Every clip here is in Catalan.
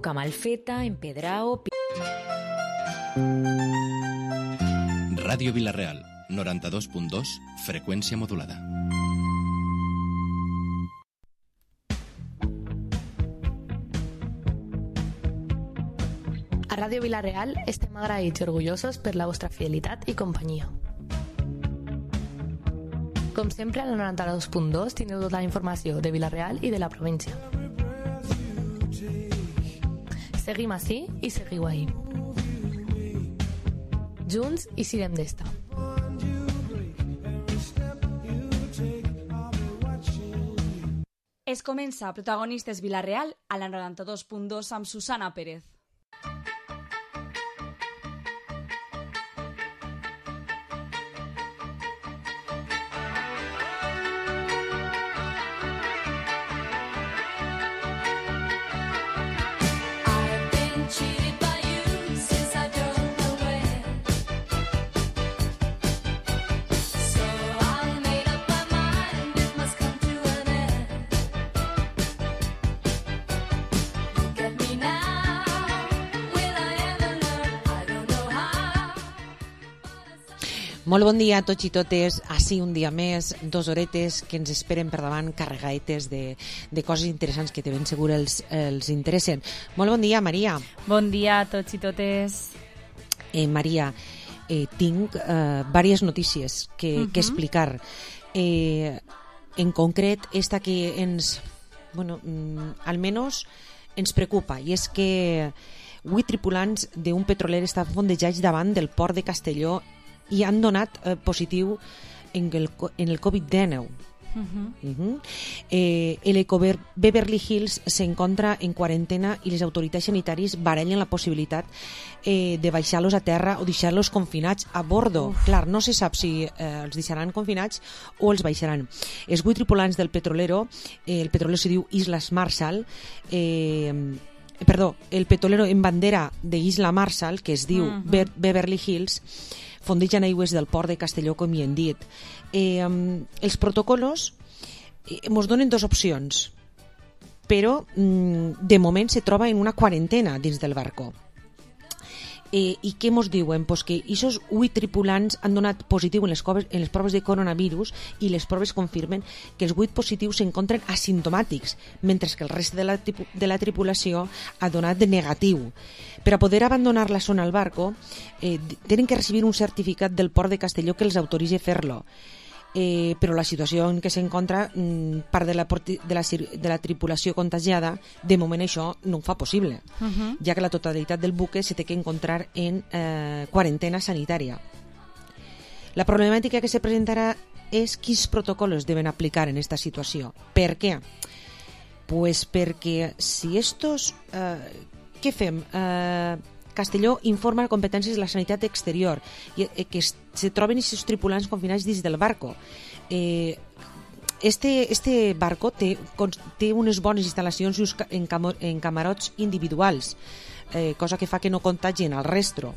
Camalfeta, Empedrao... Ràdio Vila-real, 92.2, freqüència modulada. A Ràdio Vila-real estem agraïts i orgullosos per la vostra fidelitat i companyia. Com sempre, a la 92.2 tindreu tota la informació de Vila-real i de la província. Seguim ací i seguiu ahí. Junts i sirem d'esta. Es comença Protagonistes Vila-real a la 92.2 amb Susana Pérez. Molt bon dia a tots i totes, així un dia més, 2 horetes que ens esperen per davant carregaetes de coses interessants que de ben segur els interessen. Molt bon dia, Maria. Bon dia a tots i totes. Maria, tinc diverses notícies que explicar. En concret, esta que ens, almenys ens preocupa, i és que 8 tripulants d'un petroler estaven fondejats davant del port de Castelló i han donat positiu en el Covid-19. El Eco Beverly Hills se encuentra en cuarentena y las autoridades sanitàries barallen la possibilitat de baixar-los a terra o deixar-los confinats a bordo. Clar, no se sap si els deixaran confinats o els baixaran. Els 8 tripulants del petrolero, el petrolero se diu Islas Marshall, el petrolero en bandera de Isla Marshall, que es diu Beverly Hills, fondegen aigües del port de Castelló, com hi hem dit. Els protocolos ens donen 2 opcions, però de moment se troba en una quarantena dins del barco. I què ens diuen? Pues que aquests 8 tripulants han donat positiu en les proves de coronavirus i les proves confirmen que els 8 positius s'encontren asimptomàtics, mentre que el rest de la tripulació ha donat de negatiu. Per a poder abandonar la zona al barco, tenen que recibir un certificat del port de Castelló que els autoritzi a fer-lo. Però la situació en què s'encontra part de la tripulació contagiada, de moment això no ho fa possible, ja que la totalitat del buque se té que encontrar en quarantena sanitària. La problemàtica que se presentarà és quins protocols deben aplicar en aquesta situació. Per què? Pues perquè si estos... què fem? Castelló informa competències de la sanitat exterior i que se troben aquests tripulants confinats dins del barco. Este barco té unes bones instal·lacions en camarots individuals, cosa que fa que no contagien al resto.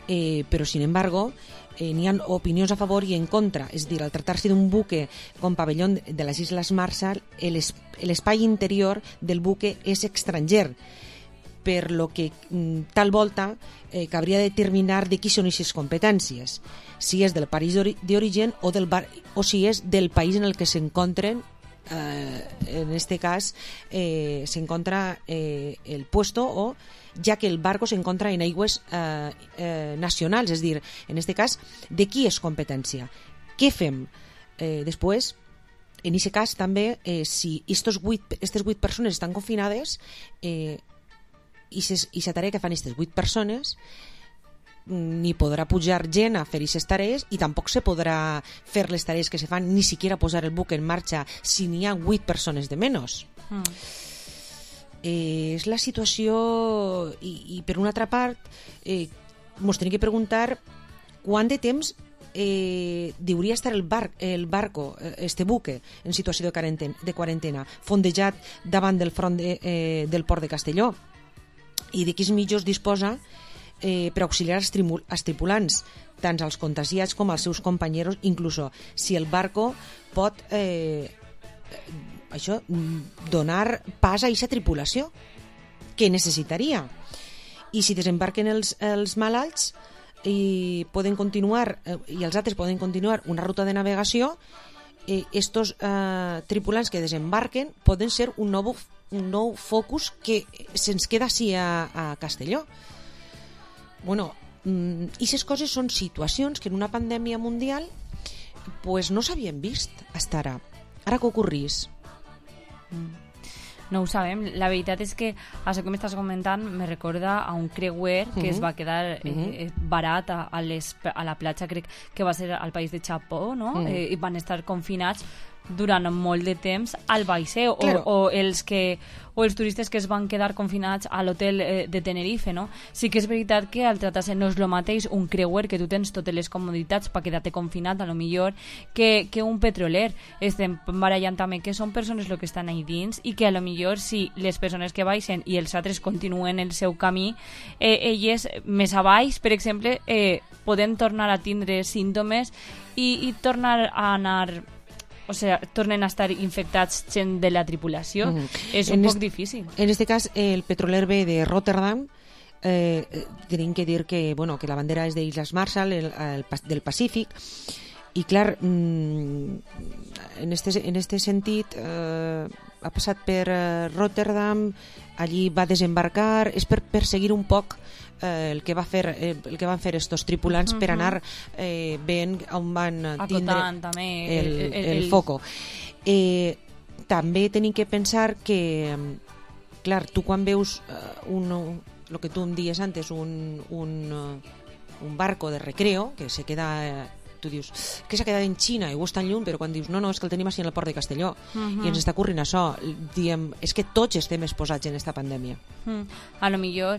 Però, sin embargo, n'hi ha opinions a favor i en contra. És a dir, al tractar-se d'un buque com pavelló de les Isles Marshall, l'espai interior del buque és estranger, per lo que tal volta cabria determinar de qui són aquestes competències, si és del país d'origen o si és del país en el que s'encontren. En este cas s'encontra el puesto, o ja que el barco s'encontra en aigües nacionals, és a dir, en este cas, de qui és competència? Què fem? Després, en aquest cas també, si aquestes 8 persones estan confinades, i la tarea que fan aquestes 8 persones, ni podrà pujar gent a fer aquestes tarees i tampoc se podrà fer les tarees que se fan, ni siquiera posar el buque en marxa si n'hi ha 8 persones de menys. És la situació, i per una altra part ens tenim que preguntar quant de temps hauria estar el barco, este buque, en situació de quarantena, fondejat davant del front del port de Castelló, i de quins mitjans disposa per auxiliar els tripulants, tant als contagiats com als seus companys, inclús si el barco pot això, donar pas a aquesta tripulació que necessitaria. I si desembarquen els malalts i poden continuar, i els altres poden continuar una ruta de navegació, estos tripulants que desembarquen poden ser un nou focus que se'ns queda així a Castelló. Bueno, i aquestes coses són situacions que en una pandèmia mundial pues no s'havien vist fins ara. Ara que ocorrís? No ho sabem. La veritat és que això que m'estàs comentant me recorda a un creuer que es va quedar barat a la platja, crec que va ser al país de Japó, no? I van estar confinats durant molt de temps al vaixell, claro. o els turistes que es van quedar confinats a l'hotel de Tenerife, no? Sí que és veritat que al tractar-se no és el mateix un creuer, que tu tens totes les comoditats per quedar-te confinat, a lo millor, que un petroler. Estem barallant també que són persones el que estan ahí dins i que a lo millor si les persones que baixen i els altres continuen el seu camí, elles més a baix, per exemple, poden tornar a tindre símptomes i tornar a anar... O sea, tornen a estar infectats gent de la tripulació. És un poc difícil. En este cas, el petroler ve de Rotterdam. Tenim que dir que, bueno, que la bandera és d'Islas Marshall, del Pacífic. I, clar, en este sentit, ha passat per Rotterdam, allí va desembarcar, és per seguir un poc el que van fer estos tripulants per anar veient on van tindre el foco. També tenim que pensar que, clar, tu quan veus el que tu em dies antes, un barco de recreo que se queda... Tu dius que s'ha quedat en Xina i ho està en llum, però quan dius no, és que el tenim així en el port de Castelló i ens està ocorrent això, diem, és que tots estem exposats en esta pandèmia. A lo millor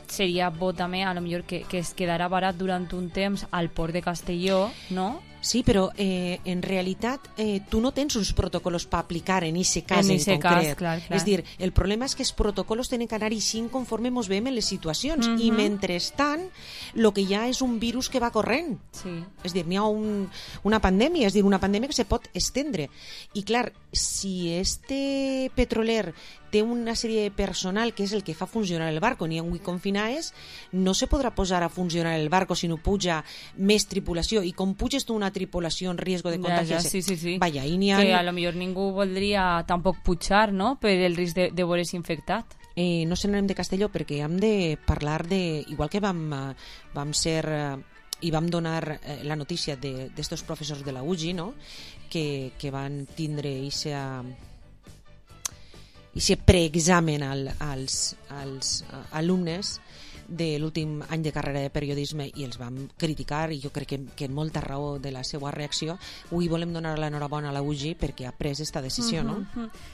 seria bo també, a lo millor que es quedarà barat durant un temps al port de Castelló, no? Sí, però en realitat tu no tens uns protocols per aplicar en aquest cas en concret. Clar. És dir, el problema és que els protocols tenen que anar així conforme ens veiem en les situacions i mentrestant el que hi ha és un virus que va corrent. Sí. És dir, n'hi ha una pandèmia, és dir, una pandèmia que se pot estendre. I clar, si este petroler té una sèrie de personal que és el que fa funcionar el barco, n'hi ha un confinades, no se podrà posar a funcionar el barco si no puja més tripulació. I com puges tu una tripulació en risc de contagiar-se? Sí. Vaja, que a lo millor ningú voldria tampoc pujar, no?, per el risc de veure's infectat. No se n'anem de Castelló perquè hem de parlar de... Igual que vam ser... i vam donar la notícia d'estos professors de la UGI, no?, que van tindre aquest preexamen als alumnes de l'últim any de carrera de periodisme i els vam criticar i jo crec que en molta raó de la seva reacció. Avui volem donar l'enhorabona a la UGI perquè ha pres aquesta decisió, no?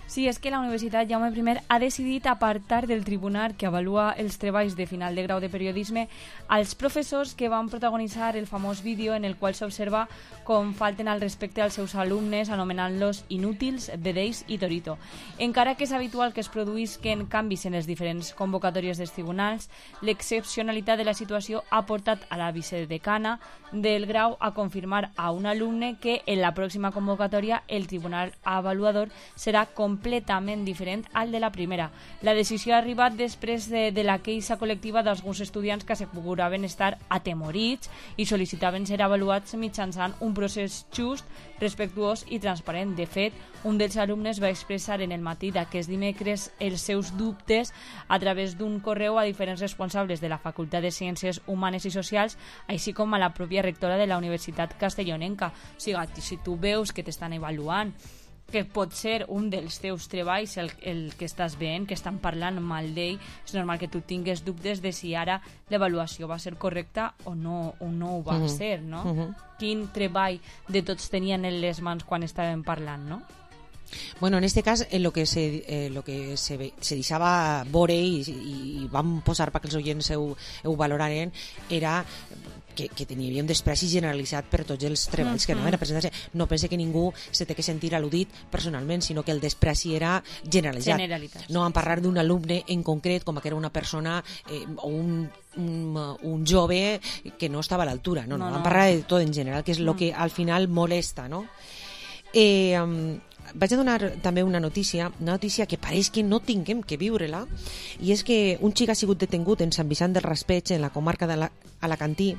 Sí, és que la Universitat Jaume I ha decidit apartar del tribunal que avalua els treballs de final de grau de periodisme als professors que van protagonitzar el famós vídeo en el qual s'observa com falten al respecte als seus alumnes anomenant-los inútils, vedells i torito. Encara que és habitual que es produïsquen canvis en les diferents convocatòries dels tribunals, l'excepcionalitat de la situació ha portat a la vicedecana del grau a confirmar a un alumne que en la pròxima convocatòria el tribunal avaluador serà completament diferent al de la primera. La decisió ha arribat després de la queixa col·lectiva d'alguns estudiants que asseguraven estar atemorits i sol·licitaven ser avaluats mitjançant un procés just, respectuós i transparent. De fet, un dels alumnes va expressar en el matí d'aquest dimecres els seus dubtes a través d'un correu a diferents responsables de la Facultat de Ciències Humanes i Socials, així com a la pròpia rectora de la Universitat Castellonenca. O sigui, si tu veus que t'estan avaluant, que pot ser un dels teus treballs el que estàs veient, que estan parlant mal d'ell, és normal que tu tingues dubtes de si ara l'avaluació va ser correcta o no ho va ser, no? Quin treball de tots tenien en les mans quan estaven parlant, no? Bueno, en este cas lo que se deixava veure i vam posar perquè els oients ho valoraren era que tenia un despreci generalitzat per tots els treballs que anaven a presentar-se. No pense que ningú se té que sentir al·ludit personalment, sinó que el despreci era generalitzat. No vam parlar d'un alumne en concret com que era una persona o un jove que no estava a l'altura. No, vam parlar de tot en general, que és el que al final molesta, no? vaig a donar també una notícia que pareix que no tinguem que viure-la, i és que un xic ha sigut detengut en Sant Vicent del Raspeig, en la comarca de l'Alacantí,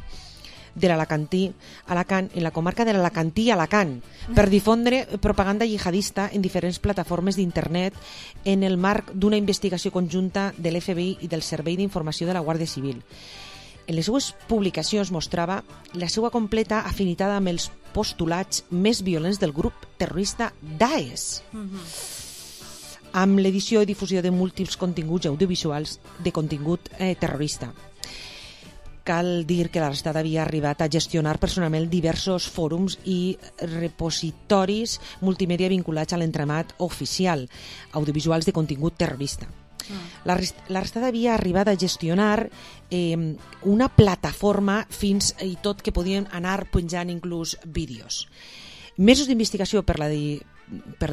Alacant, en la comarca de l'Alacantí i Alacant, per difondre propaganda jihadista en diferents plataformes d'internet en el marc d'una investigació conjunta de l'FBI i del Servei d'Informació de la Guàrdia Civil. En les seues publicacions mostrava la seva completa afinitat amb els postulats més violents del grup terrorista Daesh, amb l'edició i difusió de múltiples continguts audiovisuals de contingut terrorista. Cal dir que l'arrestat havia arribat a gestionar personalment diversos fòrums i repositoris multimèdia vinculats a l'entramat oficial, audiovisuals de contingut terrorista. L'arrestat havia arribat a gestionar una plataforma fins i tot que podien anar penjant inclús vídeos. Mesos d'investigació per la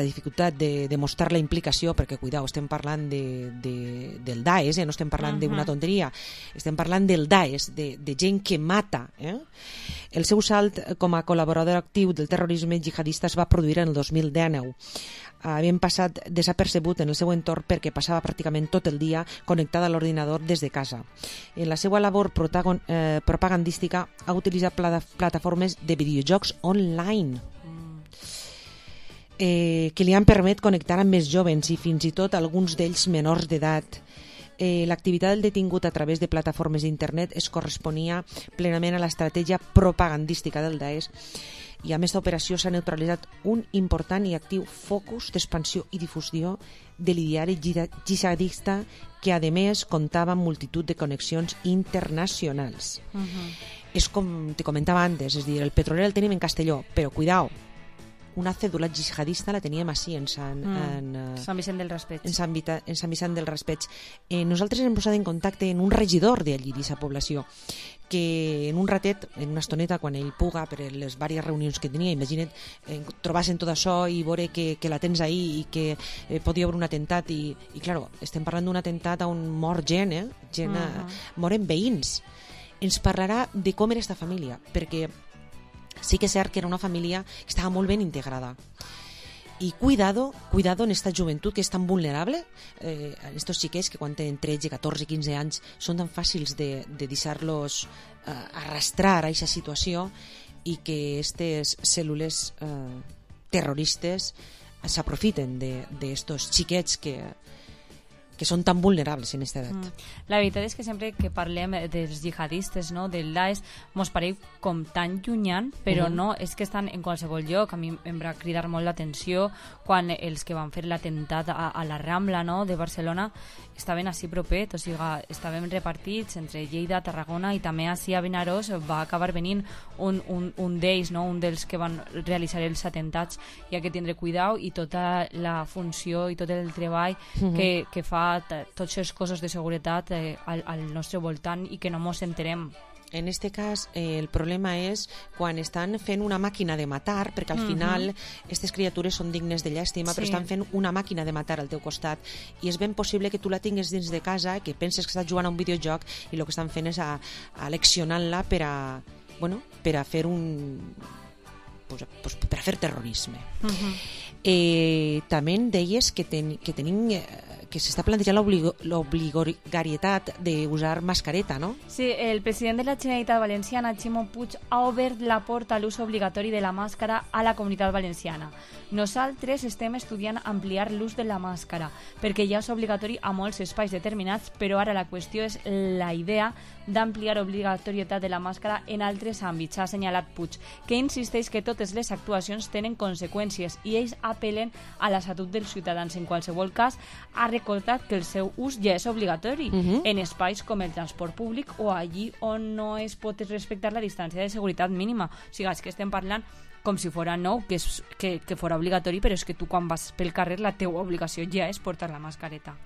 dificultat de demostrar la implicació, perquè, cuidao, estem parlant del Daesh, no estem parlant d'una tonteria, estem parlant del Daesh, de gent que mata. El seu salt com a col·laborador actiu del terrorisme jihadista es va produir en el 2019. Havien passat desapercebut en el seu entorn perquè passava pràcticament tot el dia connectat a l'ordinador des de casa. En la seva labor propagandística ha utilitzat plataformes de videojocs online que li han permès connectar amb més jovens i fins i tot alguns d'ells menors d'edat. L'activitat del detingut a través de plataformes d'internet es corresponia plenament a l'estratègia propagandística del Daesh, i amb aquesta operació s'ha neutralitzat un important i actiu focus d'expansió i difusió de l'ideari jihadista que, a més, comptava amb multitud de connexions internacionals. És com te comentava antes, és dir, el petroler el tenim en Castelló, però cuidao, una cèdula jihadista la teníem així en Sant Vicent del Raspeig. En Sant Vicent del Raspeig. Nosaltres hem posat en contacte amb un regidor d'allí, d'aquesta població, que en un ratet, en una estoneta, quan ell puga, per les diverses reunions que tenia, imagina't, trobar-se en tot això i veure que la tens ahí i que podia haver un atemptat i claro, estem parlant d'un atemptat on mor gent, moren veïns. Ens parlarà de com era aquesta família, perquè sí que és cert que era una família que estava molt ben integrada. I cuidado en esta joventut que és tan vulnerable, estos xiquets que quan tenen 13, 14, 15 anys són tan fàcils de deixar-los arrastrar a aquesta situació, i que aquestes cèl·lules terroristes s'aprofiten d'estos xiquets que són tan vulnerables en aquesta edat. La veritat és que sempre que parlem dels jihadistes, no, del Daesh, mos pareix com tan llunyant, però no, és que estan en qualsevol lloc. A mi em va cridar molt l'atenció quan els que van fer l'atemptat a la Rambla, no, de Barcelona estaven així propet, o sigui, estaven repartits entre Lleida, Tarragona, i també així a Vinaròs va acabar venint un d'ells, no, un dels que van realitzar els atemptats. Hi ha que tindre cuidao, i tota la funció i tot el treball que fa tots els cossos de seguretat al nostre voltant i que no mos enterem. En este cas, el problema és quan estan fent una màquina de matar, perquè al final aquestes criatures són dignes de llàstima, però estan fent una màquina de matar al teu costat, i és ben possible que tu la tingues dins de casa, que penses que estàs jugant a un videojoc i el que estan fent és aleccionant-la per a fer per a fer terrorisme. També deies que tenim que s'està plantejant l'obligatorietat d'usar mascareta, no? Sí, el president de la Generalitat Valenciana, Ximo Puig, ha obert la porta a l'ús obligatori de la màscara a la Comunitat Valenciana. Nosaltres estem estudiant ampliar l'ús de la màscara, perquè ja és obligatori a molts espais determinats, però ara la qüestió és la idea d'ampliar obligatorietat de la màscara en altres àmbits, ha assenyalat Puig, que insisteix que totes les actuacions tenen conseqüències i ells apel·len a la salut dels ciutadans. En qualsevol cas, ha recordat que el seu ús ja és obligatori en espais com el transport públic o allí on no es pot respectar la distància de seguretat mínima. O sigui, és que estem parlant com si fora nou, que fora obligatori, però és que tu quan vas pel carrer la teua obligació ja és portar la mascareta.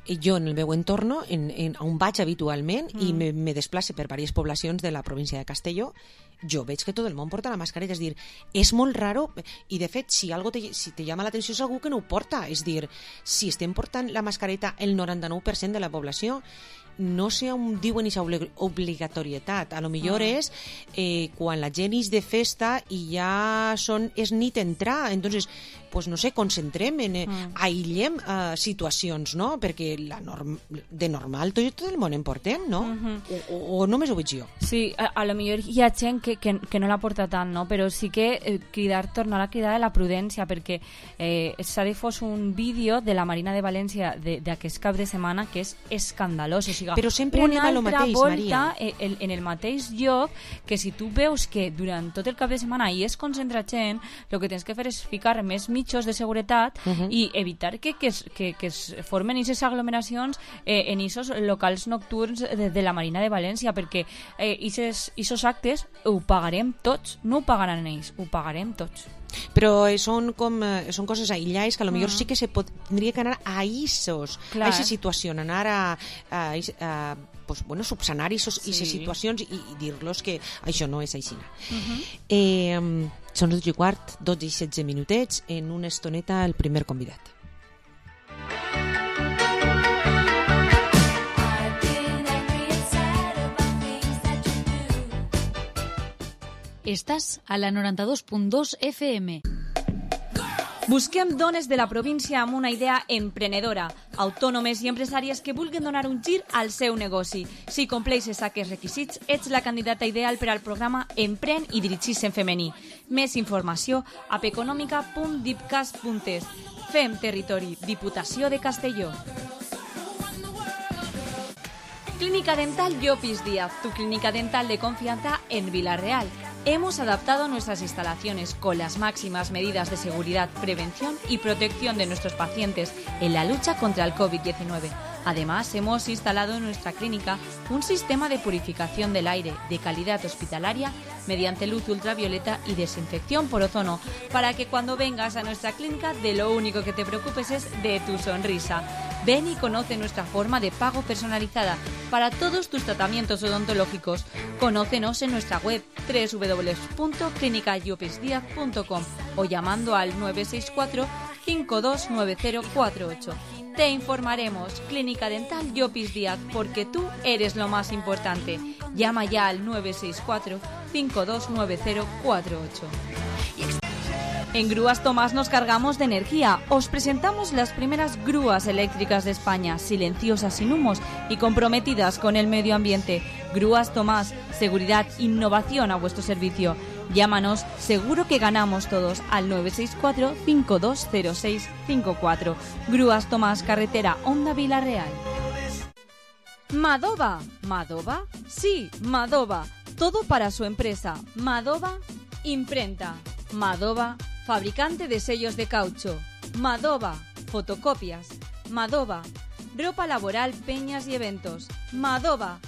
Jo en el meu entorn, on vaig habitualment i me desplace per diverses poblacions de la província de Castelló, jo veig que tot el món porta la mascareta. És dir, és molt raro, i de fet si te llama l'atenció és algú que no ho porta. És dir, si estem portant la mascareta el 99% de la població, no sé on diuen aquesta obligatorietat. A lo millor és quan la gent és de festa i ja és nit entrar, entonces pues, no sé, concentrem, aïllem situacions, no? Perquè de normal tot el món en portem, no? O només ho veig jo? Sí, a lo millor hi ha gent que no la porta tant, no? Però sí que tornar a cridar a la prudència, perquè s'ha difós un vídeo de la Marina de València d'aquest cap de setmana que és escandalós. O sigui, però sempre anem a lo mateix, Maria. En el mateix lloc, que si tu veus que durant tot el cap de setmana hi es concentra gent, el que tens que fer és ficar més mitjos de seguretat i evitar que es formen aquestes aglomeracions en aquests locals nocturns de la Marina de València, perquè aquests actes ho pagarem tots, no ho pagaran ells, ho pagarem tots. Però són coses aïllades que a lo millor sí que tindria que anar a aquesta situació, anar a subsanar aquestes situacions i dir-los que això no és així. Són 12:15, 12 i 16 minutets, en una estoneta el primer convidat. Estàs a la 92.2 FM. Busquem dones de la província amb una idea emprenedora, autònomes i empresàries que vulguin donar un gir al seu negoci. Si compleixes aquests requisits, ets la candidata ideal per al programa Empren i dirigis en femení. Més informació a econòmica.dipcas.es. Fem territori, Diputació de Castelló. Clínica Dental Llopis Díaz, tu clínica dental de confianza en Vila-real. Hemos adaptado nuestras instalaciones con las máximas medidas de seguridad, prevención y protección de nuestros pacientes en la lucha contra el COVID-19. Además, hemos instalado en nuestra clínica un sistema de purificación del aire de calidad hospitalaria mediante luz ultravioleta y desinfección por ozono, para que cuando vengas a nuestra clínica de lo único que te preocupes es de tu sonrisa. Ven y conoce nuestra forma de pago personalizada para todos tus tratamientos odontológicos. Conócenos en nuestra web www.clinicallopisdiaz.com o llamando al 964 529048. Te informaremos. Clínica Dental Llopis Díaz, porque tú eres lo más importante. Llama ya al 964 529048. En Grúas Tomás nos cargamos de energía. Os presentamos las primeras grúas eléctricas de España, silenciosas, sin humos y comprometidas con el medio ambiente. Grúas Tomás, seguridad, innovación a vuestro servicio. Llámanos, seguro que ganamos todos, al 964 520654. Grúas Tomás, carretera Honda Vila-real. Madova. ¿Madova? Sí, Madova. Todo para su empresa. Madova Imprenta. Madova, fabricante de sellos de caucho. Madova, fotocopias. Madova, ropa laboral, peñas y eventos. Madova,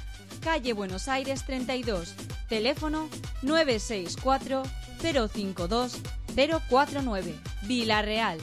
calle Buenos Aires 32. Teléfono 964 052 049. Vila-real.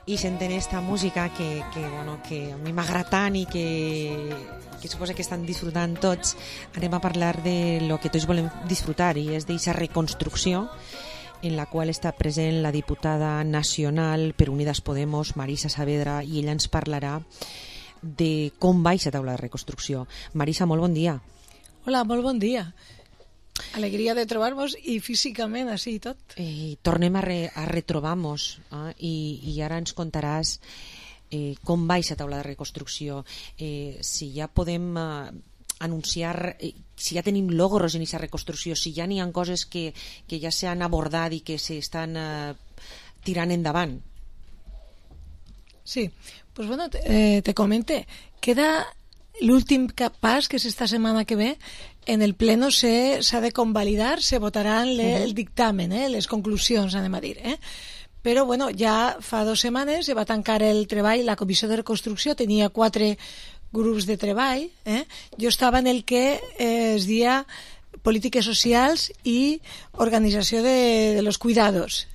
I senten esta música que a mi m'agrada tant i que suposa que estan disfrutant tots, anem a parlar de lo que tots volem disfrutar, i és d'aquesta reconstrucció en la qual està present la diputada nacional per Unidas Podemos, Marisa Saavedra, i ella ens parlarà de com va aquesta taula de reconstrucció. Marisa, molt bon dia. Hola, molt bon dia. Alegria de trobar-nos i físicament així i tot. Tornem a retrobar-nos i ara ens contaràs com va aquesta taula de reconstrucció, si ja podem anunciar, si ja tenim logros en aquesta reconstrucció, si ja n'hi ha coses que ja s'han abordat i que s'estan tirant endavant. Sí, pues bueno, te comenté, queda l'últim pas, que és esta setmana que ve, en el pleno s'ha de convalidar, se votaran el dictamen, les conclusions, anem a dir. Però, bueno, ja fa 2 setmanes va tancar el treball, la Comissió de Reconstrucció tenia 4 grups de treball. Jo estava en el que es deia Polítiques Socials i Organització de los Cuidados.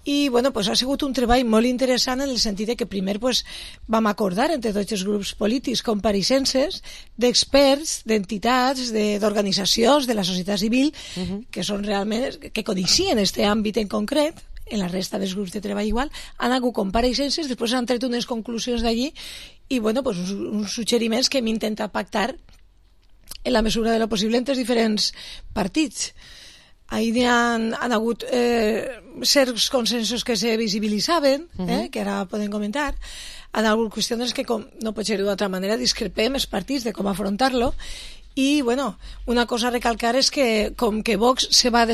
I, bueno, pues ha sigut un treball molt interessant en el sentit que primer vam acordar entre tots els grups polítics compareixences d'experts, d'entitats, d'organitzacions de la societat civil que són realment, que coneixien aquest àmbit en concret. En la resta dels grups de treball igual, han hagut compareixences, després han tret unes conclusions d'allí i, bueno, pues uns suggeriments que hem intentat pactar en la mesura de lo possible entre els diferents partits. Ahir han hagut certs consensos que se visibilitzaven, que ara podem comentar. Han hagut qüestions que, com no pot ser d'altra manera, discrepem els partits de com afrontar-lo. I, bueno, una cosa a recalcar és que com que Vox se va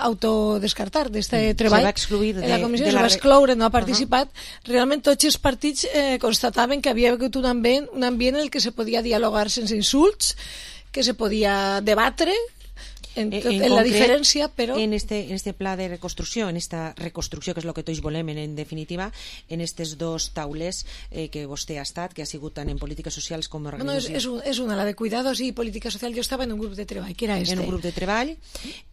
autodescartar d'aquest treball, se va excluir la comissió se va excloure, no ha participat, realment tots els partits constataven que havia hagut un ambient en el que se podia dialogar sense insults, que se podia debatre en la diferència, però... En este pla de reconstrucció, en esta reconstrucció, que és el que tots volem en definitiva, en aquestes 2 taules que vostè ha estat, que ha sigut tant en polítiques socials com en organització. No, és una, la de cuidados i política social. Jo estava en un grup de treball, que era este. En un grup de treball,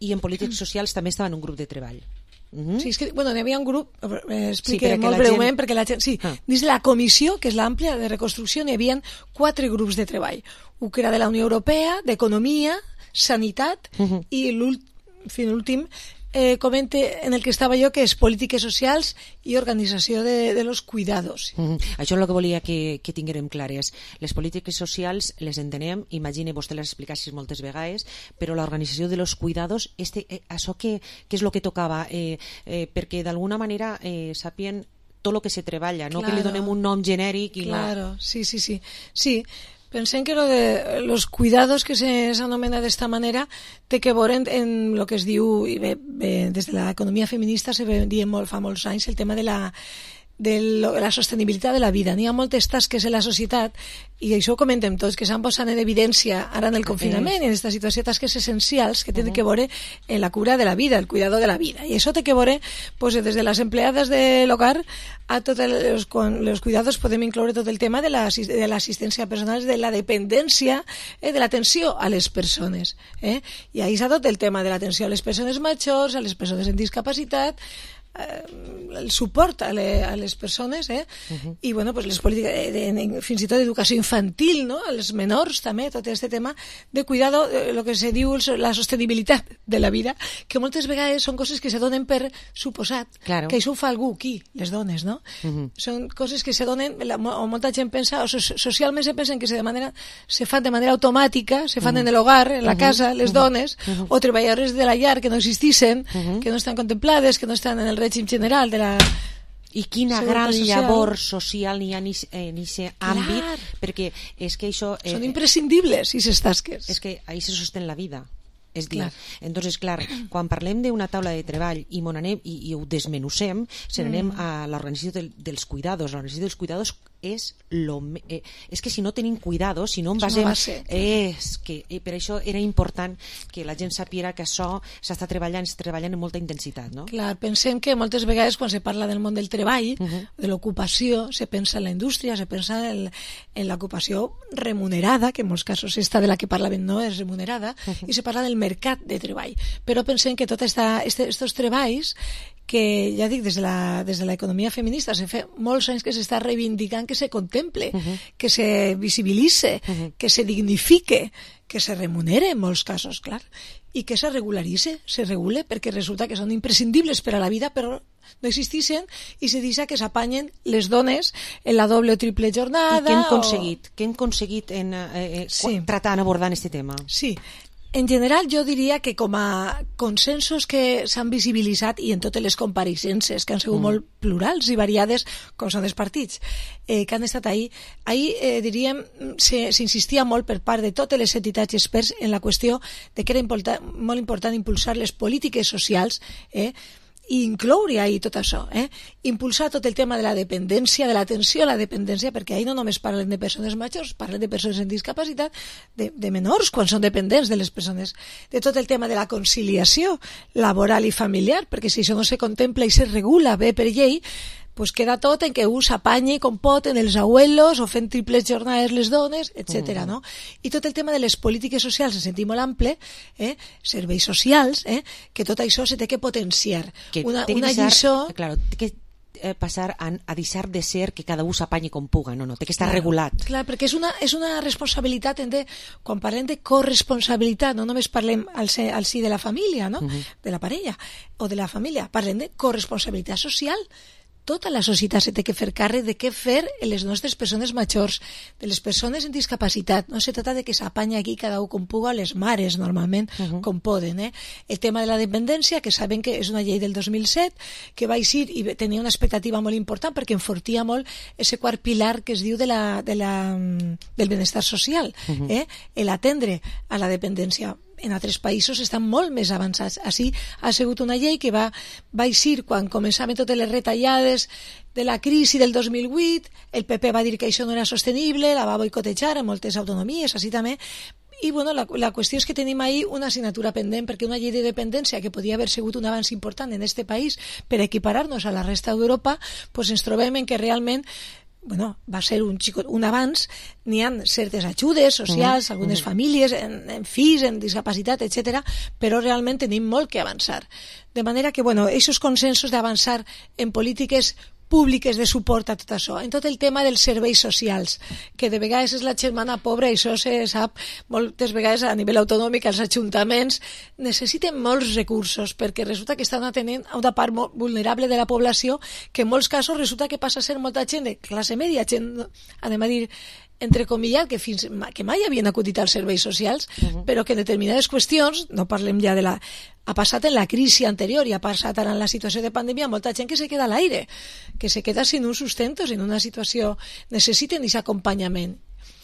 i en polítiques socials també estava en un grup de treball. Sí, és que, bueno, n'hi havia un grup, expliqué molt breument, perquè la gent... Sí, dins la comissió, que és l'àmplia de reconstrucció, n'hi havia 4 grups de treball. Un que era de la Unió Europea, d'Economia, Sanitat, i l'últim comente en el que estava jo, que és Polítiques Socials i Organització de los Cuidados. Això és el que volia que tinguérem clares. Les polítiques socials les entenem, imagine, vostè les explicassis moltes vegades, però l'organització de los cuidados, això què és el que tocava? Perquè d'alguna manera sàpien tot el que se treballa, no que li donem un nom genèric. Claro, sí. Sí, pensem que lo de los cuidados, que s'anomena d'esta manera, té que veure en lo que es diu, i bé, des de l'economia feminista se diu fa molts anys el tema de la sostenibilitat de la vida. N'hi ha moltes tasques en la societat, i això ho comentem tots, que s'han posat en evidència ara en el confinament, en aquesta situació, tasques essencials que tenen que veure en la cura de la vida, el cuidado de la vida. I això té que veure, pues, des de les empleades de l'hogar a tots els cuidados. Podem incloure tot el tema de l'assistència personal, de la dependència, de l'atenció a les persones. I ahí s'ha tot el tema de l'atenció a les persones majors, a les persones amb discapacitat, el suport a les persones, i, bueno, pues les polítiques, fins i tot d'educació infantil, no? Els menors també, tot aquest tema de cuidado, el que se diu la sostenibilitat de la vida, que moltes vegades són coses que se donen per suposat, que això ho fa algú, qui? Les dones, no? Són coses que se donen, o molta gent pensa, o socialment se pensen que se fan de manera automàtica, se fan en l'hogar, en la casa, les dones, o treballadores de la llar que no existissin, que no estan contemplades, que no estan en el règim general de la... I quina gran llavor social n'hi ha en aquest àmbit, perquè és que això... Són imprescindibles, aquestes tasques. És que ahí se sostén la vida. És dir, entonces, clar, quan parlem d'una taula de treball i ho desmenucem, se n'anem a l'organització dels cuidados. L'organització dels cuidados és que si no tenim cuidados, si no en basem, per això era important que la gent sapiera que això s'està treballant amb molta intensitat, no? Clar, pensem que moltes vegades quan se parla del món del treball, de l'ocupació, se pensa en la indústria, se pensa en l'ocupació remunerada, que en molts casos esta de la que parlàvem no és remunerada, i se parla del mercat de treball. Però pensem que tots aquests treballs, que ja dic, des de l'economia feminista se fa molts anys que s'està reivindicant que se contemple, que se visibilitze, que se dignifique, que se remunere en molts casos, clar, i que se regularitze, se regule, perquè resulta que són imprescindibles per a la vida, però no existeixen, i se deixa que s'apanyen les dones en la doble o triple jornada. I què hem aconseguit tratant, abordant aquest tema? Sí. En general, jo diria que com a consensos que s'han visibilitzat, i en totes les compareixences, que han sigut molt plurals i variades, com són els partits, que han estat ahir, diríem, s'insistia molt per part de totes les entitats i experts en la qüestió de que era molt important impulsar les polítiques socials, i incloure ahí tot això, impulsar tot el tema de la dependència, de l'atenció a la dependència, perquè ahí no només parlen de persones majors, parlen de persones amb discapacitat, de menors quan són dependents de les persones, de tot el tema de la conciliació laboral i familiar, perquè si això no se contempla i se regula bé per llei, pues queda tot en que un s'apanyi com pot en els abuelos o fent triples jornades les dones, etc. No? I tot el tema de les polítiques socials en sentit molt ample, serveis socials, que tot això se té que potenciar. Que una deixar, lliçó... Claro, té que passar a deixar de ser que cada un s'apanyi com puga, no, té que estar regulat. Clar, perquè és una responsabilitat, quan parlem de corresponsabilitat, no només parlem al si de la família, no? De la parella o de la família, parlem de corresponsabilitat social. Tota la societat se té que fer càrrec de què fer en les nostres persones majors, de les persones amb discapacitat. No se trata de que s'apanya aquí cada un com puga, les mares normalment com poden. El tema de la dependència, que saben que és una llei del 2007, que va eixir i tenia una expectativa molt important perquè enfortia molt ese quart pilar que es diu del benestar social, l'atendre a la dependència. En altres països estan molt més avançats. Així ha sigut una llei que va eixir quan començaven totes les retallades de la crisi del 2008, el PP va dir que això no era sostenible, la va boicotejar en moltes autonomies, així també, i bueno, la qüestió és que tenim ahí una assignatura pendent, perquè una llei de dependència que podia haver sigut un avanç important en este país per equiparar-nos a la resta d'Europa, pues ens trobem en que realment va ser un avanç, n'hi ha certes ajudes socials, algunes famílies, en fills, en discapacitat, etc., però realment tenim molt que avançar. De manera que, aquests consensos d'avançar en polítiques públiques de suport a tot això, en tot el tema dels serveis socials, que de vegades és la germana pobra, i això se sap moltes vegades a nivell autonòmic, els ajuntaments necessiten molts recursos, perquè resulta que estan atenent a una part molt vulnerable de la població, que en molts casos resulta que passa a ser molta gent de classe media, gent, anem a dir, entrecomillat, que mai havien acudit als serveis socials, però que en determinades qüestions, no parlem ja ha passat en la crisi anterior i ha passat ara en la situació de pandèmia, molta gent que se queda a l'aire, que se queda sin un sustento, sin una situació, necessiten aquest acompanyament.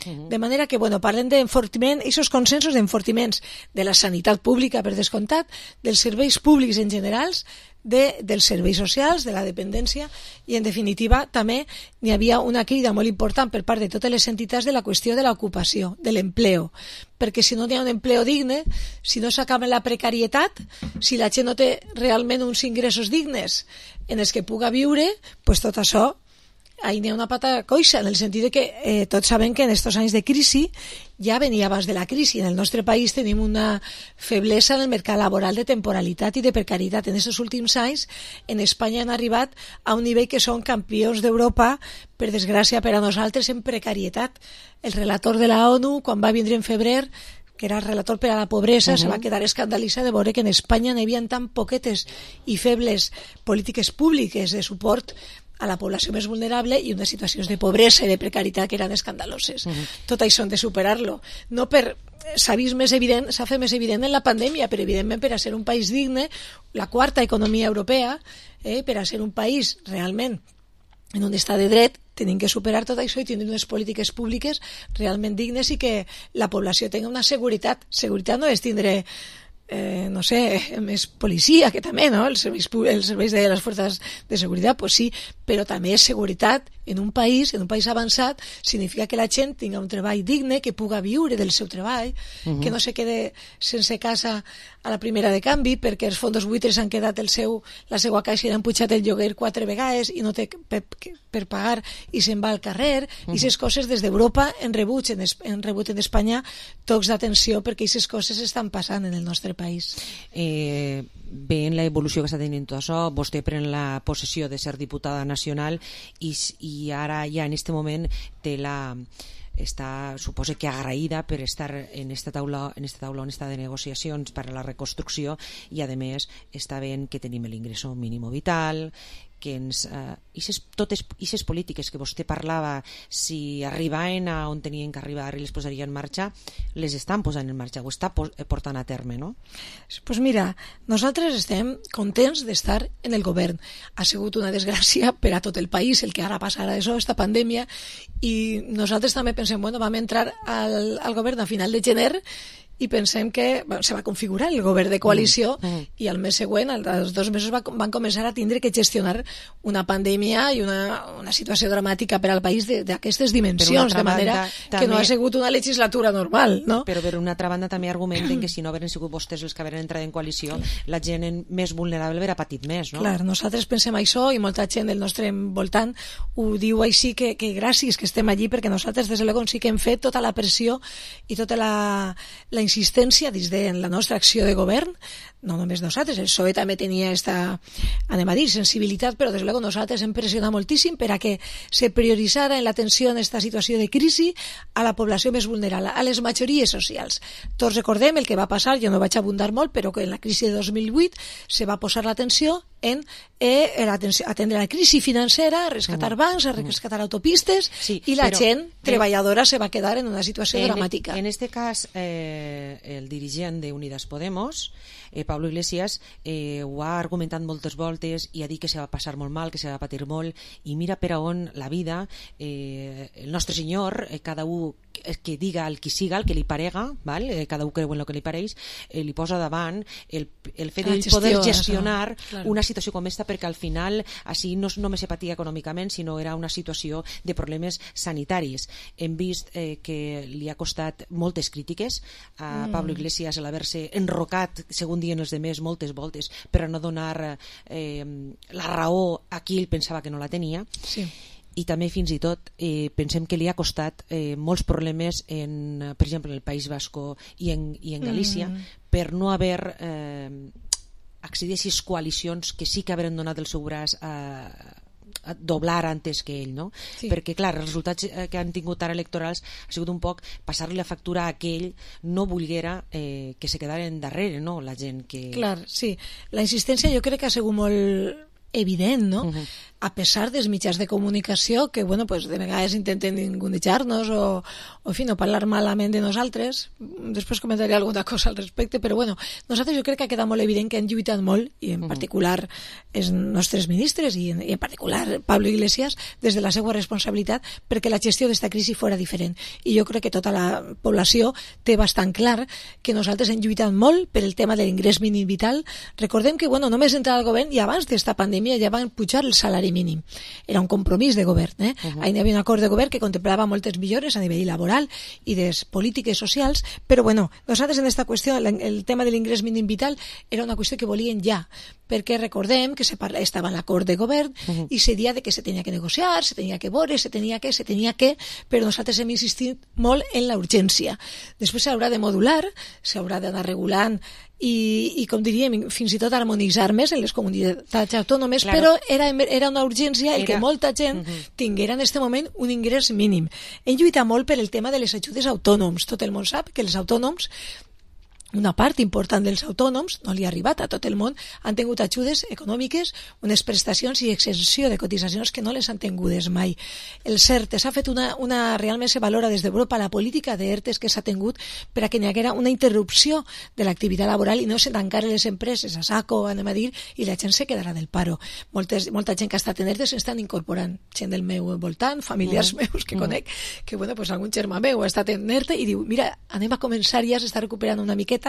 De manera que, parlem d'enfortiment, aquests consensos d'enfortiments de la sanitat pública, per descomptat, dels serveis públics en generals, dels serveis socials, de la dependència, i en definitiva també n'hi havia una crida molt important per part de totes les entitats de la qüestió de l'ocupació, de l'empleo, perquè si no hi ha un empleo digne, si no s'acaba la precarietat, si la gent no té realment uns ingressos dignes en els que puga viure, pues tot això ahí n'hi ha una pata coixa, en el sentit de que tots sabem que en aquests anys de crisi ja venia abans de la crisi. En el nostre país tenim una feblesa en el mercat laboral de temporalitat i de precarietat. En aquests últims anys en Espanya han arribat a un nivell que són campions d'Europa, per desgràcia per a nosaltres, en precarietat. El relator de la ONU, quan va vindre en febrer, que era el relator per a la pobresa, se va quedar escandalitzat de veure que en Espanya n'hi havia tan poquetes i febles polítiques públiques de suport a la població més vulnerable i unes situacions de pobresa i de precarietat que eren escandaloses. Tot això hem de superar-lo. No s'ha fet més evident en la pandèmia, però evidentment per a ser un país digne, la quarta economia europea, per a ser un país realment en un estat de dret, tenim que superar tot això i tenir unes polítiques públiques realment dignes i que la població tingui una seguretat. Seguretat no és tindre més policia, que també, no? Els serveis de les forces de seguretat, pues sí, però també és seguretat en un país avançat, significa que la gent tingui un treball digne, que puga viure del seu treball, que no se quede sense casa a la primera de canvi, perquè els fondos buitres han quedat la seva caixa i han pujat el lloguer 4 vegades i no té per pagar i se'n va al carrer, i aquestes coses des d'Europa han rebut en Espanya tocs d'atenció, perquè aquestes coses estan passant en el nostre país. Veient l'evolució que està tenint tot això, vostè pren la possessió de ser diputada nacional i ara ja en aquest moment està, suposo que agraïda per estar en esta taula de negociacions per a la reconstrucció, i a més està veient que tenim l'ingresso mínim vital, que totes aquestes polítiques que vostè parlava, si arribaven a on tenien que arribar i les posaria en marxa, les estan posant en marxa, ho està portant a terme, no? Pues mira, nosaltres estem contents d'estar en el govern. Ha sigut una desgràcia per a tot el país el que ara passarà això, esta pandèmia, i nosaltres també pensem, vam entrar al govern a final de gener i pensem que se va configurar el govern de coalició i al mes següent, als 2 mesos, van començar a tindre que gestionar una pandèmia i una situació dramàtica per al país d'aquestes dimensions, de manera que no ha sigut una legislatura normal, no? Però per una altra banda també argumenten que si no hagueren sigut vostès els que hagueren entrat en coalició, la gent més vulnerable haguera patit més, no? Clar, nosaltres pensem això i molta gent del nostre voltant ho diu així, que gràcies que estem allí, perquè nosaltres des de l'Egon sí que hem fet tota la pressió i tota la insistència dins de la nostra acció de govern, no només nosaltres, el PSOE també tenia esta, anem a dir, sensibilitat, però des de l'Egon nosaltres hem pressionat moltíssim per a que se prioritzara en l'atenció en aquesta situació de crisi a la població més vulnerable, a les majories socials. Tots recordem el que va passar, jo no vaig abundar molt, però que en la crisi de 2008 se va posar l'atenció en atendre la crisi financera, a rescatar bancs, a rescatar autopistes, i la gent treballadora se va quedar en una situació dramàtica. En este cas, el dirigent d'Unidas Podemos, Pablo Iglesias, ho ha argumentat moltes voltes i ha dit que se va passar molt mal, que se va patir molt, i mira per on la vida, el nostre senyor, cada un que diga el que siga, el que li parega, val? Cada un creu en el que li pareix, li posa davant el fet de poder gestionar una situació com esta, perquè al final així no només se patia econòmicament, sinó era una situació de problemes sanitaris. Hem vist que li ha costat moltes crítiques a Pablo Iglesias l'haver-se enrocat, segons diuen els demés, moltes voltes per a no donar la raó a qui ell pensava que no la tenia. Sí. I també fins i tot pensem que li ha costat molts problemes per exemple en el País Vasco i en Galícia per no haver accedit a aquestes coalicions que sí que haveren donat el seu braç a doblar antes que ell, no? Sí. Perquè clar, els resultats que han tingut ara electorals ha sigut un poc passar-li la factura a aquell no volguera que se quedaren darrere, no? La gent que... Clar, sí. La insistència jo crec que ha sigut molt evident, no? A pesar dels mitjans de comunicació que, bueno, pues de vegades intenten ningunejar-nos o en fi, no parlar malament de nosaltres. Després comentaré alguna cosa al respecte, però bueno, nosaltres jo crec que ha quedat molt evident que han lluitat molt, i en particular els nostres ministres i en particular Pablo Iglesias, des de la seva responsabilitat, perquè la gestió d'esta crisi fora diferent. I jo crec que tota la població té bastant clar que nosaltres hem lluitat molt per el tema de l'ingrés mínim vital. Recordem que, bueno, només entrar al govern i abans d'esta pandèmia ja van pujar el salari mínim. Era un compromís de govern. Ahí hi havia un acord de govern que contemplava moltes millores a nivell laboral i de polítiques socials, però bueno, nosaltres en aquesta qüestió, el tema de l'ingrés mínim vital era una qüestió que volien ja, perquè recordem que estava en l'acord de govern i se dia de que se tenia que negociar, se tenia que veure, se tenia que, però nosaltres hem insistit molt en la urgència. Després s'haurà de modular, s'haurà d'anar regulant i com diríem, fins i tot harmonitzar més en les comunitats autònomes, però era una urgència el que molta gent tinguera en aquest moment un ingrés mínim. Hem lluitat molt per el tema de les ajudes a autònoms. Tot el món sap que els autònoms, una part important dels autònoms, no li ha arribat a tot el món, han tingut ajudes econòmiques, unes prestacions i exenció de cotitzacions que no les han tingudes mai. El CERTE s'ha fet realment se valora des d'Europa la política d'ERTES que s'ha tingut per a que n'hi haguera una interrupció de l'activitat laboral i no se tancaren les empreses a saco, anem a dir, i la gent se quedarà del paro. Molta gent que ha estat en ERTES s'estan incorporant, gent del meu voltant, familiars meus que conec, que bueno, pues algun germà meu ha estat en ERTE i diu, mira, anem a començar ja, s'està recuperant una miqueta,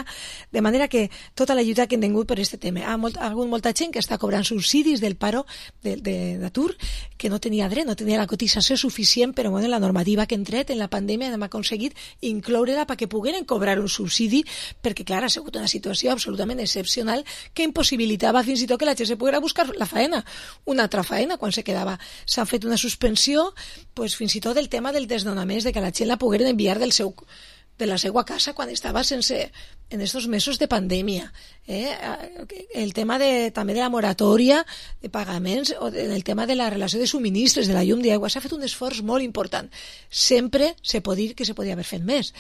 de manera que tota la lluita que hem tingut per aquest tema. Ha hagut molta gent que està cobrant subsidis del paro d'atur, que no tenia dret, no tenia la cotització suficient, però bueno, la normativa que hem tret en la pandèmia hem aconseguit incloure-la perquè pogueren cobrar un subsidi, perquè clar, ha sigut una situació absolutament excepcional que impossibilitava fins i tot que la gent se poguera buscar la faena, una altra faena quan se quedava. S'ha fet una suspensió, pues, fins i tot el tema del desnonament, de que la gent la pogueren enviar de la seva casa quan estava en estos mesos de pandèmia. El tema també de la moratòria de pagaments o el tema de la relació de subministres, de la llum d'aigua, s'ha fet un esforç molt important. Sempre se pot dir que se podia haver fet més.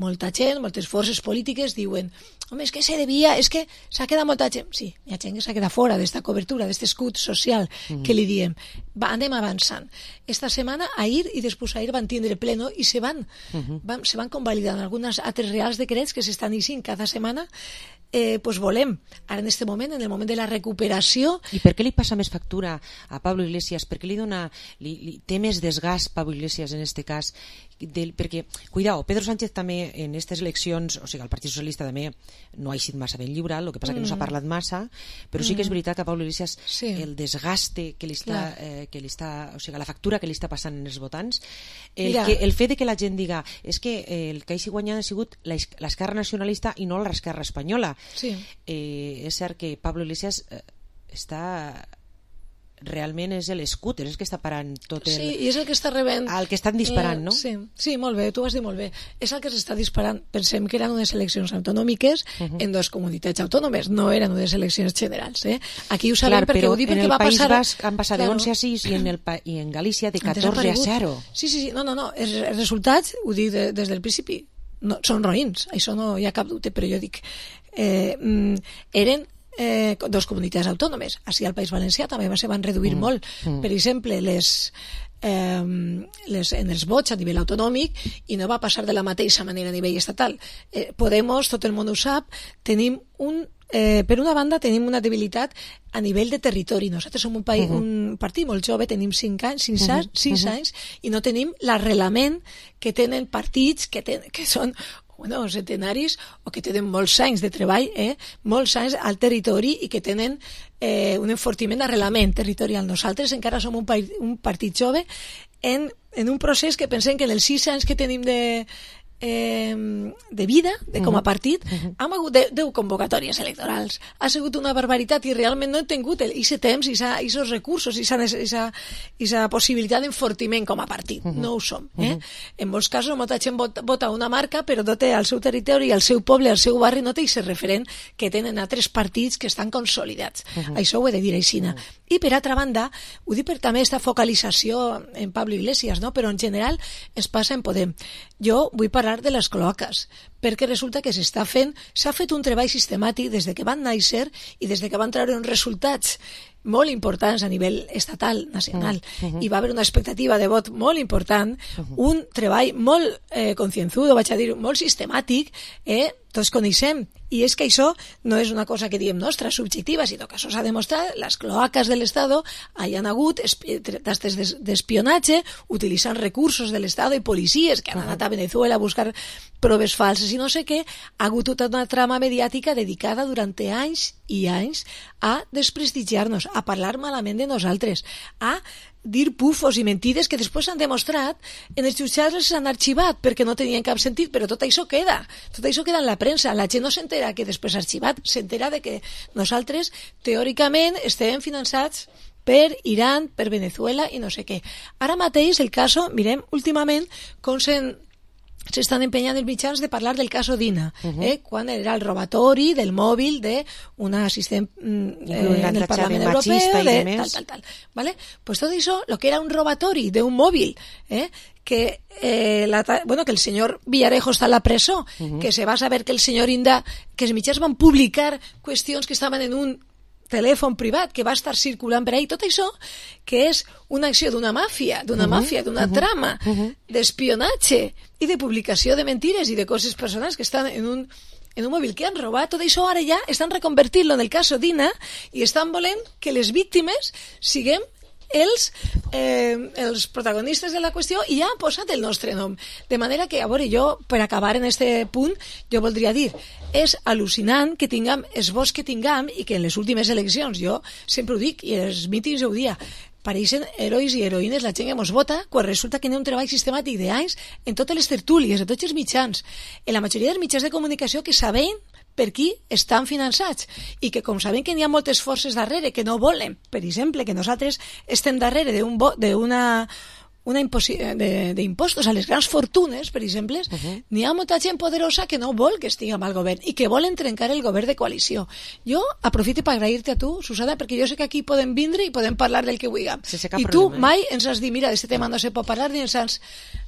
Molta gent, moltes forces polítiques diuen, home, és que se devia, és que s'ha quedat molta gent. Sí, hi ha gent que s'ha quedat fora d'esta cobertura, d'aquest escut social que li diem. Anem avançant. Esta setmana, ahir i després ahir van tindre pleno i se van convalidant algunes altres reals decrets que s'estan eixint cada setmana pues volem, ara en aquest moment, en el moment de la recuperació. I per què li passa més factura a Pablo Iglesias? Per què té més desgast Pablo Iglesias en aquest cas? Perquè, cuidao, Pedro Sánchez també en aquestes eleccions, o sigui, el Partit Socialista també no ha eixit massa ben lliurat, el que passa que no s'ha parlat massa, però sí que és veritat que a Pablo Iglesias el desgaste que li està, o sigui, la factura que li està passant en els votants, el fet de que la gent diga és que el que hagi guanyat ha sigut l'esquerra nacionalista i no l'esquerra espanyola. És cert que Pablo Iglesias realment és l'escúter, és que està parant tot el... Sí, i és el que està rebent... El que estan disparant, no? Sí, molt bé, tu ho has dit molt bé. És el que s'està disparant. Pensem que eren unes eleccions autonòmiques en dues comunitats autònomes, no eren unes eleccions generals. Aquí ho sabem perquè ho dic perquè va passar... En el País Basc han passat de 11 a 6 i en Galícia de 14 a 0. Sí, no, els resultats, ho dic des del principi, són roïns, això no hi ha cap dubte, però jo dic, eren dos comunitats autònomes. Així al País Valencià també se van reduir molt. Per exemple, en els vots a nivell autonòmic, i no va passar de la mateixa manera a nivell estatal. Podemos, tot el món ho sap, tenim per una banda tenim una debilitat a nivell de territori. Nosaltres som un partit molt jove, tenim 6 anys i no tenim l'arrelament que tenen partits que són centenaris o que tenen molts anys de treball, molts anys al territori i que tenen un enfortiment d'arrelament territorial. Nosaltres encara som un partit jove en un procés que pensem que en els 6 anys que tenim de vida, com a partit, hem hagut 10 convocatòries electorals. Ha sigut una barbaritat i realment no hem tingut aquest temps i aquests recursos i aquesta possibilitat d'enfortiment com a partit. No ho som. En molts casos molta gent vota una marca però no té al seu territori, al seu poble, al seu barri, no té aquest referent que tenen altres partits que estan consolidats. Això ho he de dir així. I per altra banda, ho dic per també aquesta focalització en Pablo Iglesias, però en general es passa en Podem. Jo vull parlar de les cloaques, perquè resulta que s'ha fet un treball sistemàtic des de que van néixer i des de que van treure uns resultats molt importants a nivell estatal, nacional, i va haver una expectativa de vot molt important, un treball molt concienzudo, vaig a dir, molt sistemàtic, tots coneixem, i és que això no és una cosa que diem nostra, subjectiva, sinó que això s'ha demostrat, les cloaques de l'Estado hi han hagut tastes d'espionatge, utilitzant recursos de l'Estado i policies que han anat a Venezuela a buscar proves falses i no sé què, ha hagut tota una trama mediàtica dedicada durant anys i anys a desprestigiar-nos, a parlar malament de nosaltres, a dir pufos i mentides que després s'han demostrat en els jutjats les han arxivat perquè no tenien cap sentit, però tot això queda en la premsa, la gent no s'entera que després s'ha arxivat, s'entera de que nosaltres teòricament estem finançats per Iran, per Venezuela i no sé què. Ara mateix el cas, mirem últimament com s'estan empenyant els mitjans de parlar del cas Dina, quan era el robatori del mòbil d'una assistent en el Parlament Europeu, tal. Pues tot això, el que era un robatori d'un mòbil, que el senyor Villarejo està a la presó, que se va saber que el senyor Inda, que els mitjans van publicar qüestions que estaven en un telèfon privat que va estar circulant per ahí, tot això que és una acció d'una màfia, d'una trama d'espionatge i de publicació de mentires i de coses personals que estan en un mòbil que han robat, tot això ara ja estan reconvertint-lo en el cas Dina i estan volent que les víctimes siguem els protagonistes de la qüestió i ja han posat el nostre nom. De manera que, a veure, jo, per acabar en aquest punt, jo voldria dir, és al·lucinant que tinguem els vots que tinguem i que en les últimes eleccions, jo sempre ho dic, i en els mítings ho dia, pareixen herois i heroïnes la gent que ens vota quan resulta que hi ha un treball sistemàtic d'anys en totes les tertúlies, en tots els mitjans, en la majoria dels mitjans de comunicació que sabem per qui estan finançats i que com sabem que n'hi ha moltes forces darrere que no volen, per exemple, que nosaltres estem darrere d'impostos a les grans fortunes, per exemple, n'hi ha molta gent poderosa que no vol que estiguem al govern i que volen trencar el govern de coalició. Jo aprofito per agrair-te a tu, Susana, perquè jo sé que aquí podem vindre i podem parlar del que vulguem. I tu mai ens has dit, mira, d'aquest tema no se pot parlar ni ens has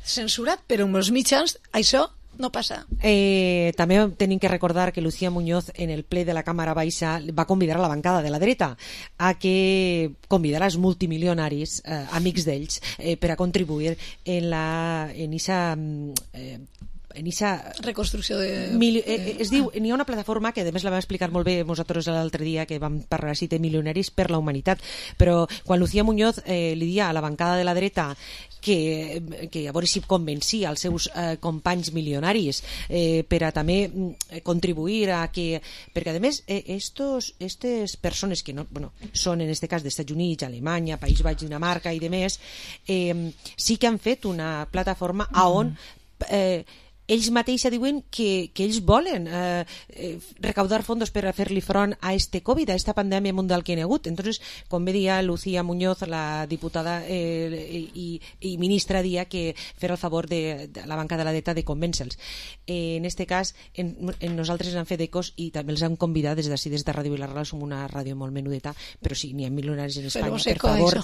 censurat, però amb els mitjans això no passa. També tenim que recordar que Lucía Muñoz en el ple de la Càmera Baixa va convidar a la bancada de la dreta a que convidar els multimilionaris, amics d'ells, per a contribuir en esa en eixa reconstrucció de... es diu, n'hi ha una plataforma que a més la vam explicar molt bé nosaltres l'altre dia que vam parlar així de milionaris per la humanitat, però quan Lucía Muñoz li dia a la bancada de la dreta que a veure si convencia els seus companys milionaris per a també contribuir a que... Perquè, a més, aquestes persones que no, bueno, són, en aquest cas, dels Estats Units, Alemanya, País Baix, Dinamarca i demés, sí que han fet una plataforma on ells mateixos diuen que ells volen recaudar fondos per a fer-li front a este Covid, a esta pandèmia mundial que hi ha hagut. Entonces, com bé dia Lucía Muñoz, la diputada i ministra, dia que fer el favor de la banca de la dreta de convèncer-los. En este cas, nosaltres hem fet ecos i també els hem convidat des d'ací, des de Ràdio Vilarreal. Som una ràdio molt menudeta, però sí, n'hi ha milionaris en Espanya. Per favor,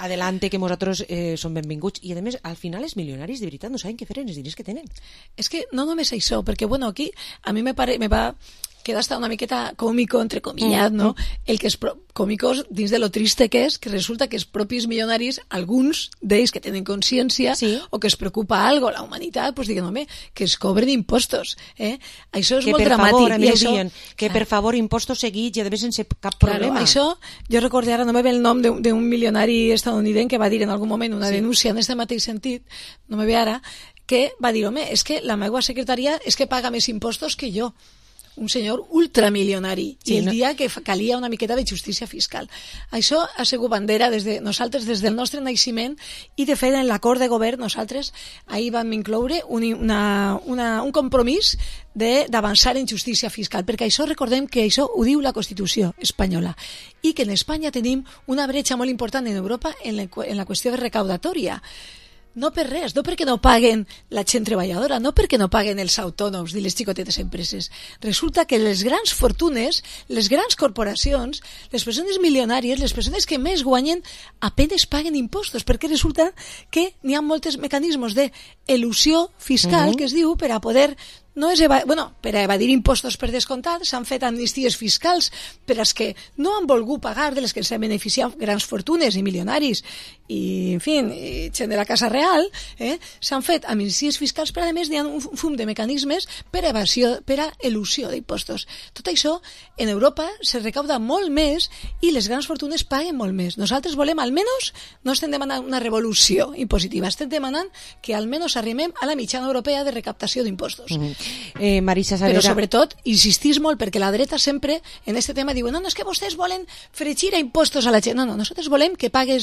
adelante, que nosaltres som benvinguts. I a més, al final, els milionaris de veritat no saben què fer amb els diners que tenen. És que no només això, perquè bueno, aquí a mi me va queda hasta una miqueta còmico, entre comillat, no? El que és còmico dins de lo triste que és, que resulta que els propis milionaris, alguns d'ells que tenen consciència o que es preocupa algo, la humanitat, pues diguen, home, que es cobren impostos. Això és molt dramàtic. Que per favor, impostos seguits i a més sense cap problema. Això, jo recordé ara, no me ve el nom d'un milionari estadounidenc que va dir en algun moment una denúncia en aquest mateix sentit, no me ve ara, que va dir, home, és que la meva secretaria és que paga més impostos que jo. Un senyor ultramilionari. I el dia que calia una miqueta de justícia fiscal. Això ha sigut bandera nosaltres des del nostre naixement i, de fet, en l'acord de govern nosaltres ahir vam incloure un compromís d'avançar en justícia fiscal, perquè això recordem que això ho diu la Constitució espanyola i que en Espanya tenim una bretxa molt important en Europa en la qüestió recaudatòria. No per res, no perquè no paguen la gent treballadora, no perquè no paguen els autònoms i les xicotetes empreses. Resulta que les grans fortunes, les grans corporacions, les persones milionàries, les persones que més guanyen, apenas paguen impostos, perquè resulta que n'hi ha molts mecanismes d'elusió fiscal, que es diu, per a poder... per a evadir impostos per descomptat, s'han fet amnisties fiscals per als que no han volgut pagar, de les que s'han beneficiat grans fortunes i milionaris i, en fi, gent de la Casa Real, s'han fet amnisties fiscals, però a més hi ha un fum de mecanismes per a elusió d'impostos. Tot això en Europa se recauda molt més i les grans fortunes paguen molt més. Nosaltres volem, almenys, no estem demanant una revolució impositiva, estem demanant que almenys arribem a la mitjana europea de recaptació d'impostos. Marisa Savera... Però sobretot insistís molt, perquè la dreta sempre en aquest tema diu, no, és que vostès volen fregir a impostos a la gent. No, nosaltres volem que pague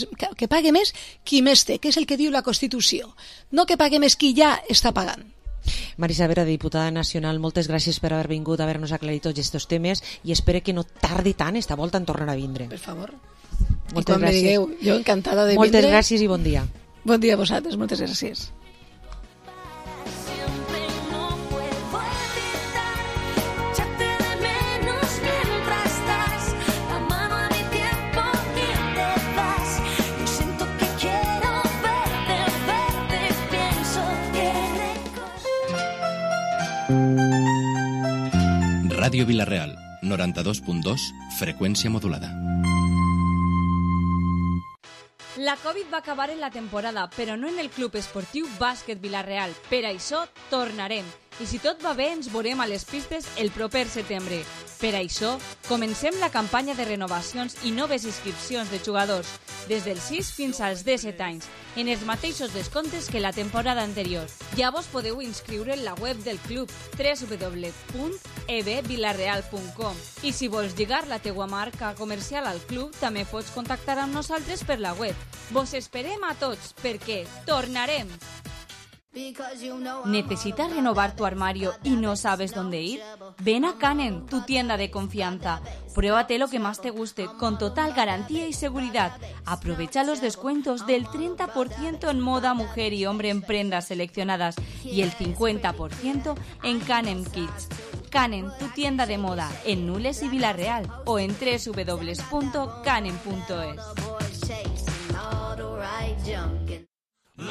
més qui més té, que és el que diu la Constitució, no que pague més qui ja està pagant. Marisa Savera, diputada nacional, moltes gràcies per haver vingut a haver-nos aclarit tots aquests temes i espero que no tardi tant esta volta en tornar a vindre. Per favor. Moltes gràcies. Digueu, jo encantada de vindre. Moltes gràcies i bon dia. Bon dia a vosaltres, moltes gràcies. Ràdio Vilarreal, 92.2, freqüència modulada. La Covid va acabar en la temporada, però no en el Club Esportiu Bàsquet Vilarreal. Per això tornarem. I si tot va bé, ens veurem a les pistes el proper setembre. Per això, comencem la campanya de renovacions i noves inscripcions de jugadors, des dels 6 fins als 17 anys, en els mateixos descomptes que la temporada anterior. Ja vos podeu inscriure en la web del club www.ebvilarreal.com i si vols lligar la teua marca comercial al club, també pots contactar amb nosaltres per la web. Vos esperem a tots, perquè tornarem! ¿Necesitas renovar tu armario y no sabes dónde ir? Ven a Canem, tu tienda de confianza. Pruébate lo que más te guste, con total garantía y seguridad. Aprovecha los descuentos del 30% en moda mujer y hombre en prendas seleccionadas y el 50% en Canem Kids. Canem, tu tienda de moda, en Nules y Vilarreal o en www.canem.es.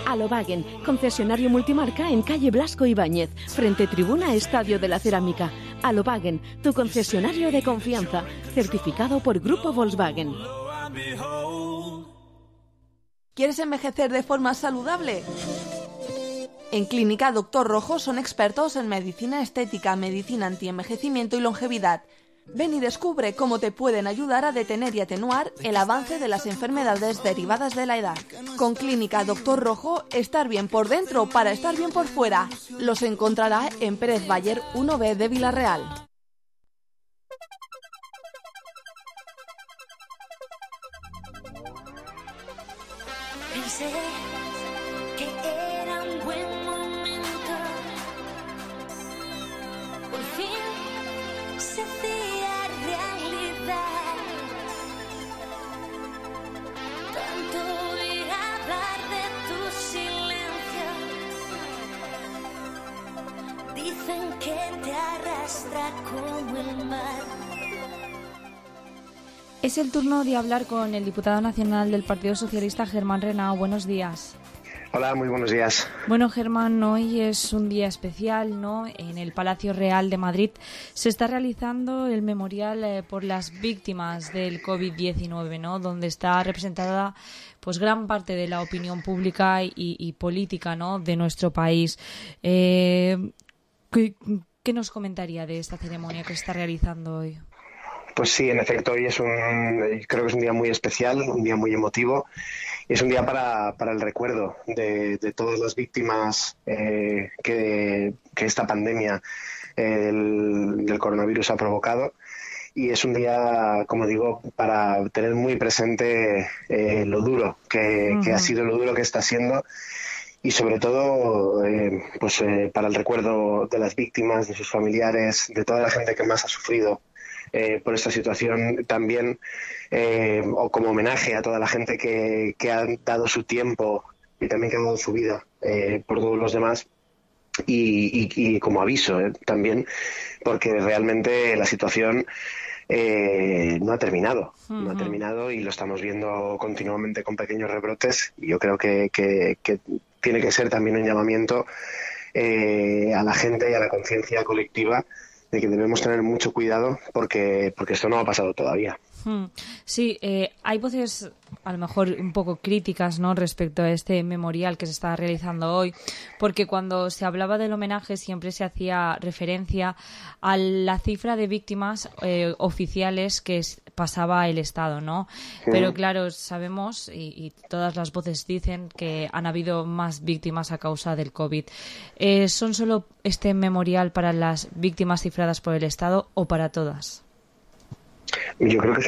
Alobagen, concesionario multimarca en calle Blasco Ibáñez, frente tribuna Estadio de la Cerámica. Alobagen, tu concesionario de confianza, certificado por Grupo Volkswagen. ¿Quieres envejecer de forma saludable? En Clínica Doctor Rojo son expertos en medicina estética, medicina antienvejecimiento y longevidad. Ven y descubre cómo te pueden ayudar a detener y atenuar el avance de las enfermedades derivadas de la edad. Con Clínica Doctor Rojo, estar bien por dentro para estar bien por fuera. Los encontrará en Pérez Bayer 1B de Villarreal. Pensé que era un buen momento, por fin se hacía realidad. Tanto oír hablar de tu silencio, dicen que te arrastra como el mar. Es el turno de hablar con el diputado nacional del Partido Socialista, Germán Renau. Buenos días. Hola, muy buenos días. Bueno, Germán, hoy es un día especial, ¿no? En el Palacio Real de Madrid se está realizando el memorial por las víctimas del COVID-19, ¿no? Donde está representada pues gran parte de la opinión pública y política, ¿no? De nuestro país. ¿Qué nos comentaría de esta ceremonia que se está realizando hoy? Pues sí, en efecto, hoy creo que es un día muy especial, un día muy emotivo. Y es un día para el recuerdo de todas las víctimas que esta pandemia del coronavirus ha provocado. Y es un día, como digo, para tener muy presente lo duro que ha sido, lo duro que está siendo. Y sobre todo, para el recuerdo de las víctimas, de sus familiares, de toda la gente que más ha sufrido por esta situación, también o como homenaje a toda la gente que ha dado su tiempo y también que ha dado su vida por todos los demás, y como aviso también, porque realmente la situación no ha terminado, no ha terminado y lo estamos viendo continuamente con pequeños rebrotes, y yo creo que tiene que ser también un llamamiento a la gente y a la conciencia colectiva de que debemos tener mucho cuidado porque esto no ha pasado todavía. Sí, hay voces a lo mejor un poco críticas, ¿no?, respecto a este memorial que se está realizando hoy, porque cuando se hablaba del homenaje siempre se hacía referencia a la cifra de víctimas oficiales que pasaba el Estado, ¿no? Pero claro, sabemos y todas las voces dicen que han habido más víctimas a causa del COVID. ¿Son solo este memorial para las víctimas cifradas por el Estado o para todas? Yo creo que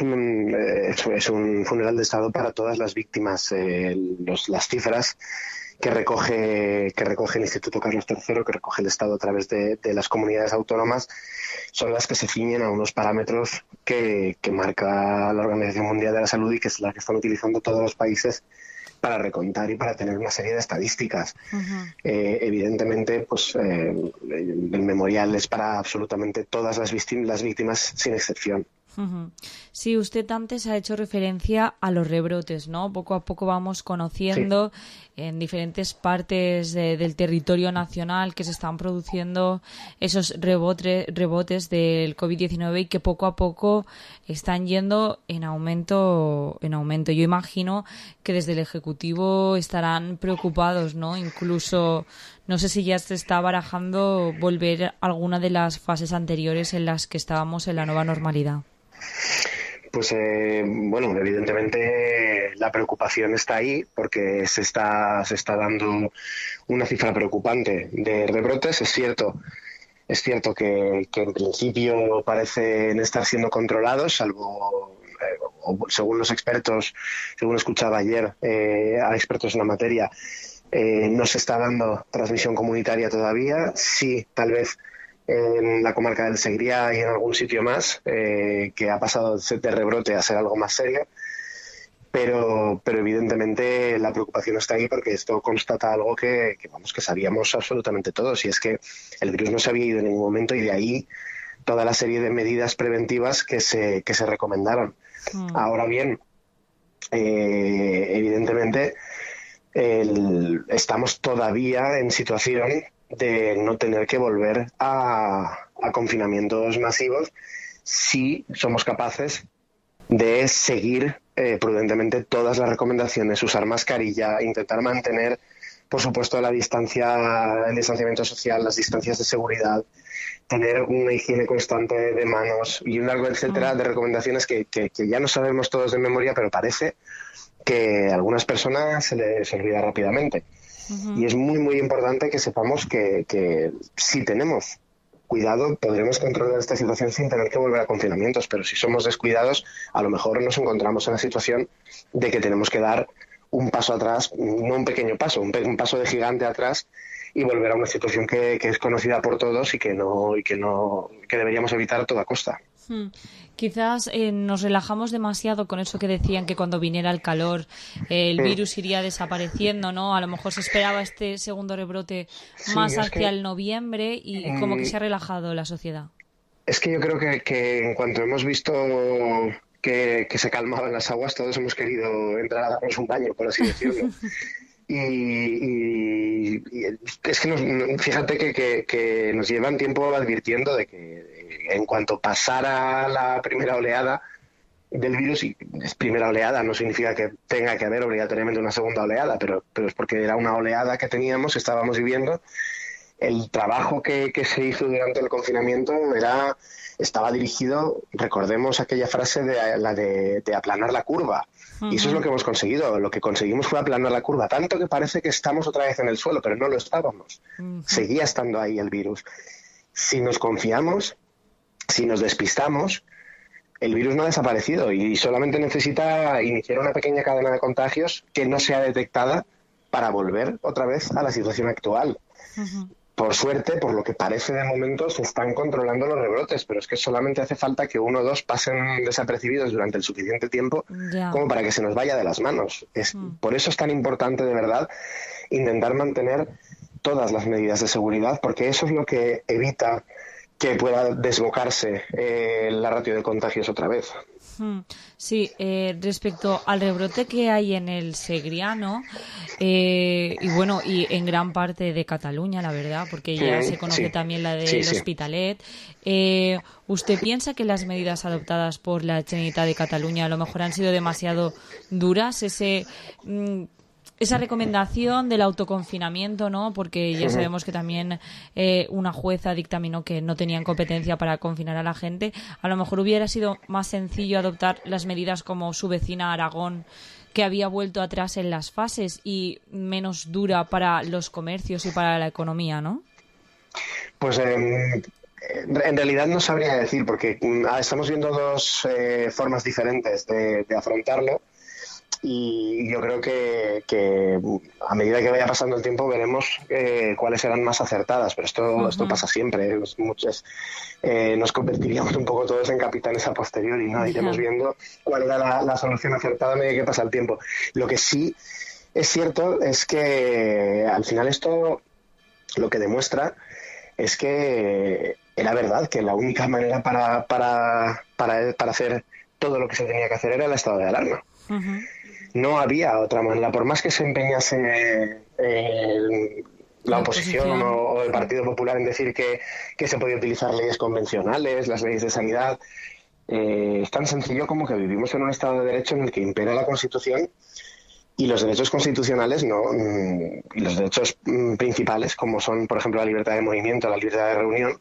es un funeral de Estado para todas las víctimas. Las cifras que recoge el Instituto Carlos III, que recoge el Estado a través de las comunidades autónomas, son las que se ciñen a unos parámetros que marca la Organización Mundial de la Salud y que es la que están utilizando todos los países para recontar y para tener una serie de estadísticas. Evidentemente, pues el memorial es para absolutamente todas las víctimas sin excepción. Sí, usted antes ha hecho referencia a los rebrotes, ¿no? Poco a poco vamos conociendo en diferentes partes del territorio nacional que se están produciendo esos rebotes del COVID-19 y que poco a poco están yendo en aumento. Yo imagino que desde el Ejecutivo estarán preocupados, ¿no? Incluso, no sé si ya se está barajando volver a alguna de las fases anteriores en las que estábamos en la nueva normalidad. Pues evidentemente la preocupación está ahí porque se está dando una cifra preocupante de rebrotes. Es cierto que en principio parecen estar siendo controlados, salvo según los expertos, según escuchaba ayer a expertos en la materia, no se está dando transmisión comunitaria todavía. Sí, tal vez en la comarca del Segriá y en algún sitio más, que ha pasado de rebrote a ser algo más serio, pero evidentemente la preocupación está ahí porque esto constata algo que sabíamos absolutamente todos, y es que el virus no se había ido en ningún momento, y de ahí toda la serie de medidas preventivas que se recomendaron. Ahora bien, evidentemente estamos todavía en situación de no tener que volver a confinamientos masivos si somos capaces de seguir prudentemente todas las recomendaciones, usar mascarilla, intentar mantener por supuesto, el distanciamiento social, las distancias de seguridad, tener una higiene constante de manos y un largo etcétera de recomendaciones que ya no sabemos todos de memoria, pero parece que a algunas personas se les olvida rápidamente. Y es muy, muy importante que sepamos que si tenemos cuidado podremos controlar esta situación sin tener que volver a confinamientos, pero si somos descuidados a lo mejor nos encontramos en la situación de que tenemos que dar un paso atrás, no un pequeño paso, un paso de gigante atrás y volver a una situación que es conocida por todos y que deberíamos evitar a toda costa. Quizás nos relajamos demasiado con eso que decían que cuando viniera el calor el virus iría desapareciendo, ¿no? A lo mejor se esperaba este segundo rebrote más hacia el noviembre y como que se ha relajado la sociedad. Es que yo creo que en cuanto hemos visto que se calmaban las aguas, todos hemos querido entrar a darnos un baño, por así decirlo. Y es que fíjate que nos llevan tiempo advirtiendo de que en cuanto pasara la primera oleada del virus, y es primera oleada, no significa que tenga que haber obligatoriamente una segunda oleada, pero es porque era una oleada que estábamos viviendo. El trabajo que se hizo durante el confinamiento estaba dirigido, recordemos aquella frase de aplanar la curva. Y eso es lo que hemos conseguido. Lo que conseguimos fue aplanar la curva, tanto que parece que estamos otra vez en el suelo, pero no lo estábamos. Seguía estando ahí el virus. Si nos confiamos, si nos despistamos, el virus no ha desaparecido y solamente necesita iniciar una pequeña cadena de contagios que no sea detectada para volver otra vez a la situación actual. Por suerte, por lo que parece de momento, se están controlando los rebrotes, pero es que solamente hace falta que 1 o 2 pasen desapercibidos durante el suficiente tiempo como para que se nos vaya de las manos. Por eso es tan importante, de verdad, intentar mantener todas las medidas de seguridad, porque eso es lo que evita que pueda desbocarse la ratio de contagios otra vez. Sí, respecto al rebrote que hay en el Segriano y en gran parte de Cataluña, la verdad, porque ya se conoce también la del Hospitalet. ¿Usted piensa que las medidas adoptadas por la Generalitat de Cataluña a lo mejor han sido demasiado duras? Esa recomendación del autoconfinamiento, ¿no? Porque ya sabemos que también una jueza dictaminó que no tenían competencia para confinar a la gente. A lo mejor hubiera sido más sencillo adoptar las medidas como su vecina Aragón, que había vuelto atrás en las fases, y menos dura para los comercios y para la economía, ¿no? Pues en realidad no sabría decir, porque estamos viendo 2 formas diferentes de afrontarlo. Y yo creo que a medida que vaya pasando el tiempo veremos cuáles serán más acertadas, pero esto pasa siempre. Nos convertiríamos un poco todos en capitanes a posteriori, ¿no? Iremos viendo cuál era la solución acertada a medida que pasa el tiempo. Lo que sí es cierto es que al final esto lo que demuestra es que era verdad que la única manera para hacer todo lo que se tenía que hacer era el estado de alarma. No había otra manera, por más que se empeñase la oposición o el Partido Popular en decir que se podía utilizar leyes convencionales, las leyes de sanidad. Es tan sencillo como que vivimos en un Estado de Derecho en el que impera la Constitución, y los derechos constitucionales y los derechos principales, como son, por ejemplo, la libertad de movimiento, la libertad de reunión,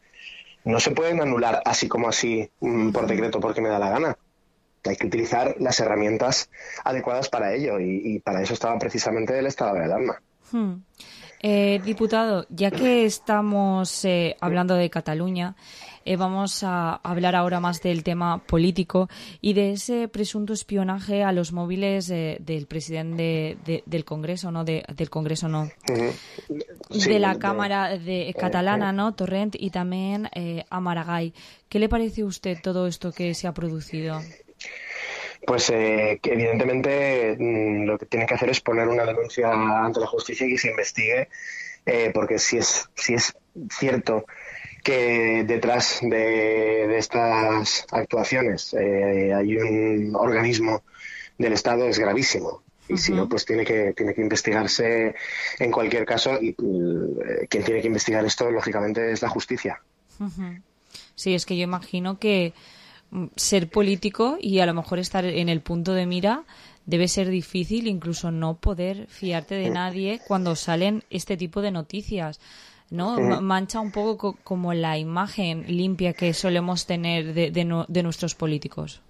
no se pueden anular así como así por decreto porque me da la gana. Hay que utilizar las herramientas adecuadas para ello, y para eso estaba precisamente el estado de alarma. Diputado, ya que estamos hablando de Cataluña, vamos a hablar ahora más del tema político y de ese presunto espionaje a los móviles del presidente del Congreso, ¿no? Del Congreso, no. De la Cámara catalana, ¿no? Torrent, y también a Maragall. ¿Qué le parece a usted todo esto que se ha producido? Pues que evidentemente lo que tiene que hacer es poner una denuncia ante la justicia y que se investigue, porque si es cierto que detrás de estas actuaciones hay un organismo del Estado, es gravísimo. Y si no, pues tiene que investigarse en cualquier caso, y quien tiene que investigar esto, lógicamente, es la justicia. Sí, es que yo imagino que ser político y a lo mejor estar en el punto de mira debe ser difícil incluso no poder fiarte de nadie cuando salen este tipo de noticias, ¿no? Mancha un poco como la imagen limpia que solemos tener de nuestros políticos.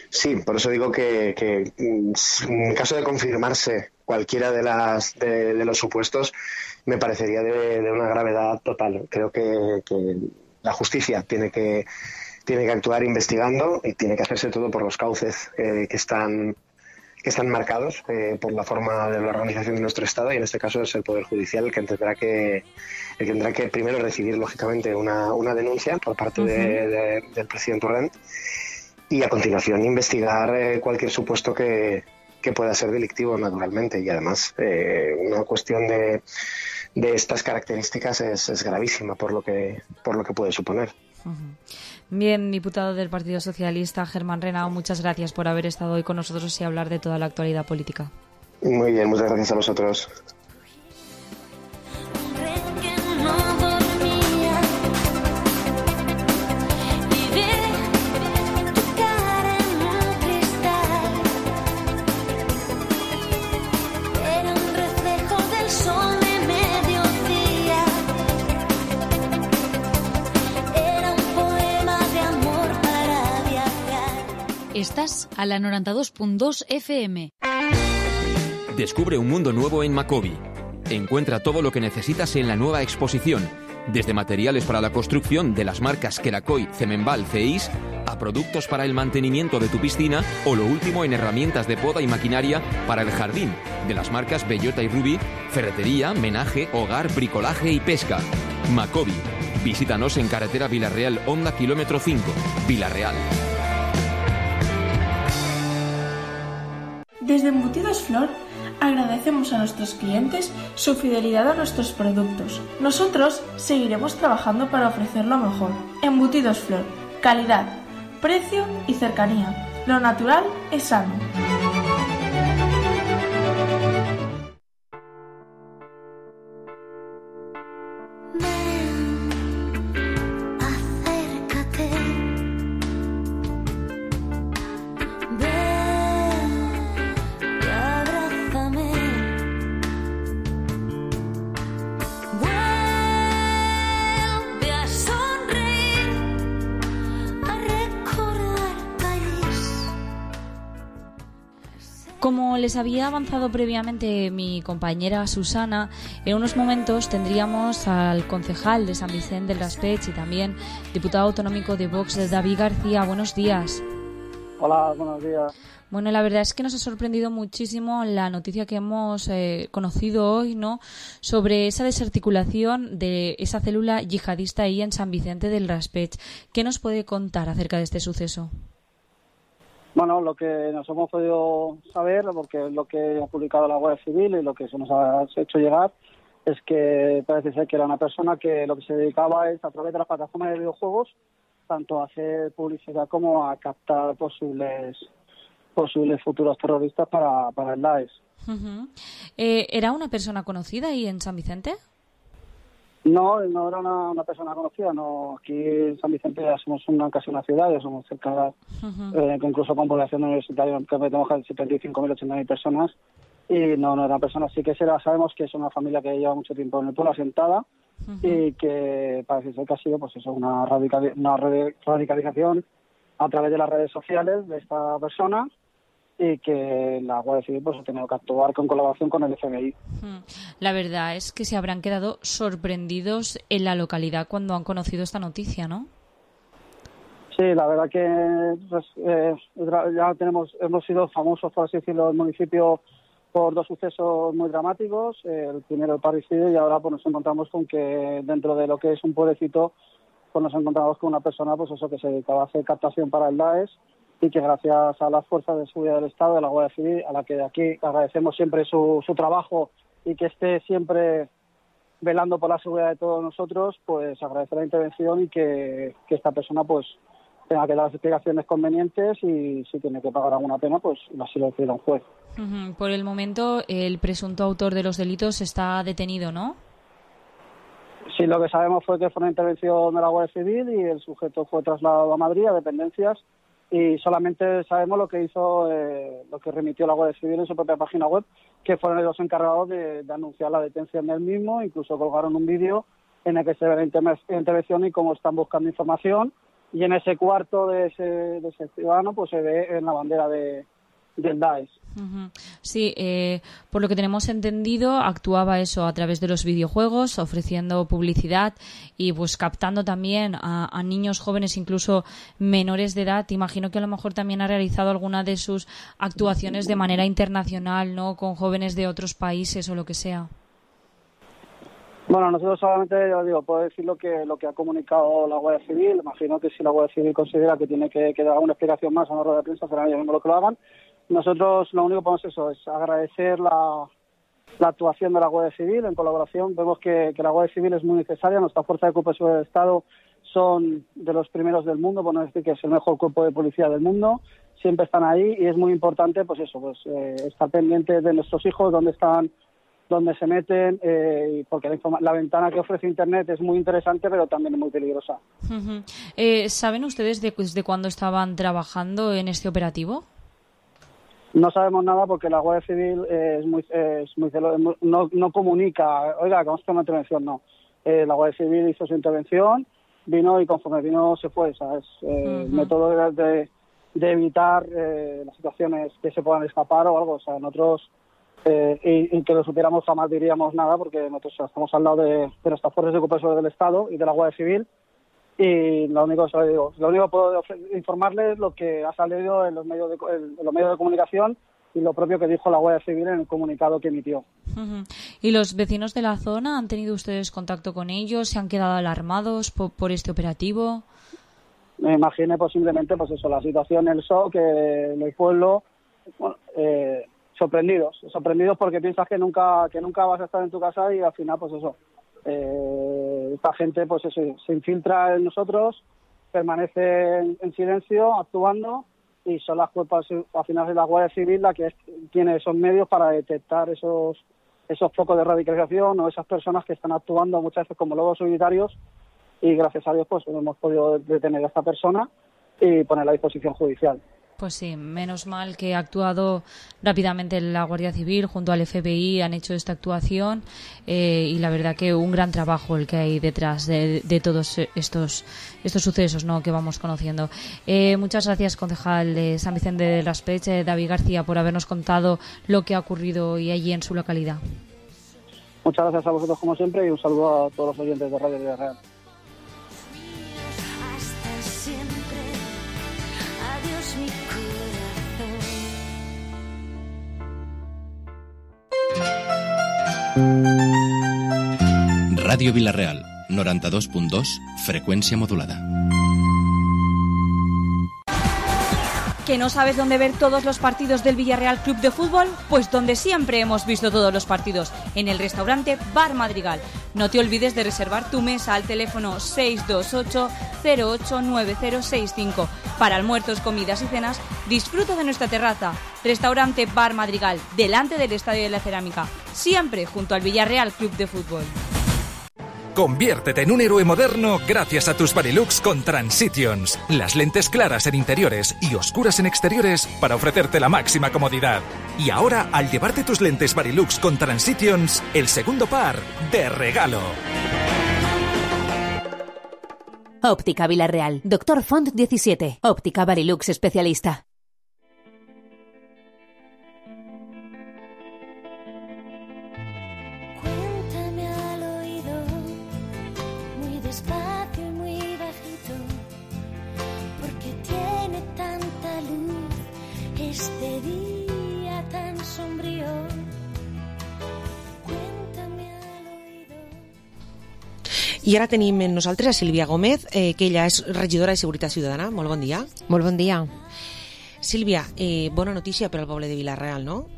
Sí, por eso digo que en caso de confirmarse cualquiera de los supuestos, me parecería de una gravedad total. Creo que la justicia tiene que actuar investigando y tiene que hacerse todo por los cauces que están marcados por la forma de la organización de nuestro Estado, y en este caso es el Poder Judicial el que tendrá que primero recibir, lógicamente, una denuncia por parte del presidente Torrent, y a continuación investigar cualquier supuesto que pueda ser delictivo, naturalmente. Y además una cuestión de estas características es gravísima por lo que puede suponer. Bien, diputado del Partido Socialista, Germán Renao, muchas gracias por haber estado hoy con nosotros y hablar de toda la actualidad política. Muy bien, muchas gracias a vosotros. Estás a la 92.2 FM. Descubre un mundo nuevo en Macobi. Encuentra todo lo que necesitas en la nueva exposición, desde materiales para la construcción de las marcas Kerakoy, Cemenbal, Ceis, a productos para el mantenimiento de tu piscina, o lo último en herramientas de poda y maquinaria para el jardín, de las marcas Bellota y Ruby, ferretería, menaje, hogar, bricolaje y pesca. Macobi. Visítanos en carretera Villarreal, Honda, kilómetro 5, Villarreal. Desde Embutidos Flor agradecemos a nuestros clientes su fidelidad a nuestros productos. Nosotros seguiremos trabajando para ofrecer lo mejor. Embutidos Flor, calidad, precio y cercanía. Lo natural es sano. Como les había avanzado previamente mi compañera Susana, en unos momentos tendríamos al concejal de San Vicente del Raspeig y también diputado autonómico de Vox, David García. Buenos días. Hola, buenos días. Bueno, la verdad es que nos ha sorprendido muchísimo la noticia que hemos conocido hoy, ¿no?, sobre esa desarticulación de esa célula yihadista ahí en San Vicente del Raspeig. ¿Qué nos puede contar acerca de este suceso? Bueno, lo que nos hemos podido saber, porque es lo que ha publicado la Guardia Civil y lo que se nos ha hecho llegar, es que parece ser que era una persona que lo que se dedicaba es, a través de las plataformas de videojuegos, tanto a hacer publicidad como a captar posibles futuros terroristas para el Daesh. ¿Era una persona conocida ahí en San Vicente? No era una persona conocida. No, aquí en San Vicente ya somos casi una ciudad, ya somos cerca, incluso con población universitaria, que metemos casi 75.000, 80.000 personas, y no era una persona. Sí que sabemos que es una familia que lleva mucho tiempo en el pueblo asentada, y que parece ser que ha sido pues eso, una radicalización a través de las redes sociales de esta persona, y que la Guardia Civil pues ha tenido que actuar con colaboración con el FBI. La verdad es que se habrán quedado sorprendidos en la localidad cuando han conocido esta noticia, ¿no? Sí, la verdad que pues, ya hemos sido famosos, por así decirlo, en el municipio por dos sucesos muy dramáticos. El primero el parricidio, y ahora pues nos encontramos con que dentro de lo que es un pueblecito pues nos encontramos con una persona pues eso que se dedicaba a hacer captación para el Daesh, y que gracias a las fuerzas de seguridad del Estado, de la Guardia Civil, a la que de aquí agradecemos siempre su trabajo, y que esté siempre velando por la seguridad de todos nosotros, pues agradecer la intervención, y que esta persona pues tenga que dar las explicaciones convenientes, y si tiene que pagar alguna pena, pues así lo decida un juez. Por el momento, el presunto autor de los delitos está detenido, ¿no? Sí, lo que sabemos fue que fue una intervención de la Guardia Civil y el sujeto fue trasladado a Madrid, a dependencias, y solamente sabemos lo que hizo, lo que remitió la Guardia Civil en su propia página web, que fueron los encargados de anunciar la detención del mismo. Incluso colgaron un vídeo en el que se ve la intervención y cómo están buscando información, y en ese cuarto de ese ciudadano pues se ve en la bandera del Daesh. Sí, por lo que tenemos entendido, actuaba eso a través de los videojuegos, ofreciendo publicidad y pues captando también a niños jóvenes, incluso menores de edad. Imagino que a lo mejor también ha realizado alguna de sus actuaciones de manera internacional, ¿no?, con jóvenes de otros países o lo que sea. Bueno, nosotros solamente, yo digo, puedo decir lo que ha comunicado la Guardia Civil. Imagino que si la Guardia Civil considera que tiene que dar una explicación más a una rueda de prensa, serán ellos mismos lo que lo hagan. Nosotros lo único que podemos es agradecer la actuación de la Guardia Civil en colaboración. Vemos que la Guardia Civil es muy necesaria. Nuestra fuerza de cuerpo de seguridad del Estado son de los primeros del mundo, por no decir que es el mejor cuerpo de policía del mundo. Siempre están ahí y es muy importante estar pendientes de nuestros hijos, dónde están, dónde se meten, porque la ventana que ofrece Internet es muy interesante, pero también es muy peligrosa. ¿Saben ustedes de cuándo estaban trabajando en este operativo? No sabemos nada porque la Guardia Civil no comunica, oiga, que vamos a hacer una intervención, no. La Guardia Civil hizo su intervención, vino y conforme vino se fue, ¿sabes? Método de evitar las situaciones que se puedan escapar o algo, o sea, nosotros y que lo supiéramos jamás diríamos nada porque nosotros estamos al lado de nuestras fuerzas de cuerpo del Estado y de la Guardia Civil, y lo único que puedo informarles es lo que ha salido en los medios de comunicación y lo propio que dijo la Guardia Civil en el comunicado que emitió. ¿Y los vecinos de la zona han tenido ustedes contacto con ellos? ¿Se han quedado alarmados por este operativo? Me imaginé posiblemente la situación, el shock, en el pueblo, sorprendidos porque piensas que nunca vas a estar en tu casa y al final esta gente se infiltra en nosotros, permanece en silencio, actuando, y son las cuerpos, al final es la Guardia Civil la que tiene esos medios para detectar esos focos de radicalización o esas personas que están actuando muchas veces como lobos solitarios, y gracias a Dios hemos podido detener a esta persona y ponerla a disposición judicial. Pues sí, menos mal que ha actuado rápidamente la Guardia Civil junto al FBI, han hecho esta actuación, y la verdad que un gran trabajo el que hay detrás de todos estos sucesos, ¿no?, que vamos conociendo. Muchas gracias, concejal de San Vicente del Raspeig, David García, por habernos contado lo que ha ocurrido hoy allí en su localidad. Muchas gracias a vosotros como siempre y un saludo a todos los oyentes de Radio Villarreal. Radio Villarreal, 92.2, frecuencia modulada. ¿Que no sabes dónde ver todos los partidos del Villarreal Club de Fútbol? Pues donde siempre hemos visto todos los partidos, en el restaurante Bar Madrigal. No te olvides de reservar tu mesa al teléfono 628-089065. Para almuerzos, comidas y cenas, disfruta de nuestra terraza. Restaurante Bar Madrigal, delante del Estadio de la Cerámica, siempre junto al Villarreal Club de Fútbol. Conviértete en un héroe moderno gracias a tus Varilux con Transitions. Las lentes claras en interiores y oscuras en exteriores para ofrecerte la máxima comodidad. Y ahora, al llevarte tus lentes Varilux con Transitions, el segundo par de regalo. Óptica Villarreal. Dr. Font 17. Óptica Varilux especialista. Despacio y muy bajito, porque tiene tanta luz este día tan sombrío. Cuéntame al oído. I ara tenim amb nosaltres a Sílvia Gómez, que ella és regidora de Seguretat Ciutadana. Molt bon dia. Molt bon dia. Sílvia, bona notícia per al poble de Vila-real, no?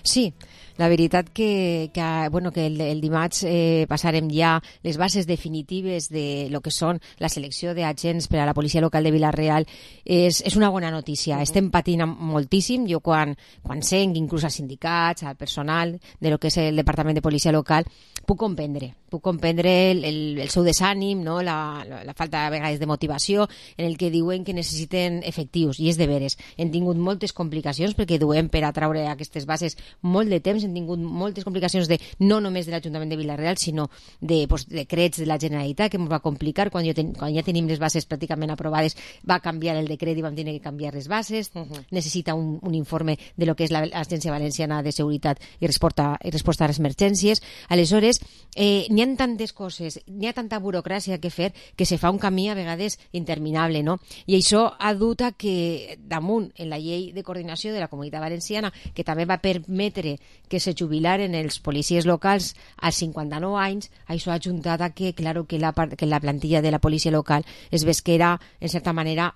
Sí, La veritat que el dimarts passarem ja les bases definitives de lo que són la selecció d'agents per a la policia local de Vila-real. És una bona notícia. Estem patint moltíssim. Jo quan sent inclús als sindicats, al personal de lo que és el Departament de Policia Local, puc comprendre el seu desànim, no? la falta a vegades de motivació, en el que diuen que necessiten efectius, i és de veres. Hem tingut moltes complicacions perquè duem per a traure aquestes bases molt de temps, hem tingut moltes complicacions no només de l'Ajuntament de Vila-real, sinó de decrets de la Generalitat, que ens va complicar. Quan ja tenim les bases pràcticament aprovades, va canviar el decret i vam tenir que canviar les bases. Necessita un informe de lo que és l'Agència Valenciana de Seguretat i Resposta a les Emergències. Aleshores, n'hi ha tantes coses, n'hi ha tanta burocràcia que fer, que se fa un camí a vegades interminable, no? I això ha dut a que damunt en la llei de coordinació de la Comunitat Valenciana, que també va permetre que se jubilaren els policies locals als 59 anys, això ha ajuntat a que, claro, que la plantilla de la policia local es ves que era, en certa manera,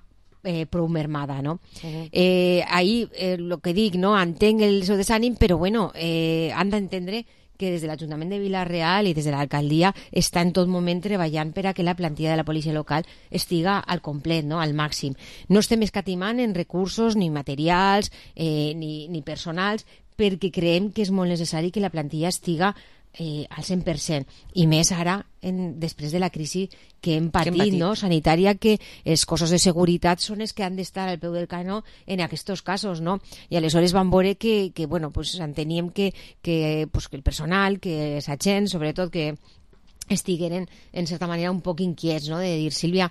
prou mermada, no? Ahí, el que dic, no? Entenc el seu desànim, però bueno, han d'entendre que des de l'Ajuntament de Vila-real i des de l'alcaldia està en tot moment treballant per a que la plantilla de la policia local estiga al complet, no? Al màxim. No estem escatimant en recursos ni materials ni personals, perquè creiem que és molt necessari que la plantilla estiga al 100%, i més ara després de la crisi que hem patit, no? Sanitària, que els cossos de seguretat són els que han d'estar al peu del canó en aquests casos, no? I aleshores vam veure que bueno, pues enteníem que el personal, que els agents, sobretot, que estigueren en certa manera un poc inquiets, no? De dir, Sílvia,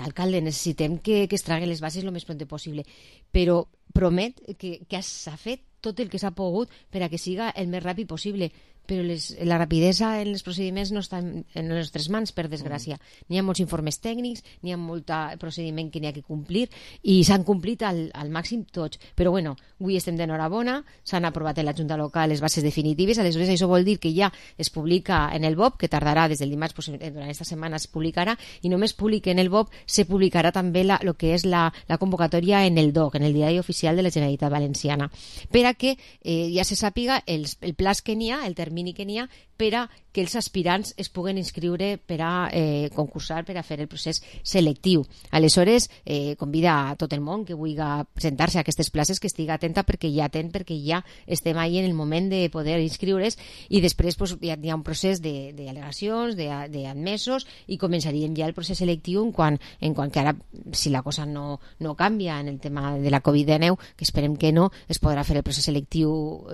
alcalde, necessitem que es traguen les bases el més pront possible, però promet que s'ha fet tot el que s'ha pogut per a que siga el més ràpid possible, però la rapidesa en els procediments no està en les nostres mans, per desgràcia. N'hi ha molts informes tècnics, n'hi ha molt procediment que n'hi ha que complir, i s'han complit al màxim tots. Però bueno, avui estem d'enhorabona, s'han aprovat en la Junta Local les bases definitives, aleshores això vol dir que ja es publica en el BOP, que tardarà des del dimarts, durant aquesta setmana es publicarà, i només publica en el BOP, se publicarà també el que és la convocatòria en el DOC, en el Diari Oficial de la Generalitat Valenciana, per a que ja se sàpiga el plaç que n'hi ha, el termini que n'hi ha, per a que els aspirants es puguen inscriure per a concursar, per a fer el procés selectiu. Aleshores, convida a tot el món que vulgui presentar-se a aquestes places que estigui atenta, perquè ja estem ahí en el moment de poder inscriure's, i després ja hi ha un procés d'al·legacions, d'admesos, i començaríem ja el procés selectiu en quant que ara, si la cosa no canvia en el tema de la Covid-19, que esperem que no, es podrà fer el procés selectiu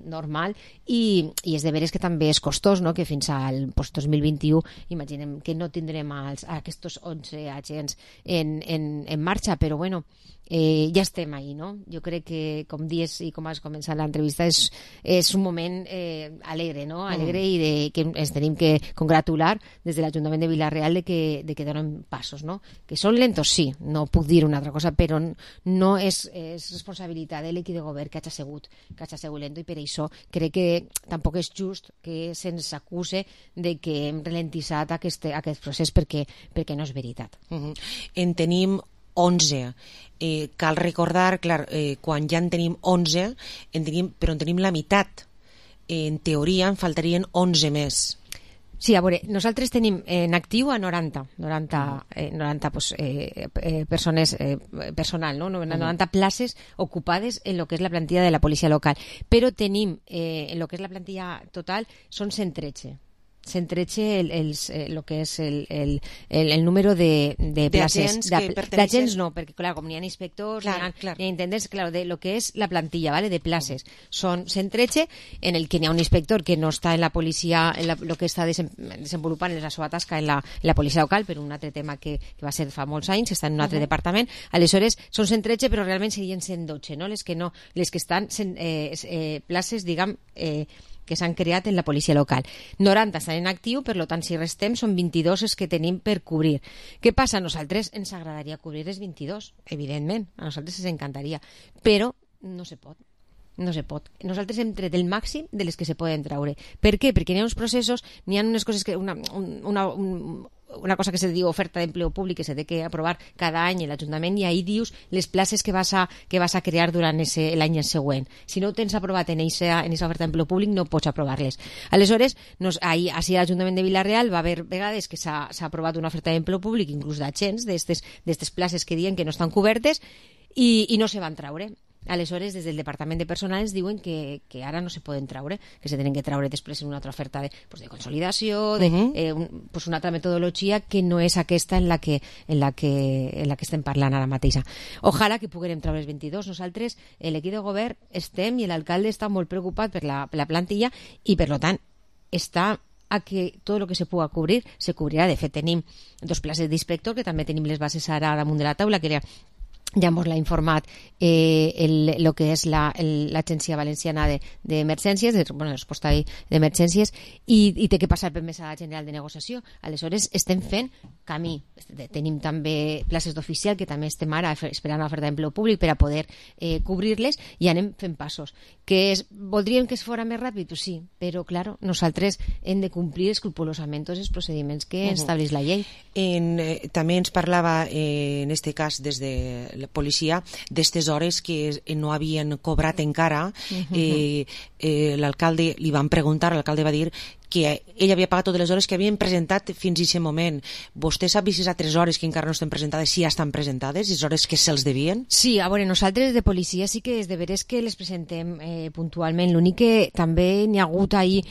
normal, i és de veres que també és costós, no? Que fins al 2021 imaginem que no tindrem aquests 11 agents en marxa, però bueno, ja estem ahí, no? Jo crec que, com dius i com has començat l'entrevista, és un moment alegre, no? Alegre, i que ens tenim que congratular des de l'Ajuntament de Vila-real de que donen passos, no? Que són lentos, sí, no puc dir una altra cosa, però no és responsabilitat de l'equip de govern que hagi sigut lento, i per això crec que tampoc és just que se'ns acuse de que hem ralentitzat aquest procés, perquè no és veritat. En tenim 11. Cal recordar, clar, quan ja en tenim 11, però en tenim la meitat. En teoria en faltarien 11 més. Sí, a veure, nosaltres tenim en actiu a 90 personal, no? 90 places ocupades en lo que és la plantilla de la policia local, però tenim en lo que és la plantilla total són 113 lo que és el número de places d'agents, no, perquè clar, com n'hi ha inspectors, n'hi ha intendents, clar, de lo que és la plantilla, ¿vale? De places són 113, en el que n'hi ha un inspector que no està en la policia, lo que està desenvolupant la seva tasca en la policia local, per un altre tema que va ser fa molts anys, està en un altre departament. Aleshores són 113, però realment serien 112, no? Les que estan places, diguem, que s'han creat en la policia local. 90 estan en actiu, per tant, si restem, són 22 els que tenim per cobrir. Què passa? A nosaltres ens agradaria cobrir els 22, evidentment, a nosaltres ens encantaria, però no se pot. Nosaltres hem tret el màxim de les que se poden traure. Per què? Perquè n'hi ha uns processos, n'hi ha unes coses que una cosa que se diu oferta d'empleo públic que se té que aprovar cada any en l'Ajuntament, i ahí dius les places que vas a crear durant l'any següent. Si no ho tens aprovat en aquesta oferta d'empleo públic, no pots aprovar-les. Aleshores, ahí a l'Ajuntament de Vila-real va haver vegades que s'ha aprovat una oferta d'empleo públic, inclús d'agents, d'estes places que diuen que no estan cobertes, i no se van traure. Aleshores, des del Departament de Personal ens diuen que ara no se poden traure, que se tenen que traure després en una altra oferta de consolidació, una altra metodologia que no és aquesta en la que estem parlant ara mateixa. Ojalà que puguem treure els 22. Nosaltres, l'equip de govern, estem, i l'alcalde està molt preocupat per la plantilla, i per tant està a que tot el que se pugui cobrir se cobrirà. De fet, tenim 2 places d'inspector, que també tenim les bases ara damunt de la taula, que ja ens l'ha informat el que és l'Agència Valenciana d'Emergències, de resposta d'emergències, i té que passar per Mesa General de Negociació. Aleshores, estem fent camí. Tenim també places d'oficial, que també estem ara esperant l'oferta d'empleo públic per a poder cobrir-les, i anem fent passos. Voldríem que es fora més ràpid? Sí, però, clar, nosaltres hem de complir escrupolosament tots els procediments que estableix la llei. També ens parlava, en aquest cas, des de la policia, d'estes hores que no havien cobrat encara. L'alcalde, li van preguntar, l'alcalde va dir que ell havia pagat totes les hores que havien presentat fins a aquest moment. Vostè sap si a 3 hores que encara no estan presentades, si ja estan presentades, les hores que se'ls devien? Sí, a veure, nosaltres de policia sí que és de veres que les presentem puntualment. L'únic que també n'hi ha hagut ahir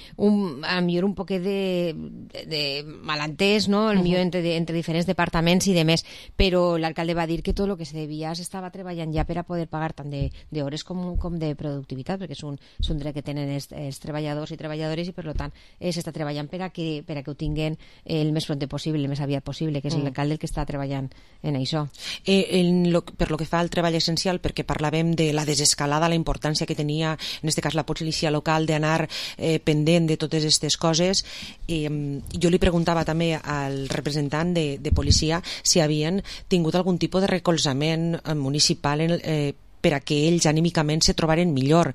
a millor un poquet de malentès, no? Millor entre diferents departaments i demés, però l'alcalde va dir que tot el que se devia s'estava treballant ja per a poder pagar tant d'hores com de productivitat, perquè és un dret que tenen els treballadors i treballadores, i per tant s'està treballant per a que ho tinguin el més pront possible, el més aviat possible, que és l'alcalde el que està treballant en això. Per lo que fa al treball essencial, perquè parlàvem de la desescalada, la importància que tenia, en aquest cas, la policia local, d'anar pendent de totes aquestes coses, jo li preguntava també al representant de policia si havien tingut algun tipus de recolzament municipal per a que ells anímicament se trobaren millor.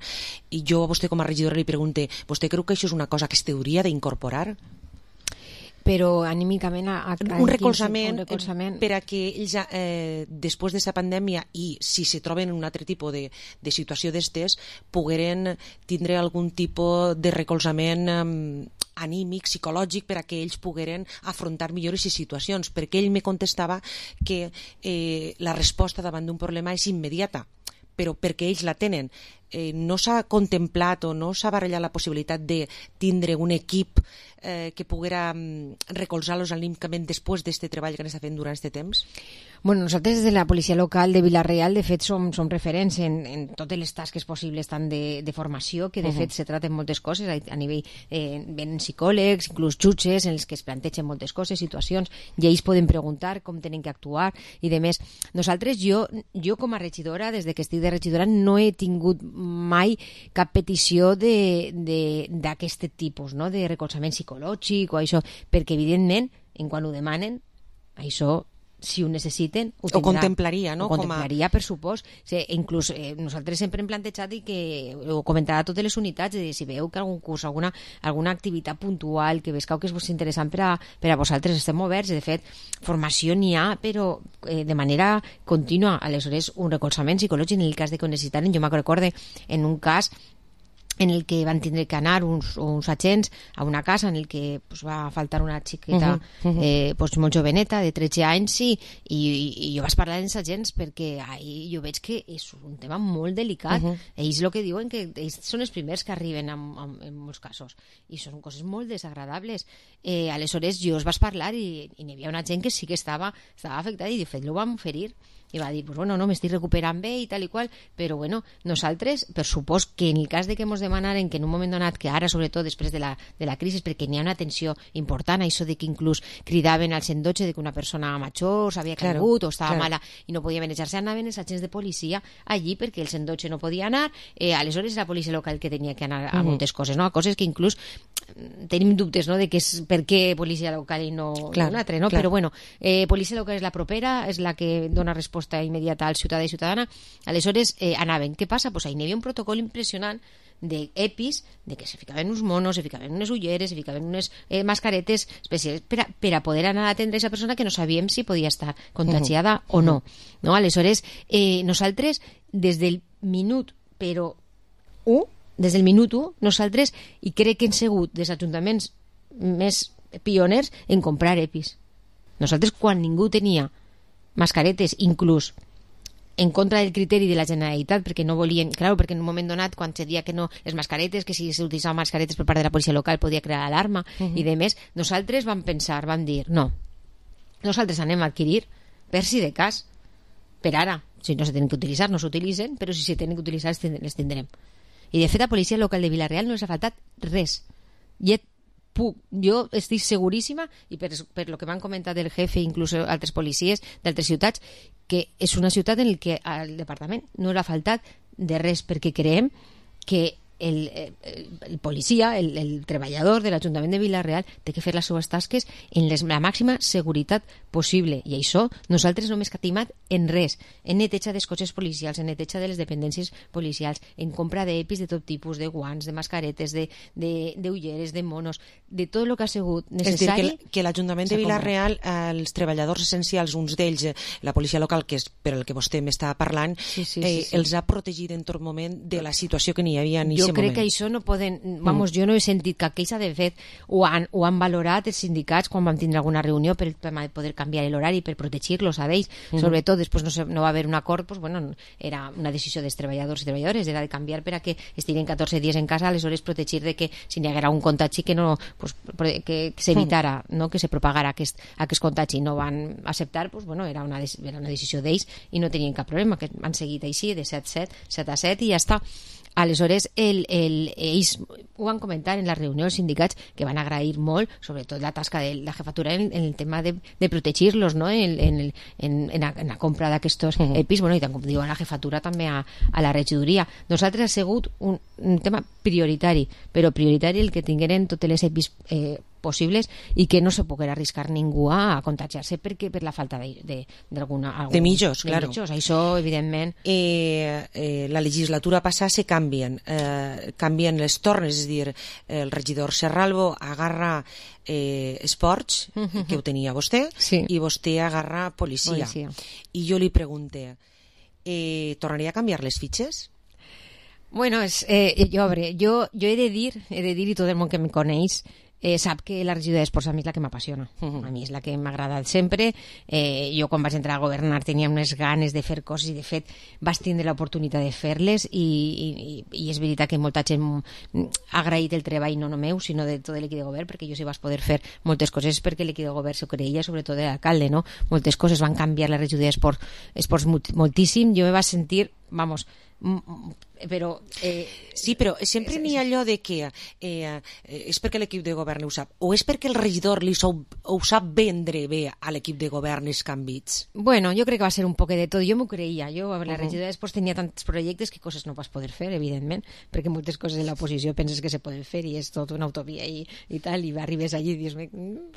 I jo a vostè com a regidora li pregunto, vostè creu que això és una cosa que es hauria d'incorporar? Però anímicament... Un recolzament per a que ells, després d'aquesta pandèmia, i si se troben en un altre tipus de situació d'estes, pogueren tindre algun tipus de recolzament anímic, psicològic, per a que ells pogueren afrontar millor aquestes situacions, perquè ell me contestava que la resposta davant d'un problema és immediata, però perquè ells la tenen. No s'ha contemplat o no s'ha barrejat la possibilitat de tindre un equip que poguera recolzar-los anímicament després d'aquest treball que han estat fent durant aquest temps? Bueno, nosaltres des de la policia local de Vila-real, de fet, som referents en totes les tasques possibles, tant de formació, que de fet se traten moltes coses a nivell, venen psicòlegs, inclús jutges, en els que es plantegen moltes coses, situacions, i ells poden preguntar com tenen que actuar, i de més. Nosaltres, jo com a regidora, des que estic de regidora, no he tingut mai cap petició d'aquest tipus, no? De recolzament psicològic o això, perquè evidentment, quan ho demanen, això, si ho necessiten, ho tindrà. Ho contemplaria, no? Ho contemplaria, per supost. Inclús nosaltres sempre hem plantejat, i que ho comentarà a totes les unitats, de si veu que algun curs, alguna activitat puntual que vescau que és interessant per a vosaltres, estem oberts. De fet, formació n'hi ha, però de manera contínua. Aleshores, un recolzament psicològic en el cas de que ho necessitaren. Jo me'n recordo en un cas en el que van tindre que anar uns agents a una casa en el que va faltar una xiqueta molt joveneta, de 13 anys, i jo vaig parlar amb els agents perquè jo veig que és un tema molt delicat. Ells el que diuen que ells són els primers que arriben en molts casos, i són coses molt desagradables. Aleshores jo els vaig parlar i n'hi havia una gent que sí que estava afectada, i de fet ho vam oferir, i va dir, no, m'estic recuperant bé i tal i qual, però nosaltres, per supost que en el cas de que ens demanaren que en un moment donat, que ara sobretot després de la crisi, perquè n'hi ha una tensió important, això de que inclús cridaven al 112 de que una persona major s'havia caigut o estava mala i no podia manejar-se, anaven els agents de policia allí perquè el 112 no podia anar, aleshores la policia local que tenia que anar a moltes coses, no? A coses que inclús tenim dubtes, no?, de que és per què policia local i no un altre, no? Però policia local és la propera, és la que dona resposta immediata al ciutadà i ciutadana. Aleshores anaven. Què passa? Pues ahí n'hi havia un protocol impressionant d'EPIs, de que se ficaven uns monos, se ficaven unes ulleres, se ficaven unes mascaretes especials per a poder anar a atendre a aquesta persona que no sabíem si podia estar contagiada o no. No? Aleshores, nosaltres, des del minut, però des del minut 1, nosaltres, i crec que hem sigut dels ajuntaments més pioners en comprar EPIs. Nosaltres, quan ningú tenia mascaretes, inclús en contra del criteri de la Generalitat, perquè no volien, clar, perquè en un moment donat, quan se dia que no, les mascaretes, que si s'utilitzaven mascaretes per part de la policia local podia crear alarma, i de més, nosaltres vam pensar, vam dir, no, nosaltres anem a adquirir per si de cas, per ara, si no se tenen que utilitzar, no s'utilitzen, però si se tenen que utilitzar les tindrem. I de fet a policia local de Vila-real no els ha faltat res. Jo estic seguríssima, i per lo que m'han comentat el jefe, inclús altres policies d'altres ciutats, que és una ciutat en què al departament no l'ha faltat de res, perquè creiem que el policia, el treballador de l'Ajuntament de Vila-real té que fer les seues tasques en la màxima seguretat possible, i això nosaltres no hem escatimat en res, en neteja dels cotxes policials, en neteja de les dependències policials, en compra d'EPIs de tot tipus, de guants, de mascaretes, d'ulleres, de monos, de tot el que ha sigut necessari. És dir, que l'Ajuntament de Vila-real, els treballadors essencials, uns d'ells, la policia local, que és per el que vostè m'està parlant, els ha protegit en tot moment de la situació que n'hi havia en jo crec que això no poden... Vamos, jo no he sentit cap queixa. De fet, ho han valorat els sindicats quan vam tindre alguna reunió per poder canviar l'horari, per protegir-los a ells. Sobretot, després no va haver un acord, pues, bueno, era una decisió dels treballadors i treballadores, era de canviar per a que estiguin 14 dies en casa, aleshores protegir de que si n'hi haguera un contagi que no, pues, que s'evitara, no? Que se propagara aquest contagi. No van acceptar, pues, bueno, era una decisió d'ells i no tenien cap problema, que han seguit així de 7 a 7 i ja està. Aleshores, ells ho van comentar en la reunió dels sindicats, que van agrair molt, sobretot la tasca de la jefatura en el tema de protegir-los, no? en la compra d'aquests EPIs, bueno, i com diu la jefatura també a la regidoria. Nosaltres ha sigut un tema prioritari, però prioritari el que tingueren totes les EPIs possibles i que no se poguera arriscar ningú a contagiar-se perquè per la falta de mitjos, claro. Això, evidentment. La legislatura passada se canvien les tornes, és a dir, el regidor Serralvo agarra esports, que ho tenia vostè, i vostè agarra policia. I jo li pregunte, tornaria a canviar les fitxes? Bueno, jo he de dir, i tot el món que me coneix sap que la regidoria d'esports a mi és la que m'apassiona, a mi és la que m'ha agradat sempre. Jo quan vaig entrar a governar tenia unes ganes de fer coses i de fet vaig tindre l'oportunitat de fer-les i és veritat que molta gent ha agraït el treball no meu sinó de tot l'equip de govern, perquè jo sí vaig poder fer moltes coses perquè l'equip de govern s'ho creia, sobretot l'alcalde, no? Moltes coses van canviar la regidoria d'esports moltíssim. Jo me vaig sentir, vamos, però sí, però sempre n'hi ha allò de que és perquè l'equip de govern ho sap o és perquè el regidor ho sap vendre bé a l'equip de govern els canvis? Bueno, jo crec que va ser un poc de tot. Jo m'ho creia, la regidoria després tenia tants projectes que coses no vas poder fer, evidentment, perquè moltes coses en l'oposició penses que se poden fer i és tot una utopia i tal, i arribes allí i dius,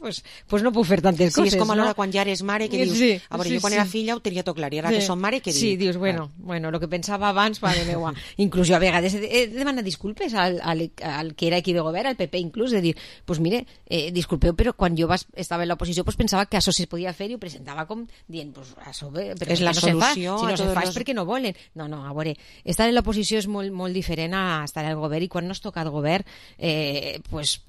pues no puc fer tantes coses. Sí, és com alhora quan ja eres mare que dius, a veure, jo quan era filla ho tenia tot clar i ara que som mare, què dic? Sí, dius, bueno, el que pensava abans, mare meua. Inclús jo a vegades he demanat disculpes al que era aquí de govern, al PP inclús, de dir, pues mire, disculpeu, però quan jo estava en l'oposició pues pensava que això se podia fer i ho presentava com dient, pues això però és la solució, si no se fa és perquè no volen. No, a veure, estar en l'oposició és molt diferent a estar al govern, i quan no es toca el govern pues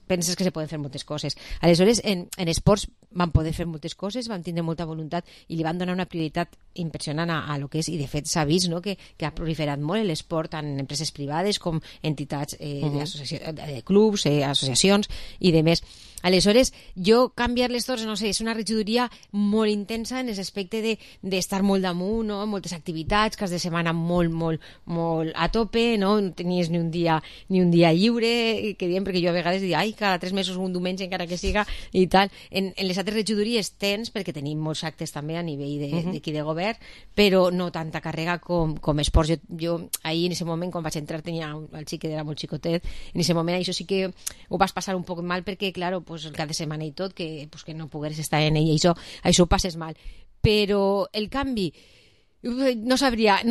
penses que se poden fer moltes coses. Aleshores, en esports van poder fer moltes coses, van tindre molta voluntat i li van donar una prioritat impressionant a lo que és, i de fet s'ha vist, no?, que ha proliferat molt l'esport tant en empreses privades com entitats de clubs, associacions i de més. Aleshores, jo canviar les torres, no sé, és una regidoria molt intensa en l'aspecte d'estar molt damunt, no? Moltes activitats, cas de setmana molt a tope, no tenies ni un dia lliure, que diem, perquè jo a vegades dic, cada 3 mesos un diumenge encara que siga i tal. En les altres regidories tens, perquè tenim molts actes també a nivell d'aquí de govern, però no tanta càrrega com esports. Jo ahir en aquest moment, quan vaig entrar, tenia el xic que era molt xicotet, en aquest moment això sí que ho vas passar un poc mal, perquè, claro, pues, el cap de setmana i tot, que no pogueres estar en ell, això ho passes mal. Però el canvi, No sabria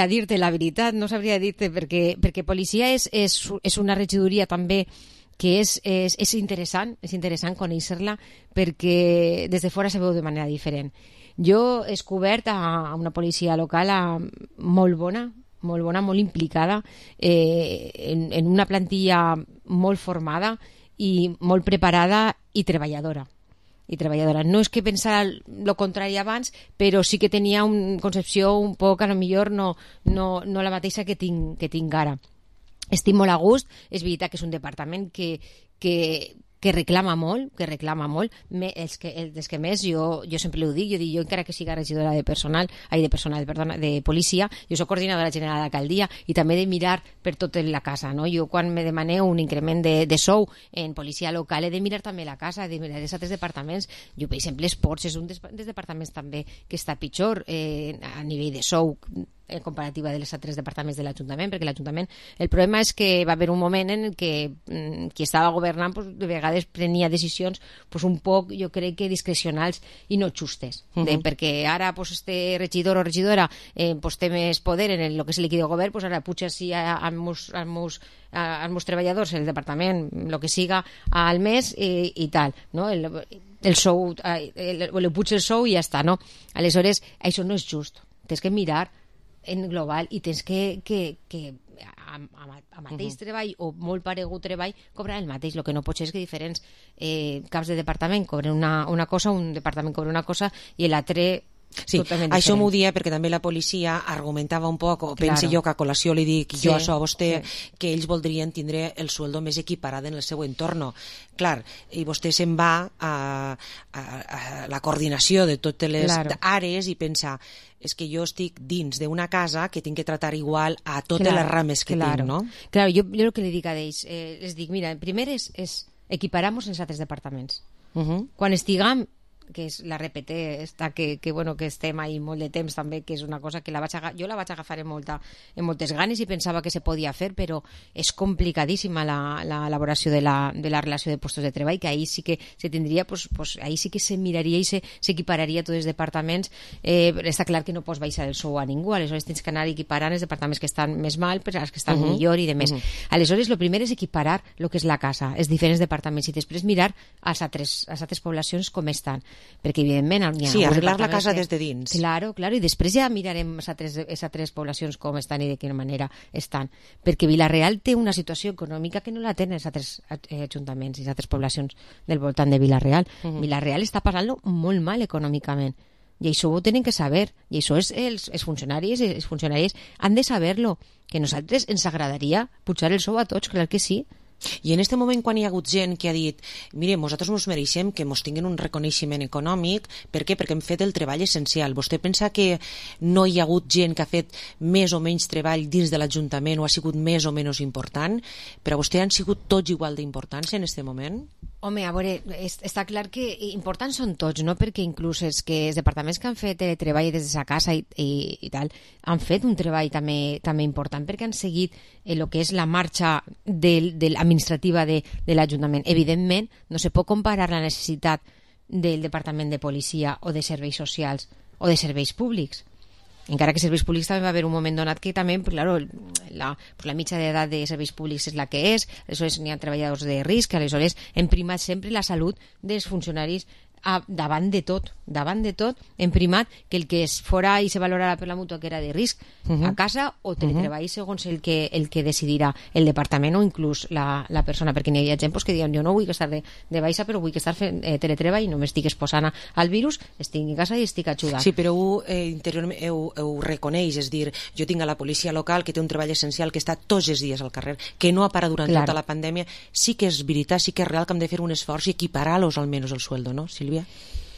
dir-te la veritat, no sabria dir-te, perquè policia és una regidoria també que és interessant conèixer-la, perquè des de fora se veu de manera diferent. Jo he descobert a una policia local molt bona, molt implicada, en una plantilla molt formada i molt preparada i treballadora. No és que pensara el contrari abans, però sí que tenia una concepció un poc, a lo millor no la mateixa que tinc ara. Estic molt a gust, és veritat que és un departament que reclama molt, els que més, jo sempre ho dic, jo encara que siga regidora de policia, jo soc coordinadora general d'alcaldia i també de mirar per tota la casa, no? Jo quan me demaneu un increment de sou en policia local he de mirar també la casa, he de mirar els altres departaments. Jo, per exemple, esports és un dels departaments també que està pitjor a nivell de sou en comparativa dels altres departaments de l'Ajuntament, perquè l'Ajuntament, el problema és que va haver un moment en què qui estava governant de vegades prenia decisions un poc, jo crec que discrecionals i no justes, perquè ara este regidor o regidora té més poder en el que és el líquid de govern, ara puja així als meus treballadors, el departament, el que siga al mes i tal, no? El sou, le puja el sou i ja està, no? Aleshores, això no és just, tens que mirar en global i tens que a mateix treball o molt paregut treball cobrar el mateix. El que no pot ser és que diferents caps de departament cobren una cosa, un departament cobra una cosa i l'altre Sí, això m'ho dia perquè també la policia argumentava un poc, o pense jo que a col·lació li dic jo això a vostè, que ells voldrien tindre el sueldo més equiparat en el seu entorn. Clar, i vostè se'n va a la coordinació de totes les àrees i pensa, és que jo estic dins d'una casa que tinc que tratar igual a totes les rames que tinc, no? Clar, jo el que li dic a ells, les dic, mira, primer és equiparar-nos els altres departaments. Quan estiguem, que és la RPT que estem ahí molt de temps també, que és una cosa que jo la vaig agafar en moltes ganes i pensava que se podia fer, però és complicadíssima l'elaboració de la relació de postos de treball, que ahí sí que se tindria, ahí sí que se miraria i s'equipararia tots els departaments. Està clar que no pots baixar el sou a ningú, aleshores tens que anar equiparant els departaments que estan més mal per als que estan millor i de més. Aleshores, el primer és equiparar el que és la casa, els diferents departaments, i després mirar a les altres poblacions com estan, perquè evidentment arreglar la casa des de dins, claro, i després ja mirarem les altres poblacions com estan i de quina manera estan, perquè Vila-real té una situació econòmica que no la tenen els altres ajuntaments i les altres poblacions del voltant de Vila-real. Vila-real està passant-lo molt mal econòmicament i això ho tenen que saber, i això els funcionaris i les funcionàries han de saber-lo, que a nosaltres ens agradaria pujar el sou a tots, clar que sí. I en aquest moment, quan hi ha hagut gent que ha dit mire, nosaltres ens mereixem que ens tinguin un reconeixement econòmic, per què? Perquè hem fet el treball essencial. Vostè pensa que no hi ha hagut gent que ha fet més o menys treball dins de l'Ajuntament o ha sigut més o menys important? Per a vostè han sigut tots igual d'importants en aquest moment? Home, a veure, està clar que importants són tots, no? Perquè inclús els departaments que han fet treball des de sa casa i tal, han fet un treball també important, perquè han seguit el que és la marxa administrativa de l'Ajuntament. Evidentment, no se pot comparar la necessitat del Departament de Policia o de Serveis Socials o de Serveis Públics. Encara que serveis públics també va haver un moment donat que també, claro, la mitja d'edat de serveis públics és la que és, aleshores n'hi ha treballadors de risc, aleshores hem primat sempre la salut dels funcionaris davant de tot, hem primat que el que es fora i se valorarà per la mútua que era de risc a casa o teletreball segons el que decidirà el departament o inclús la persona, perquè n'hi ha gent que diuen jo no vull estar de baixa però vull estar fent teletreball i no m'estic exposant al virus, estic a casa i estic ajudant. Sí, però interiorment ho reconeix, és dir, jo tinc a la policia local que té un treball essencial que està tots els dies al carrer, que no ha parat durant tota la pandèmia. Sí que és veritat, sí que és real que hem de fer un esforç i equiparar-los almenys el sueldo, no, Sílvia?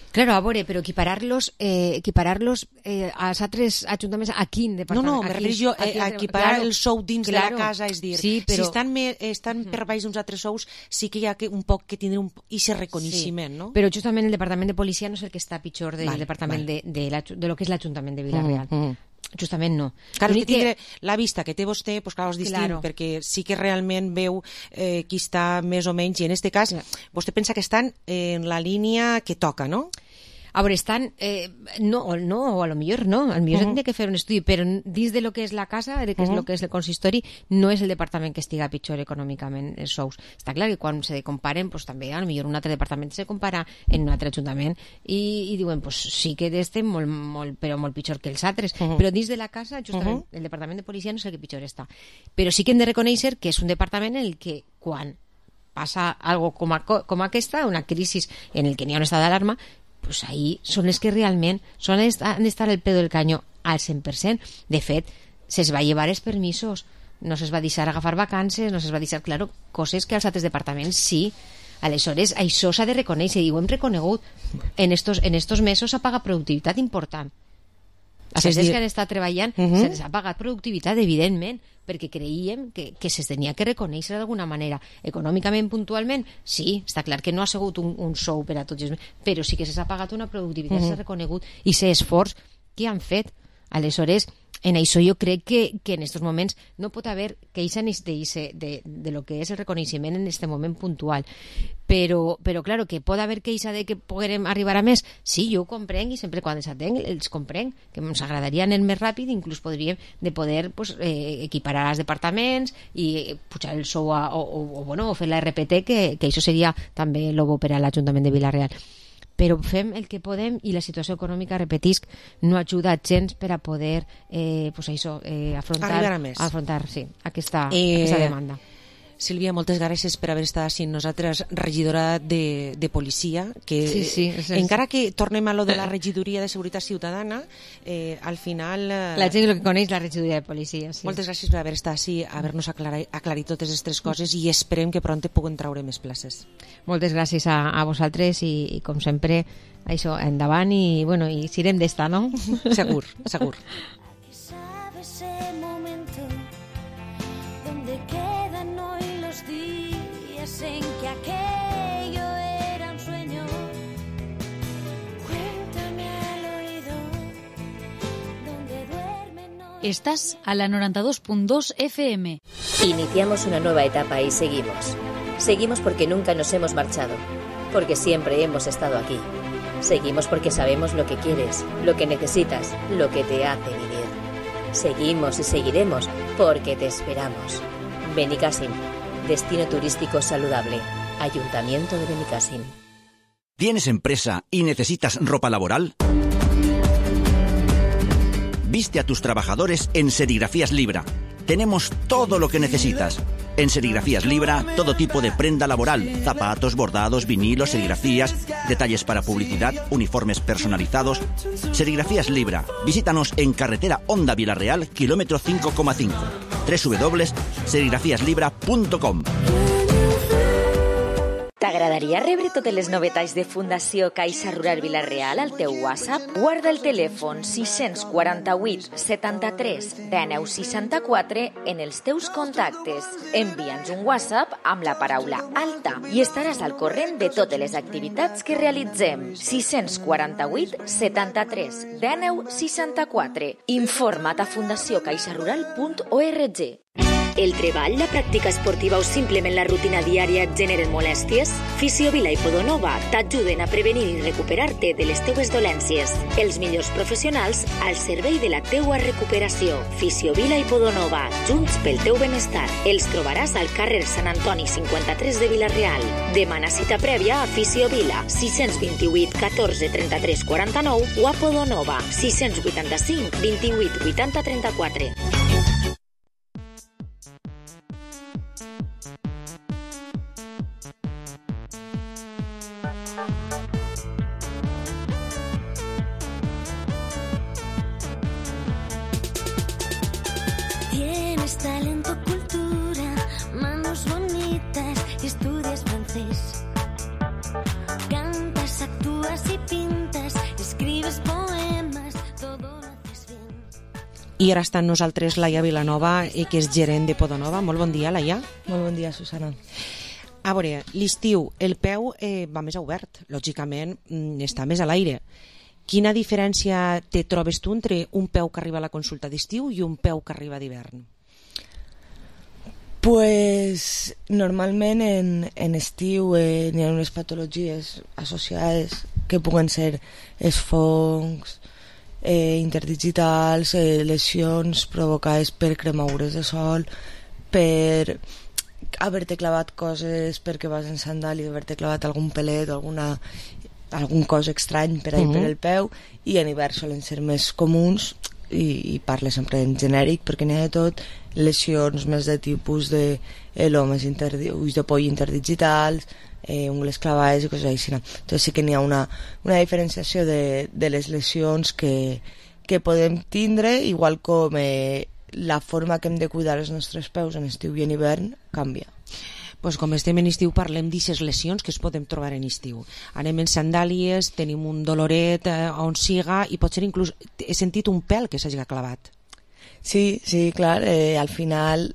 Claro, a veure, però equiparar-los als altres ajuntaments a quin departament? No, me refereixo a equiparar el sou dins de la casa, és dir, si estan per baix d'uns altres sous, sí que hi ha un poc que tindre aquest reconeixement, no? Però justament el departament de policia no és el que està pitjor del departament de lo que és l'Ajuntament de Vila-real. Justament no. Clar, que tindre la vista que té vostè, doncs clar, és distint, perquè sí que realment veu qui està més o menys, i en aquest cas vostè pensa que estan en la línia que toca, no? A veure, estan... no, o a lo millor no. A lo millor tindria que fer un estudi, però dins de lo que és la casa, de que és lo que és el consistori, no és el departament que estiga pitjor econòmicament els sous. Està clar que quan se comparen, pues, també a lo millor un altre departament se compara en un altre ajuntament i diuen, pues sí que estem però molt pitjor que els altres. Però dins de la casa, justament, el departament de policia no és el que pitjor està. Però sí que hem de reconèixer que és un departament en el que quan passa algo com aquesta, una crisi en el que n'hi ha un estat d'alarma, pues ahí són els que realment han d'estar al peu del canyó al 100%. De fet, se'ls va llevar els permisos, no se'ls va deixar agafar vacances, no se'ls va deixar, claro, coses que als altres departaments sí. Aleshores, això s'ha de reconèixer i ho hem reconegut. En estos mesos s'ha pagat productivitat important. A les que han estat treballant se'ls ha pagat productivitat, evidentment, perquè creiem que se'ls tenia que reconèixer d'alguna manera. Econòmicament, puntualment, sí, està clar que no ha sigut un sou per a tots, però sí que se'ls ha pagat una productivitat, s'ha reconegut, i aquest esforç que han fet. Aleshores, en això jo crec que en aquests moments no pot haver queixa de lo que és el reconeixement en aquest moment puntual. Però claro, que pot haver queixa de que puguem arribar a més. Sí, jo ho comprenc i sempre quan els atenc els comprenc, que ens agradaria anar més ràpid, inclús podríem de poder equiparar els departaments i pujar el sou o fer la RPT, que això seria també el bo per a l'Ajuntament de Vila-real. Però fem el que podem i la situació econòmica, repetisc, no ajuda gens per a poder afrontar aquesta demanda. Sílvia, moltes gràcies per haver estat amb nosaltres, regidora de policia, que encara que tornem a lo de la regidoria de seguretat ciutadana, al final... La gent el que coneix la regidoria de policia, sí. Moltes gràcies per haver estat així, haver-nos aclarit totes aquestes coses i esperem que pront puguem traure més places. Moltes gràcies a vosaltres i com sempre, això, endavant i sirem d'esta, no? Segur, segur. En que aquello era un sueño. Cuéntame al oído donde duermen. Estás a la 92.2 FM. Iniciamos una nueva etapa y seguimos. Seguimos porque nunca nos hemos marchado, porque siempre hemos estado aquí. Seguimos porque sabemos lo que quieres, lo que necesitas, lo que te hace vivir. Seguimos y seguiremos porque te esperamos. Benicàssim. Destino turístico saludable. Ayuntamiento de Benicàssim. ¿Tienes empresa y necesitas ropa laboral? Viste a tus trabajadores en Serigrafías Libra. Tenemos todo lo que necesitas. En Serigrafías Libra, todo tipo de prenda laboral, zapatos, bordados, vinilos, serigrafías, detalles para publicidad, uniformes personalizados. Serigrafías Libra. Visítanos en carretera Honda Vila-real, kilómetro 5,5. www.serigrafiaslibra.com. T'agradaria rebre totes les novetats de Fundació Caixa Rural Vila-real al teu WhatsApp? Guarda el telèfon 648 73 19 64 en els teus contactes. Envia'ns un WhatsApp amb la paraula alta i estaràs al corrent de totes les activitats que realitzem. 648 73 19 64. Informa't a fundaciocaixarural.org. El treball, la pràctica esportiva o simplement la rutina diària et generen molèsties? Fisiovila i Podonova t'ajuden a prevenir i recuperar-te de les teues dolències. Els millors professionals al servei de la teua recuperació. Fisiovila i Podonova, junts pel teu benestar. Els trobaràs al carrer Sant Antoni 53 de Vila-real. Demana cita prèvia a Fisiovila 628 14 33 49 o a Podonova 685 28 80 34. Talento, cultura, manos bonitas y estudias francés. Cantas, actúas y pintas, escribes poemas, todo lo haces bien. I ara està amb nosaltres Laia Vilanova, que és gerent de Podonova. Molt bon dia, Laia. Molt bon dia, Susana. A veure, l'estiu, el peu va més obert, lògicament està més a l'aire. Quina diferència te trobes tu entre un peu que arriba a la consulta d'estiu i un peu que arriba d'hivern? Pues normalment en estiu n'hi ha unes patologies associades que puguen ser els fongs, interdigitals, lesions provocades per cremaures de sol, per haver-te clavat coses perquè vas en sandàlia, haver-te clavat algun pelet o algun cos estrany per ahí per el peu, i en hivern solen ser més comuns, i parle sempre en genèric perquè n'hi ha de tot, lesions més de tipus de elomes, ulls de poll interdigitals, ungles clavades i coses així. Entonces sí que n'hi ha una diferenciació de les lesions que podem tindre, igual com la forma que hem de cuidar els nostres peus en estiu i en hivern canvia. Pues com estem en estiu parlem d'aquestes lesions que es podem trobar en estiu. Anem en sandàlies, tenim un doloret on siga, i potser inclús he sentit un pèl que s'hagi clavat. Sí, clar, al final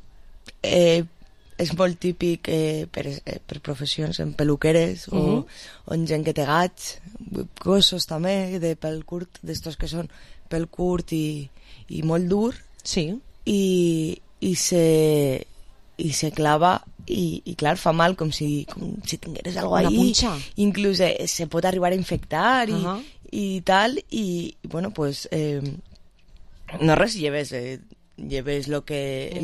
és molt típic per professions en peluqueres o en gent que té gats, gossos també de pèl curt, d'estos que són pèl curt i molt dur, sí, i se clava i clar, fa mal com si tingueres alguna cosa ahí, inclús se pot arribar a infectar i tal, i bueno, pues no res, lleves el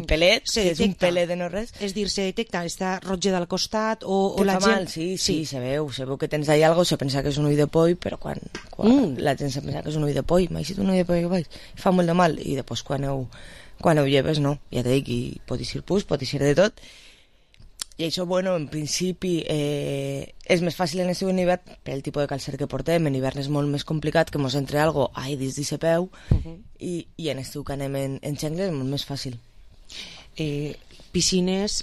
pelet, és un pelet de no res. És dir, se detecta, està roja del costat o la gent... Mal, sí, se veu que tens ahí algo, se pensa que és un ull de poll, però quan la gent se pensa que és un ull de poll, m'ha dit un ull de poll que vaig, fa molt de mal, i després quan ho lleves, no, ja t'he dit, i pot ser pus, pot ser de tot. I això, bueno, en principi és més fàcil en estiu i en hivern per el tipus de calcer que portem. En hivern és molt més complicat que mos entre algo dins d'aquest peu, i en estiu que anem en xengles és molt més fàcil. Piscines,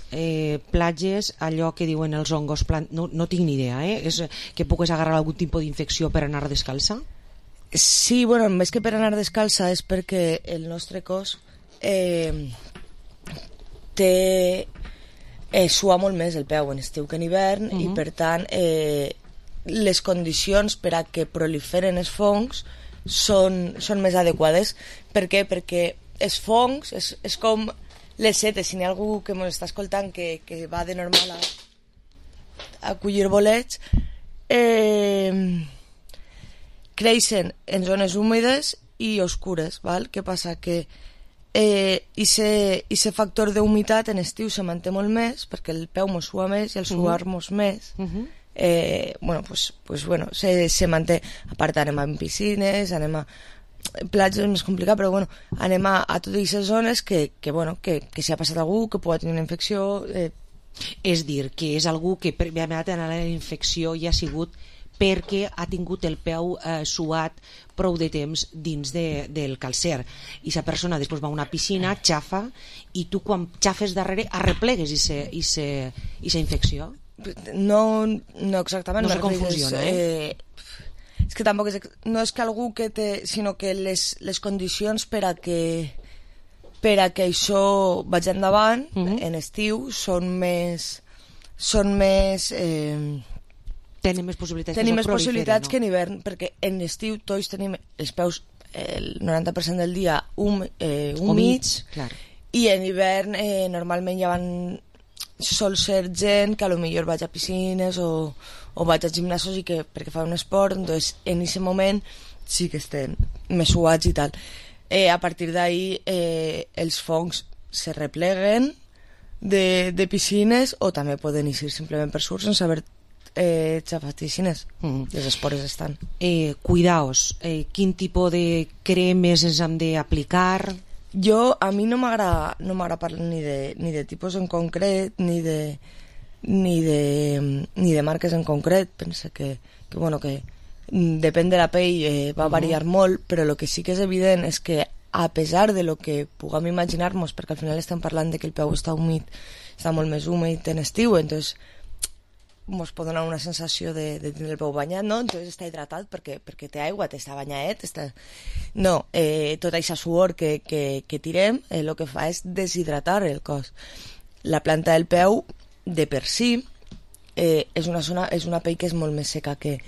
platges, allò que diuen els hongos, no tinc ni idea, és que pugues agarrar algun tipus d'infecció per anar descalça? Sí, bueno, més que per anar descalça és perquè el nostre cos sua molt més el peu en estiu que en hivern, i per tant les condicions per a que proliferen els fongs són més adequades. Per què? Perquè els fongs és com les setes. Si n'hi ha algú que ens està escoltant que va de normal a collir bolets, creixen en zones húmides i oscures, val? Què passa? Que ese factor d'humitat en estiu se manté molt més perquè el peu mos sua més i el suar-mos més se manté. A part anem a piscines, anem a platges, és més complicat, però bueno, anem a totes aquestes zones que si ha passat algú que pugui tenir una infecció, és dir, que és algú que primerament la infecció ja ha sigut perquè ha tingut el peu suat prou de temps dins del calcer, i la persona després va a una piscina, xafa, i tu quan xafes darrere arreplegues aquesta infecció? No exactament, no se confusiona, és que tampoc no és que algú que té, sinó que les condicions per a que això vagi endavant en estiu són més tenim més possibilitats que en hivern, perquè en estiu tots tenim els peus el 90% del dia humits, i en hivern normalment ja sol ser gent que potser vaig a piscines o vaig a gimnasos perquè fa un esport, doncs en aquest moment sí que estem més suats i tal. A partir d'ahí els fongs se repleguen de piscines, o també poden eixir simplement per sur sense haver xafatixines, les espores estan. Cuidaos, quin tipus de cremes ens hem d'aplicar? A mi no m'agrada parlar ni de tipus en concret ni de marques en concret. Penso que depèn de la pell, va variar molt, però el que sí que és evident és que a pesar de lo que puguem imaginar-nos, perquè al final estem parlant de que el peu està humit, està molt més húmid en estiu, entonces ens pot donar una sensació de tenir el peu banyat, no? Entonces està hidratat perquè té aigua, està banyat, no, tota aquesta suor que tirem el que fa és deshidratar el cos. La planta del peu de per si és una pell que és molt més seca que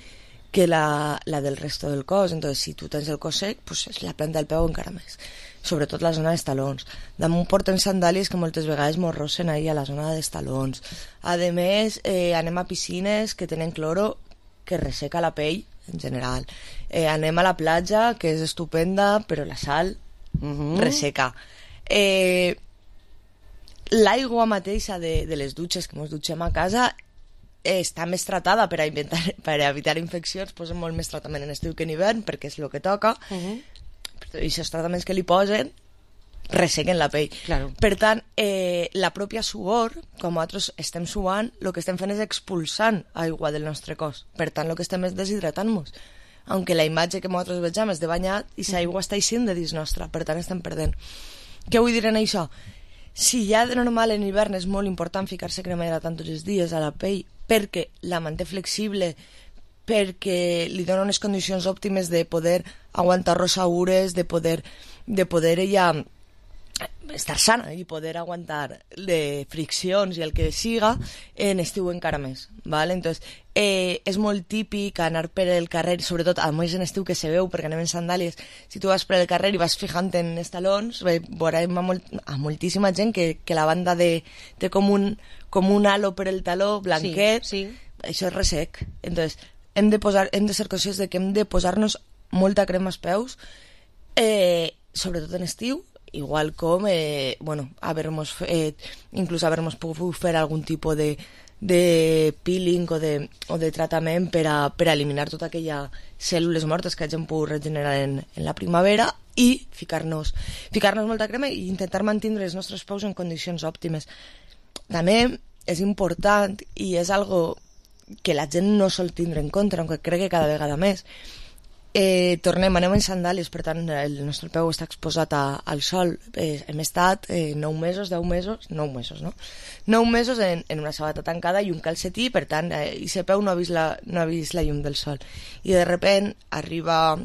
la del resto del cos. Entonces si tu tens el cos sec, pues la planta del peu encara més, sobretot la zona dels talons. Damunt portem sandàlies que moltes vegades mos rossen ahí a la zona dels talons. A més, anem a piscines que tenen cloro que resseca la pell en general. Anem a la platja, que és estupenda, però la sal resseca. L'aigua mateixa de les dutxes que ens dutxem a casa està més tratada per evitar infeccions, posen molt més tratament en estiu que en hivern, perquè és el que toca, i aquests tractaments que li posen ressequen la pell. Claro. Per tant, la pròpia suor, com nosaltres estem suant, el que estem fent és expulsant aigua del nostre cos. Per tant, el que estem és deshidratant-nos. Aunque la imatge que nosaltres vegem és de banyat i l'aigua està eixint de dins nostra, per tant estem perdent. Què vull dir en això? Si ja de normal en hivern és molt important ficar-se crema hidratant tots els dies a la pell perquè la manté flexible, perquè li dona unes condicions òptimes de poder aguantar rosaures, de poder ella estar sana i poder aguantar de friccions i el que siga, en estiu encara més, ¿vale? Entonces, és molt típic anar per el carrer, sobretot a més en estiu que se veu perquè anem en sandàlies, si tu vas per el carrer i vas fijant en els talons, veurem a moltíssima gent que la banda té com un halo per el taló blanquet, això és ressec. Entonces, hem de ser conscients de que hem de posar-nos molta crema als peus, sobretot en estiu, igual com inclús haver-nos pogut fer algun tipus de peeling o de tractament per a eliminar tota aquella cèl·lules mortes que hagin pogut regenerar en la primavera i ficar-nos molta crema i intentar mantenir els nostres peus en condicions òptimes. També és important i és algo que la gent no sol tindre en compte, aunque crec que cada vegada més. Anem en sandàlies, per tant el nostre peu està exposat al sol. Hem estat 9 mesos en una sabata tancada i un calcetí, per tant aquest peu no ha vist la llum del sol, i de repent arriba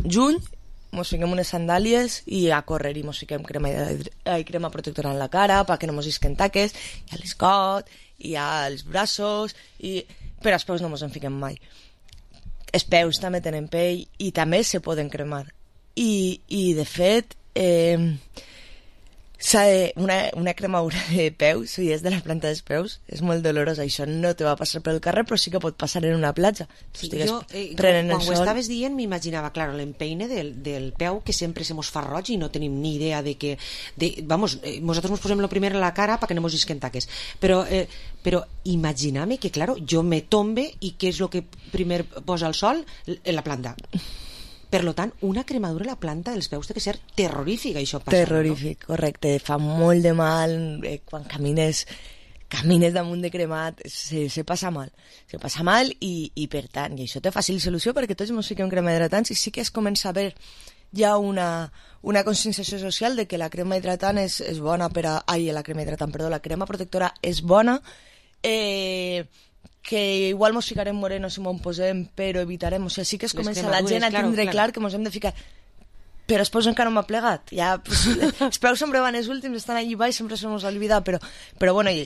juny, ens fiquem unes sandàlies i a córrer, i ens fiquem crema protectora en la cara perquè no ens isquen taques, i a l'escot i als braços, però als peus no ens en fiquem mai. Els peus també tenen pell i també se poden cremar. I de fet, una cremadura de peus, si és de la planta dels peus, és molt dolorosa. Això no te va passar pel carrer, però sí que pot passar en una platja. Jo, quan ho estaves dient, m'imaginava, clar, l'empeine del peu, que sempre se mos fa roig i no tenim ni idea de que... nosaltres mos posem lo primer a la cara perquè no mos isquen taques. Però imagíname que, claro, jo me tombe i què és el que primer posa el sol? La planta. Per tant, una cremadura a la planta dels peus té que ser terrorífica, això passa. Terrorífic, no? Correcte. Fa molt de mal quan camines damunt de cremat, se passa mal. Se passa mal i per tant, i això té fàcil solució perquè tots ens fiquem crema hidratants i sí que es comença a veure ja una conscienciació social de que la crema hidratant és bona la crema protectora és bona, que igual mos ficarem morenos si m'ho posem, però evitarem, o sigui, sí que es comença la gent a tindre clar que mos hem de ficar, però els peus encara no m'ha plegat, ja, els peus sempre van els últims, estan allà baix, sempre se mos oblida, però bueno, i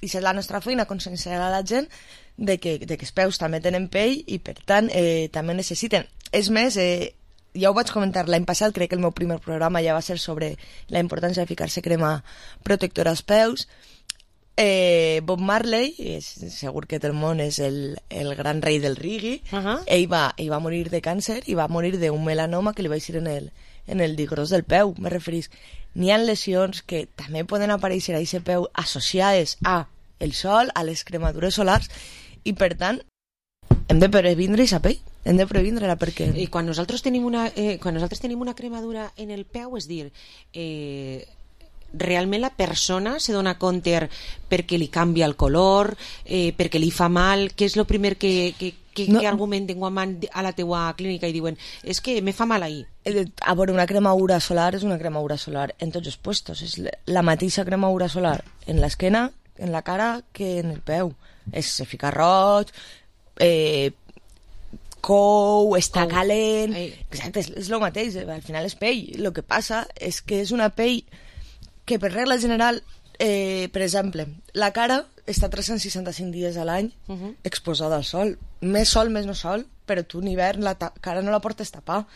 és la nostra feina conscienciar a la gent de que els peus també tenen pell i per tant també necessiten. És més, ja ho vaig comentar l'any passat, crec que el meu primer programa ja va ser sobre la importància de ficar-se crema protectora als peus. Bob Marley, segur que del món és el gran rei del reggae, ell va morir de càncer i va morir d'un melanoma que li va eixir en el dit gros del peu, me referís. N'hi ha lesions que també poden aparèixer a aquest peu associades a el sol, a les cremadures solars, i per tant hem de previndre aquesta pell, hem de previndre-la perquè... I quan nosaltres tenim una cremadura en el peu, és dir, realment la persona se dona compte perquè li canvia el color, perquè li fa mal, què és el primer que argumenten quan van a la teua clínica i diuen és que me fa mal ahí? A veure, una cremadura solar és una cremadura solar en tots els puestos, és la mateixa cremadura solar en l'esquena, en la cara, que en el peu. Se fica roig, cou, està calent, exacte, és el mateix, al final és pell. El que passa és que és una pell que per regla general, per exemple, la cara està 365 dies a l'any exposada al sol. Més sol, més no sol, però tu en hivern la cara no la portes tapar.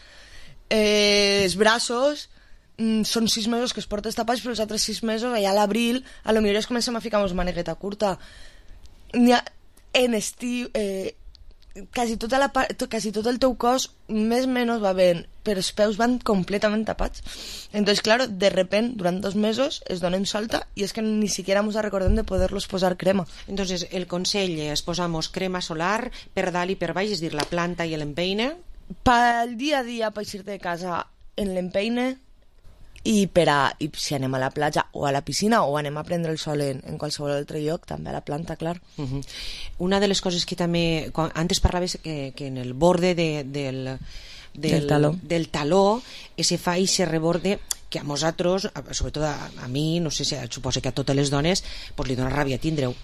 Els braços són 6 mesos que es portes tapats, però els altres 6 mesos, allà a l'abril, a lo millor es comencem a ficar amb manegueta curta. En estiu... quasi tot el teu cos més o menys va bé, però els peus van completament tapats. Entonces, claro, de repente, durant 2 mesos es donen solta i és que ni siquiera ens recordem de poder-los posar crema. Entonces, el consell és posamos crema solar per dalt i per baix, és dir, la planta i l'empeine. Pel dia a dia, per eixir de casa, en l'empeine, i si anem a la platja o a la piscina o anem a prendre el sol en qualsevol altre lloc, també a la planta, clar. Una de les coses que també, antes parlaves que en el borde del taló se fa i se reborde, que a nosaltres, sobretot a mi, no sé si suposo que a totes les dones, pues li dona ràbia tindre-ho.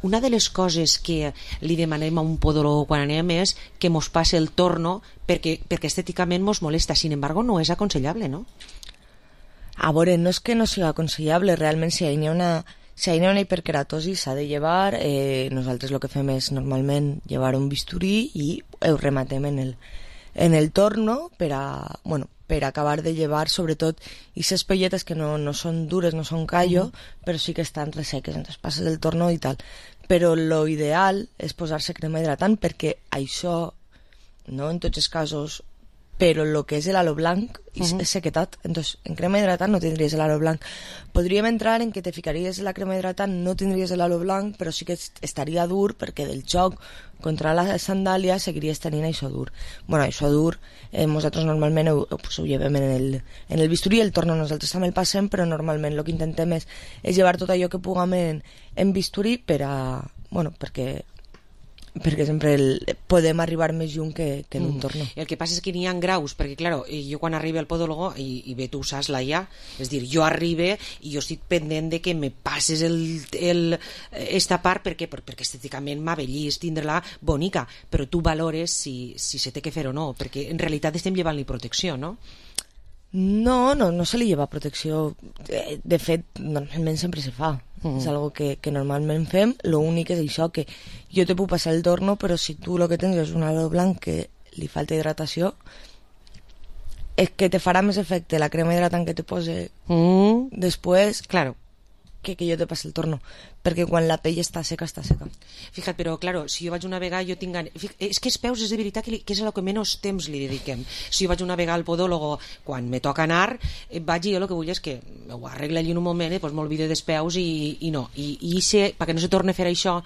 Una de les coses que li demanem a un podòleg quan anem és que mos passe el torno perquè estèticament mos molesta. Sin embargo, no és aconsellable, no? A veure, no és que no sigui aconsellable, realment si hi ha una hiperkeratosi s'ha de llevar, nosaltres el que fem és normalment llevar un bisturí i ho rematem en el torno per acabar de llevar, sobretot aquestes pelletes que no són dures, no són callo, però sí que estan resseques, entonces passes el torno i tal. Però lo ideal és posar-se crema hidratant perquè això, no en tots els casos, però el que és l'halo blanc és sequetat. Entonces, en crema hidratant no tindries l'halo blanc. Podríem entrar en que te ficaries la crema hidratant, no tindries l'halo blanc, però sí que estaria dur perquè del xoc contra la sandàlia seguiries tenint això dur. Bueno, això dur, nosaltres normalment ho llevem en el bisturí, el torno nosaltres també el passem, però normalment el que intentem és llevar tot allò que puguem en bisturí perquè sempre podem arribar més lluny que en un torno. El que passa és que n'hi ha graus, perquè clar, jo quan arribo al podòlogo i bé, tu saps ja, és dir, jo arribe i jo estic pendent de que me passes esta part perquè estèticament m'abellís tindre-la bonica, però tu valores si se té que fer o no, perquè en realitat estem llevant-li protecció, no? No se li lleva protecció. De fet, normalment sempre se fa. És algo que normalment fem. L'únic és això, que jo te puc passar el torno, però si tu el que tens és un halo blanc que li falta hidratació, és que te farà més efecte la crema hidratant que te pose després, claro, que jo te passi el torno, perquè quan la pell està seca, està seca. Fija't, però claro, si jo vaig una vegada jo tinc... És que els peus és de veritat que és el que menys temps li dediquem. Si jo vaig una vegada al podòlogo quan me toca anar, vaig i jo el que vull és que ho arregla allí en un moment, doncs m'olvide dels peus i no. I perquè no se torni a fer això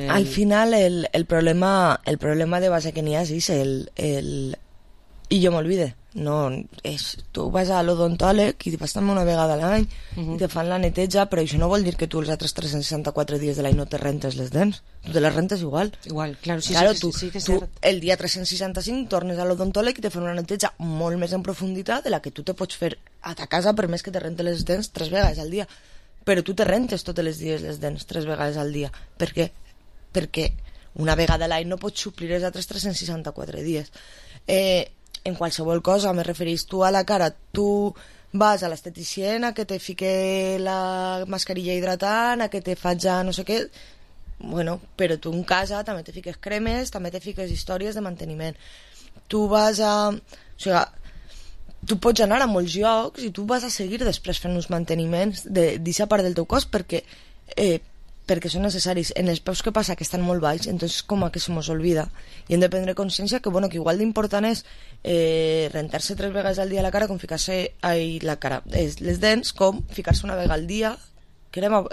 Al final el problema de base que n'hi ha és i jo m'olvide. No, tu vas a l'odontòleg i vas també una vegada a l'any i te fan la neteja, però això no vol dir que tu els altres 364 dies de l'any no te rentes les dents. Tu te les rentes igual. Claro, sí, tu el dia 365 tornes a l'odontòleg i te fan una neteja molt més en profunditat de la que tu te pots fer a ta casa, per més que te rentes les dents 3 vegades al dia. Però tu te rentes tots els dies les dents 3 vegades al dia. Per què? Perquè una vegada a l'any no pots suplir els altres 364 dies. En qualsevol cosa, me referís tu a la cara, tu vas a l'esteticient a que te fique la mascarilla hidratant, a que te faig no sé què, bueno, però tu en casa també te fiques cremes, també te fiques històries de manteniment. Tu vas a... O sigui, tu pots anar a molts llocs i tu vas a seguir després fent uns manteniments d'aquesta part del teu cos perquè són necessaris. En els peus que passa que estan molt baix, entonces com a que se mos olvida i hem de prendre consciència que igual d'important és rentar-se 3 vegades al dia la cara com ficar-se les dents, com ficar-se una vegada al dia crema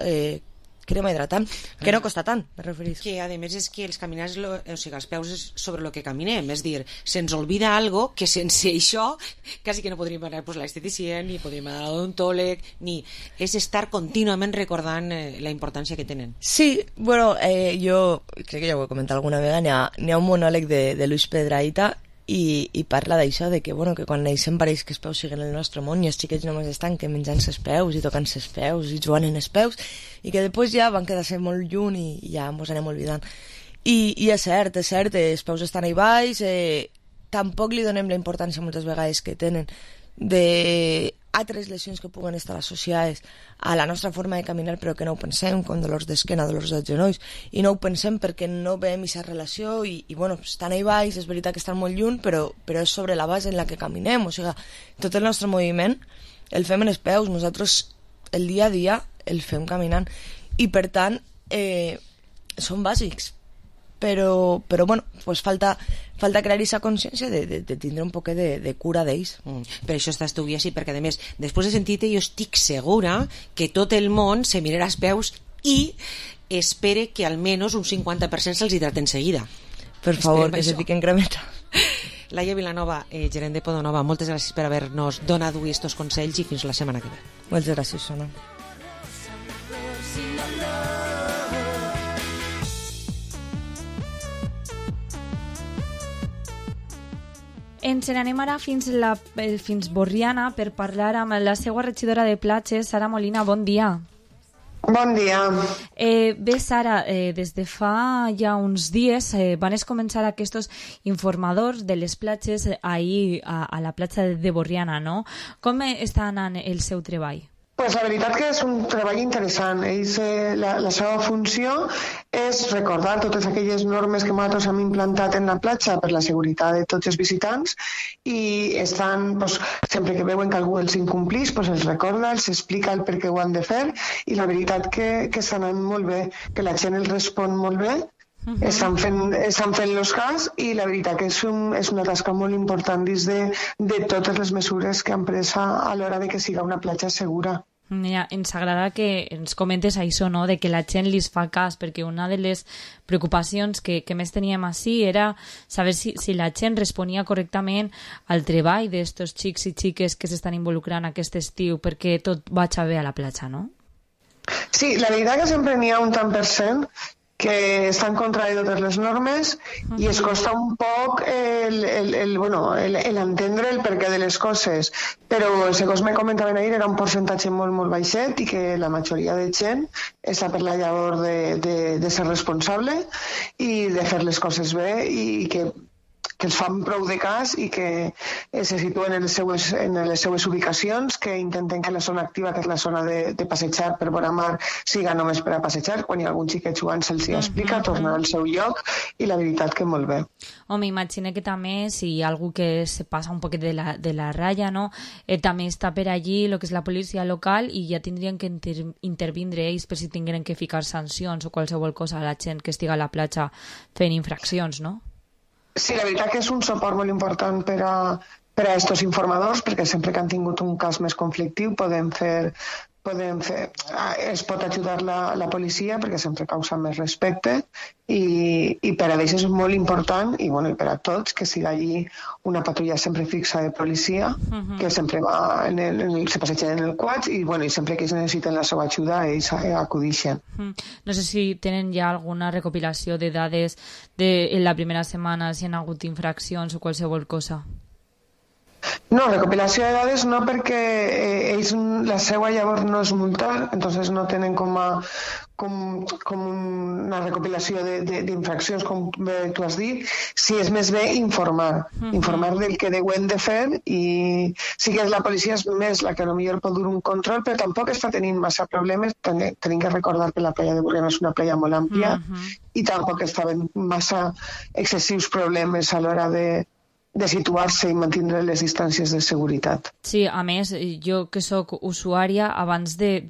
hidratant, que no costa tant, me referís. Que a més és que els caminars, o sigui, els peus és sobre el que caminem, és dir, se'ns olvida algo que sense això quasi que no podríem anar a l'esteticient, ni podríem anar a l'odontòleg, ni... És estar contínuament recordant la importància que tenen. Sí, bueno, jo crec que ja ho he comentat alguna vegada, n'hi ha un monòleg de Luis Pedraita i parla d'això, de que quan neixem pareix que els peus siguen el nostre món i els xiquets només estan que menjant els peus i tocant els peus i jugant en els peus i que després ja van quedar-se molt lluny i ja ens anem oblidant. I és cert, els peus estan ahí baix, tampoc li donem la importància moltes vegades que tenen d'altres lesions que puguen estar associades a la nostra forma de caminar però que no ho pensem, com dolors d'esquena, dolors dels genolls, i no ho pensem perquè no veiem aquesta relació i estan ahí baix, és veritat que estan molt lluny però és sobre la base en la que caminem, o sigui, tot el nostre moviment el fem en els peus, nosaltres el dia a dia el fem caminant i per tant són bàsics però bueno, pues falta crear aquesta consciència de tindre un poquet de cura d'ells. Per això estàs tu així, perquè a més, després de sentir-te, jo estic segura que tot el món se mirarà als peus i espere que almenys un 50% se'ls hidraten seguida. Per favor, que se fiquen cremeta. Laia Vilanova, gerent de Podonova, moltes gràcies per haver-nos donat avui estos consells i fins la setmana que ve. Moltes gràcies, Sona. Ens n'anem ara fins Borriana per parlar amb la seva regidora de platges, Sara Molina. Bon dia. Bon dia. Bé, Sara, des de fa ja uns dies van començar aquests informadors de les platges ahir a la platja de Borriana, no? Com està anant el seu treball? Pues la veritat que és un treball interessant. Ells, la seva funció és recordar totes aquelles normes que nosaltres hem implantat en la platja per la seguretat de tots els visitants i estan, pues, sempre que veuen que algú els incomplís, pues els recorda, els explica el per què ho han de fer i la veritat que està anant molt bé, que la gent els respon molt bé. Estan fent los cas i la veritat que és una tasca molt important dins de totes les mesures que han pres a l'hora de que siga una platja segura. Mira, ens agrada que ens comentes això, no? De que la gent li fa cas, perquè una de les preocupacions que més teníem així era saber si la gent responia correctament al treball d'estos xics i xiques que s'estan involucrant aquest estiu perquè tot vagi bé a la platja, no? Sí, la veritat que sempre n'hi ha un tant per cent que està en contra de totes les normes i es costa un poc entendre el perquè de les coses, però segons me comentaven ahir era un percentatge molt, molt baixet i que la majoria de gent està per la llavor de ser responsable i de fer les coses bé i que els fan prou de cas i que se situen en les seues ubicacions, que intenten que la zona activa, que és la zona de passejar per vora mar, siga només per a passejar. Quan hi ha algun xiquet jugant se'ls explica, tornar al seu lloc i la veritat que molt bé. Home, imagina que també si hi ha algú que se passa un poquet de la ratlla, no? També està per allí el que és la policia local i ja tindrien que intervindre ells per si tingueren que ficar sancions o qualsevol cosa a la gent que estiga a la platja fent infraccions, no? Sí, la veritat que és un suport molt important per a estos informadors, perquè sempre que han tingut un cas més conflictiu es pot ajudar la policia perquè sempre causa més respecte i per a ells és molt important i per a tots que siga allí una patrulla sempre fixa de policia que sempre va se passegen en el quad i sempre que ells necessiten la seva ajuda ells acudixen. No sé si tenen ja alguna recopilació de dades en la primera setmana, si hi ha hagut infraccions o qualsevol cosa. No, recopilació de dades no, perquè ells la seva llavors no és multar, entonces no tenen com una recopilació d'infraccions, com tu has dit. Si és més bé informar del que deuen de fer i sí que la policia és més la que potser pot dur un control, però tampoc està tenint massa problemes. Tenim que recordar que la playa de Borriana és una playa molt àmplia i tampoc estaven massa excessius problemes a l'hora de situar-se i mantenir les distàncies de seguretat. Sí, a més, jo que sóc usuària, abans de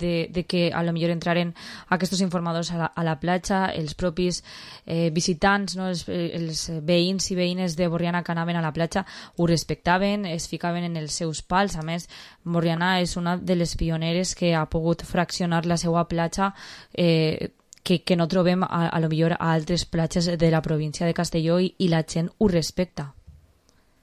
que a lo millor entraren aquests informadors a la platja, els propis visitants, no, els veïns i veïnes de Borriana que anaven a la platja ho respectaven, es ficaven en els seus pals. A més, Borriana és una de les pioneres que ha pogut fraccionar la seva platja que no trobem a lo millor a altres platges de la província de Castelló i la gent ho respecta.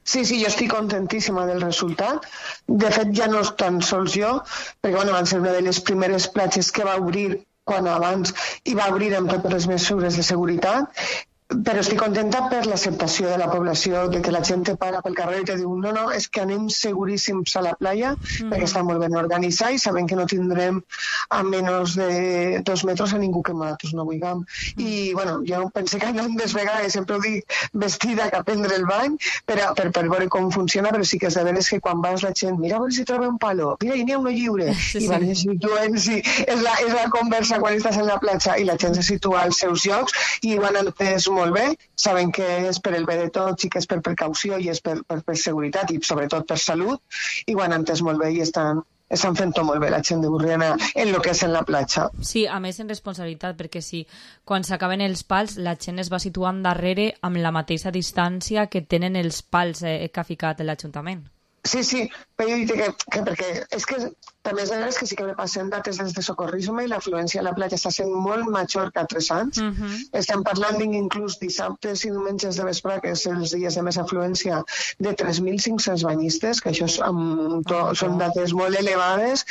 Sí, jo estic contentíssima del resultat. De fet, ja no tan sols jo, perquè van ser una de les primeres platges que va obrir quan abans i va obrir amb totes les mesures de seguretat, però estic contenta per l'acceptació de la població, de que la gent te para pel carrer i te diu no, és que anem seguríssims a la playa perquè està molt ben organitzat i sabem que no tindrem a menys de 2 metres a ningú que nosaltres no vulguem. I jo pensé que anades vegades, sempre ho dic, vestida que a prendre el bany per veure com funciona, però sí que és de veres que quan vas la gent, mira a veure si troba un palo, mira, hi n'hi ha uno lliure, i van situant, és la conversa quan estàs en la platja i la gent se situa als seus llocs i ho han entès molt bé, saben que és per el bé de tots i que és per precaució i és per seguretat i sobretot per salut i ho han entès molt bé i estan estan fent tot molt bé la gent de Borriana en lo que és en la platja. Sí, a més en responsabilitat, perquè sí, quan s'acaben els pals la gent es va situant darrere amb la mateixa distància que tenen els pals que ha ficat l'Ajuntament. Sí, però jo dic que perquè és que també és de veres que sí que me passen dates des de socorrisme i l'afluència a la platja està sent molt major que altres anys. Estem parlant inclús dissabtes i diumenges de vespre, que és els dies de més afluència, de 3.500 banyistes, que això són dates molt elevades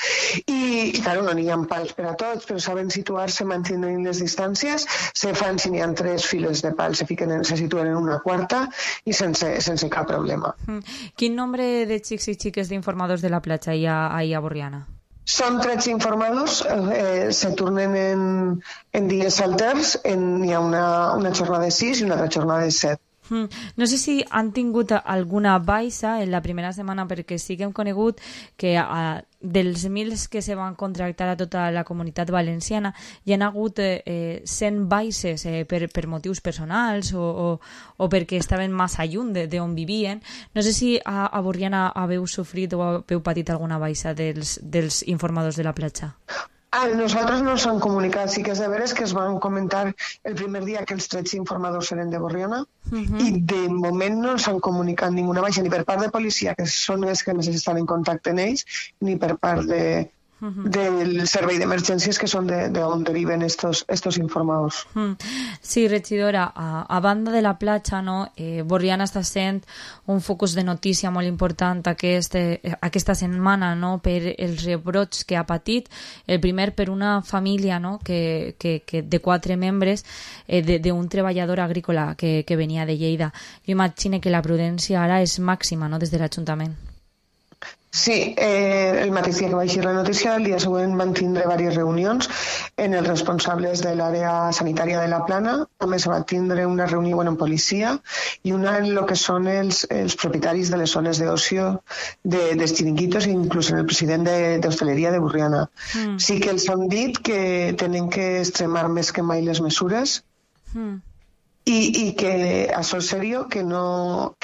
i claro, no n'hi ha pals per a tots, però saben situar-se mantenint les distàncies, se fan, si n'hi ha 3 files de pals, se situen en una quarta i sense cap problema. Quin nombre de xics i xiques d'informadors de la platja hi ha ahir a Borriana? Són 13 informadors, se tornen en dies alters, hi ha una jornada de 6 i una altra jornada de 7. No sé si han tingut alguna baixa en la primera setmana, perquè sí que hem conegut que dels 1.000 que se van contractar a tota la comunitat valenciana hi ha hagut 100 baixes per motius personals o perquè estaven massa lluny d'on vivien. No sé si a Borriana haveu sofrit o haveu patit alguna baixa dels informadors de la platja. Nosaltres no s'han comunicat, sí que és de veres que es van comentar el primer dia que els 13 informadors eren de Borriana i de moment no s'han comunicat ninguna baixa, ni per part de policia, que són els que més estan en contacte amb ells, ni per part del servei d'emergències, que són d'on deriven estos informadors. Sí, regidora, a banda de la platja, Borriana està sent un focus de notícia molt important aquesta setmana per els rebrots que ha patit. El primer per una família que de 4 membres d'un treballador agrícola que venia de Lleida. Jo imagino que la prudència ara és màxima des de l'Ajuntament. Sí, el mateix dia que va eixir la notícia, el dia següent van tindre diverses reunions en els responsables de l'àrea sanitària de la Plana. També se va tindre una reunió amb policia i una en el que són els propietaris de les zones d'ocio dels xiringuitos i inclús en el president d'Hostaleria de Borriana. Sí que els han dit que tenen que extremar més que mai les mesures i que això és seriós, que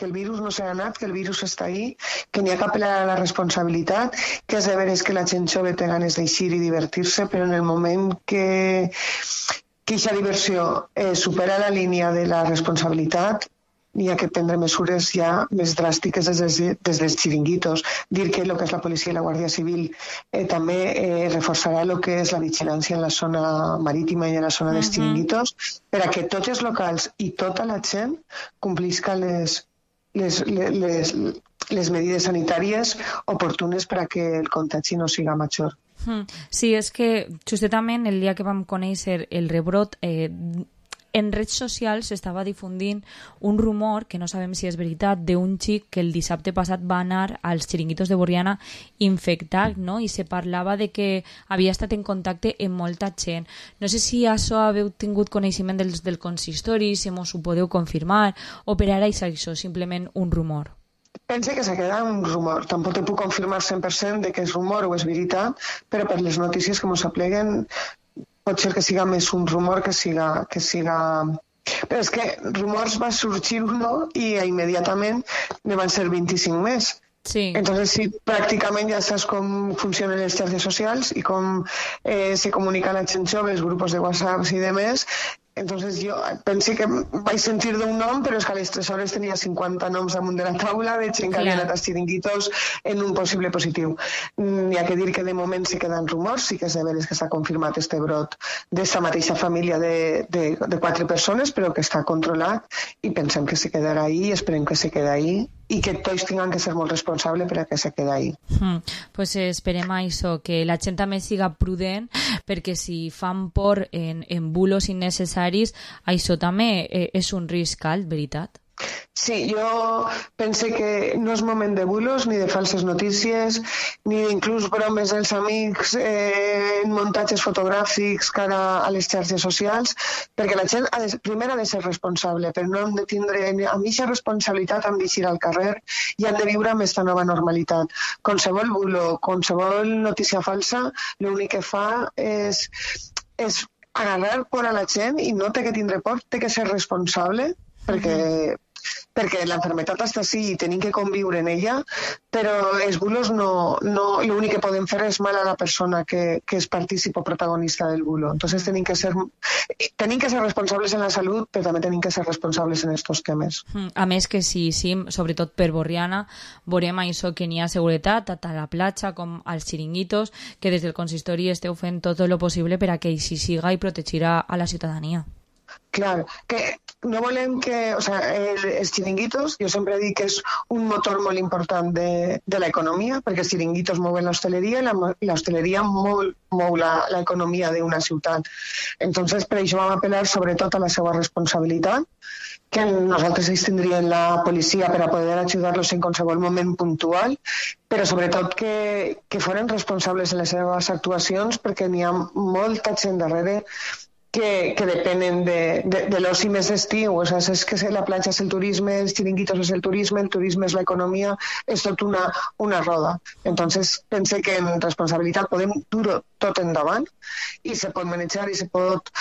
el virus no s'ha anat, que el virus està ahí, que n'hi ha que apel·lar a la responsabilitat, que és de veres que la gent jove té ganes d'eixir i divertir-se, però en el moment que aquesta diversió supera la línia de la responsabilitat, n'hi ha que prendre mesures ja més dràstiques des dels xiringuitos. Dir que el que és la policia i la Guàrdia Civil també reforçarà el que és la vigilància en la zona marítima i en la zona dels xiringuitos per a que tots els locals i tota la gent complisca les medides sanitàries oportunes per a que el contagi no siga major. Sí, és que justament el dia que vam conèixer el rebrot en redes socials s'estava difundint un rumor, que no sabem si és veritat, d'un xic que el dissabte passat va anar als xiringuitos de Borriana infectat, i se parlava de que havia estat en contacte amb molta gent. No sé si això haveu tingut coneixement del consistori, si mos ho podeu confirmar, o per ara és això simplement un rumor. Pense que se queda un rumor. Tampoc te puc confirmar 100% de que és rumor o és veritat, però per les notícies que ens apleguen pot ser que siga més un rumor que siga... Però és que rumors va sorgir uno i immediatament ne van ser 25 més. Sí. Entonces, sí, pràcticament ja saps com funcionen les xarxes socials i com se comunica la gent jove, els grups de WhatsApp i demés. Entonces jo penso que vaig sentir d'un nom, però és que a les 3 hores tenia 50 noms damunt de la taula de gent que havia anat als xiringuitos en un possible positiu. N'hi ha que dir que de moment se queden rumors, sí que és de veres que s'ha confirmat este brot d'esta mateixa família de 4 persones, però que està controlat i pensem que se quedarà ahí, esperem que se quedi ahí i que tots tinguin que ser molt responsables per a que se quedi ahí. Pues esperem això, que la gent també siga prudent, perquè si fan por en bulos innecessaris, això també és un risc alt, veritat? Sí, jo pense que no és moment de bulos, ni de falses notícies, ni d'inclús bromes dels amics en muntatges fotogràfics cara a les xarxes socials, perquè la gent primer ha de ser responsable, però no hem de tindre a mitja responsabilitat, han d'eixir al carrer i han de viure amb aquesta nova normalitat. Qualsevol bulo, qualsevol notícia falsa, l'únic que fa és agarrar por a la gent i no té que tindre por, té que ser responsable, perquè perquè l'enfermetat està sí i tenim que conviure en ella, però els bulos no l'únic que poden fer és mal a la persona que és partícip o protagonista del bulo. Entonces tenim que ser responsables en la salut, però també tenim que ser responsables en estos temes. A més que sí, sobretot per Borriana, veurem això que n'hi ha seguretat tant a la platja com als xiringuitos, que des del consistori esteu fent tot el possible per a que així siga i protegirà a la ciutadania. Clar, que no volem que... O sigui, els xiringuitos, jo sempre dic que és un motor molt important de l'economia, perquè els xiringuitos mouen l'hostaleria i l'hostaleria mou l'economia d'una ciutat. Entonces, per això vam apel·lar sobretot a la seva responsabilitat, que nosaltres ells tindrien la policia per a poder ajudar-los en qualsevol moment puntual, però sobretot que foren responsables en les seves actuacions, perquè n'hi ha molta gent darrere que depenen de l'oci més d'estiu. O sigui, és que la platja és el turisme, els xiringuitos és el turisme és l'economia, és tot una roda. Entonces, pense que en responsabilitat podem dur tot endavant i se pot manejar i se pot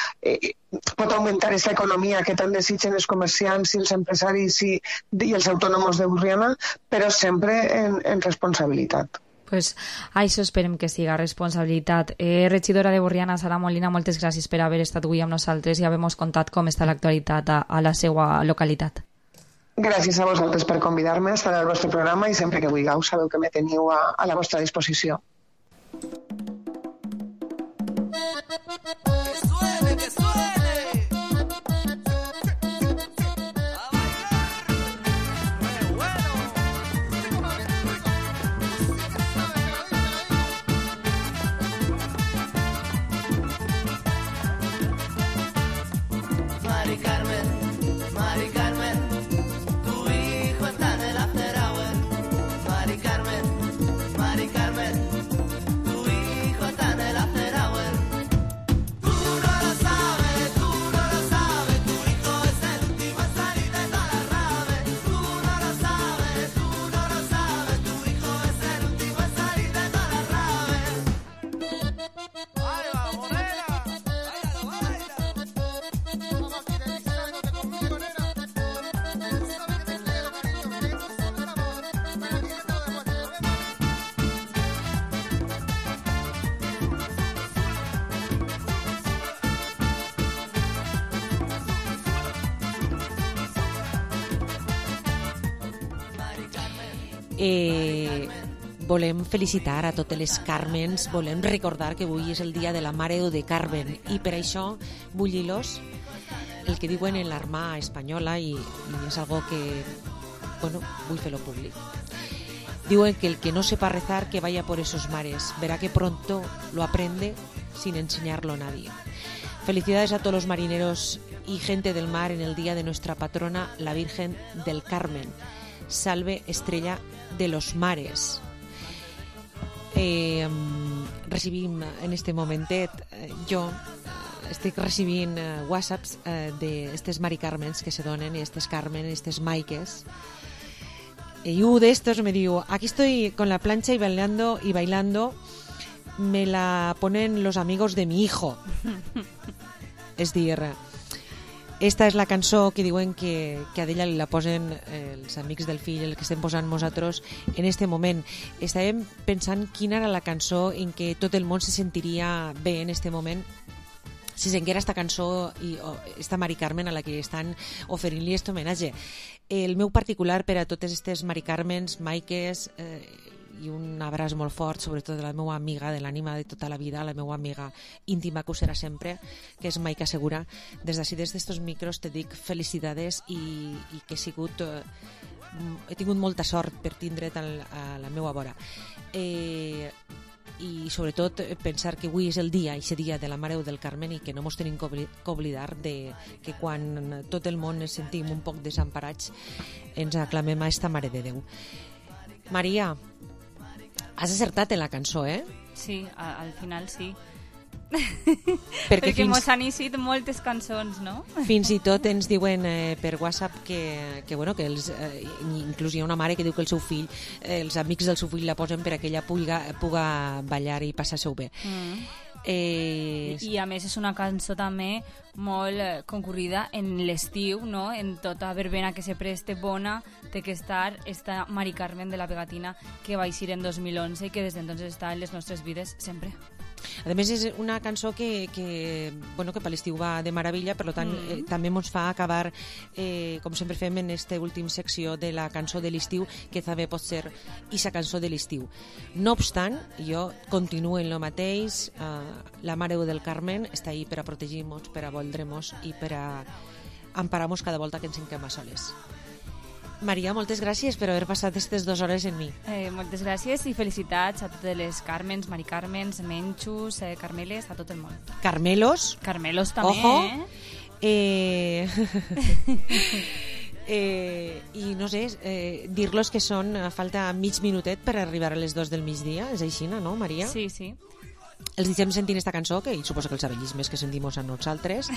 augmentar aquesta economia que tant desitgen els comerciants i els empresaris i els autònoms de Borriana, però sempre en responsabilitat. Pues això esperem que siga responsabilitat. Regidora de Borriana, Sara Molina, moltes gràcies per haver estat avui amb nosaltres i haver-nos contat com està l'actualitat a la seva localitat. Gràcies a vosaltres per convidar-me a estar al vostre programa i sempre que vulgueu sabeu que me teniu a la vostra disposició. Mari Carmen, tu hijo está en el after hour. Mari Carmen, tu hijo está en el after hour. Tú no lo sabes, tu hijo es el último en salir de toda la rave. Tú no lo sabes, tu hijo es el último en salir de toda la rave. ¡Ahí va, Morena! Volem felicitar a totes les Carmens, volem recordar que avui és el dia de la Mare de Carmen i per això vull dir-los el que diuen en l'Armada espanyola i és algo que, bueno, vull fer-lo públic. Diuen que el que no sepa rezar que vaya por esos mares, verá que pronto lo aprende sin enseñarlo a nadie. Felicidades a todos los marineros y gente del mar en el día de nuestra patrona, la Virgen del Carmen. Salve estrella de los mares. Recibim en este momentet, jo estic recibint whatsapps d'estes Mari Carmens que se donen, estes Carmen, estes Maiques, y uno de estos me diu, aquí estoy con la plancha y bailando, me la ponen los amigos de mi hijo. És dir, esta és la cançó que diuen que a d'ella la posen els amics del fill, el que estem posant nosaltres en este moment. Estàvem pensant quina era la cançó en què tot el món se sentiria bé en este moment si senguera esta cançó i esta Mari Carmen a la que estan oferint-li aquest homenatge. El meu particular per a totes aquestes Mari Carmens, Maiques, i un abraç molt fort, sobretot de la meva amiga de l'ànima de tota la vida, la meva amiga íntima que ho serà sempre, que és Maica Segura. Des d'ací, des d'estos micros, te dic felicitats i que he tingut molta sort per tindre't a la meva vora. I sobretot pensar que avui és el dia, aquest dia de la Mare del Carmen, i que no mos tenim que oblidar que quan tot el món ens sentim un poc desemparats ens aclamem a esta Mare de Déu. Maria, has acertat en la cançó, eh? Sí, al final sí. Perquè mos han eixit moltes cançons, no? Fins i tot ens diuen per WhatsApp que inclús hi ha una mare que diu que el seu fill, els amics del seu fill la posen per a que ella puga ballar i passar-se-ho bé. I a més és una cançó també molt concorrida en l'estiu, no? En tota verbena que se preste bona té que estar esta Mari Carmen de la Pegatina, que va eixir en 2011 i que des d'entonces està en les nostres vides sempre. A més, és una cançó que per l'estiu va de meravella, per tant, també ens fa acabar, com sempre fem en aquesta última secció de la cançó de l'estiu, que també pot ser aquesta cançó de l'estiu. No obstant, jo continuo en el mateix, la Mare del Carmen està ahí per a protegir-nos, per a voldre-nos i per a emparar-nos cada volta que ens sentim a soles. Maria, moltes gràcies per haver passat aquestes 2 hores amb mi. Moltes gràcies i felicitats a totes les Carmens, Mari Carmens, Menxus, Carmeles, a tot el món. Carmelos. Carmelos també, Ojo. I no sé, dir-los que són a falta mig minutet per arribar a les 2 del migdia. És així, no, Maria? Sí, sí. Els deixem sentint esta cançó, que suposo que els abellismes que sentim a nosaltres.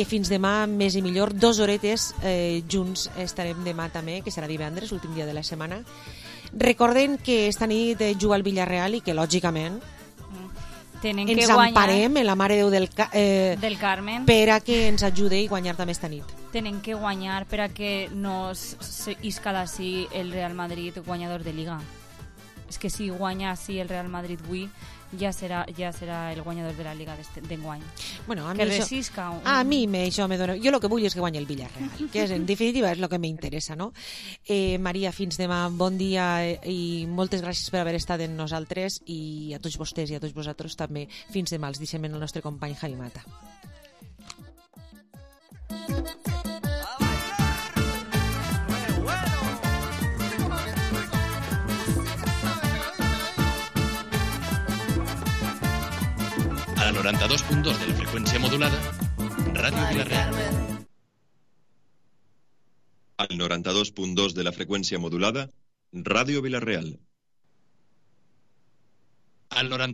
Fins demà, més i millor. 2 horetes junts estarem demà també, que serà divendres, l'últim dia de la setmana. Recorden que esta nit juga al Villarreal i que, lògicament, ens emparem en la Mare de Déu del Carmen per a que ens ajudi a guanyar també esta nit. Tenen que guanyar per a que no isca d'ací el Real Madrid guanyador de Liga. És que si guanya així el Real Madrid avui, ja serà el guanyador de la Liga d'enguany. Bueno, a mi que resisca. A mi això me dona... Jo el que vull és que guanyi el Villarreal, que en definitiva és el que m'interessa, no? Maria, fins demà, bon dia i moltes gràcies per haver estat amb nosaltres i a tots vostès i a tots vosaltres també. Fins demà, els deixem en el nostre company Javi Mata. A 92.2 de la freqüència modulada, Ràdio Vilareal. Al 92.2 de la freqüència modulada, Ràdio Vilareal. Al 92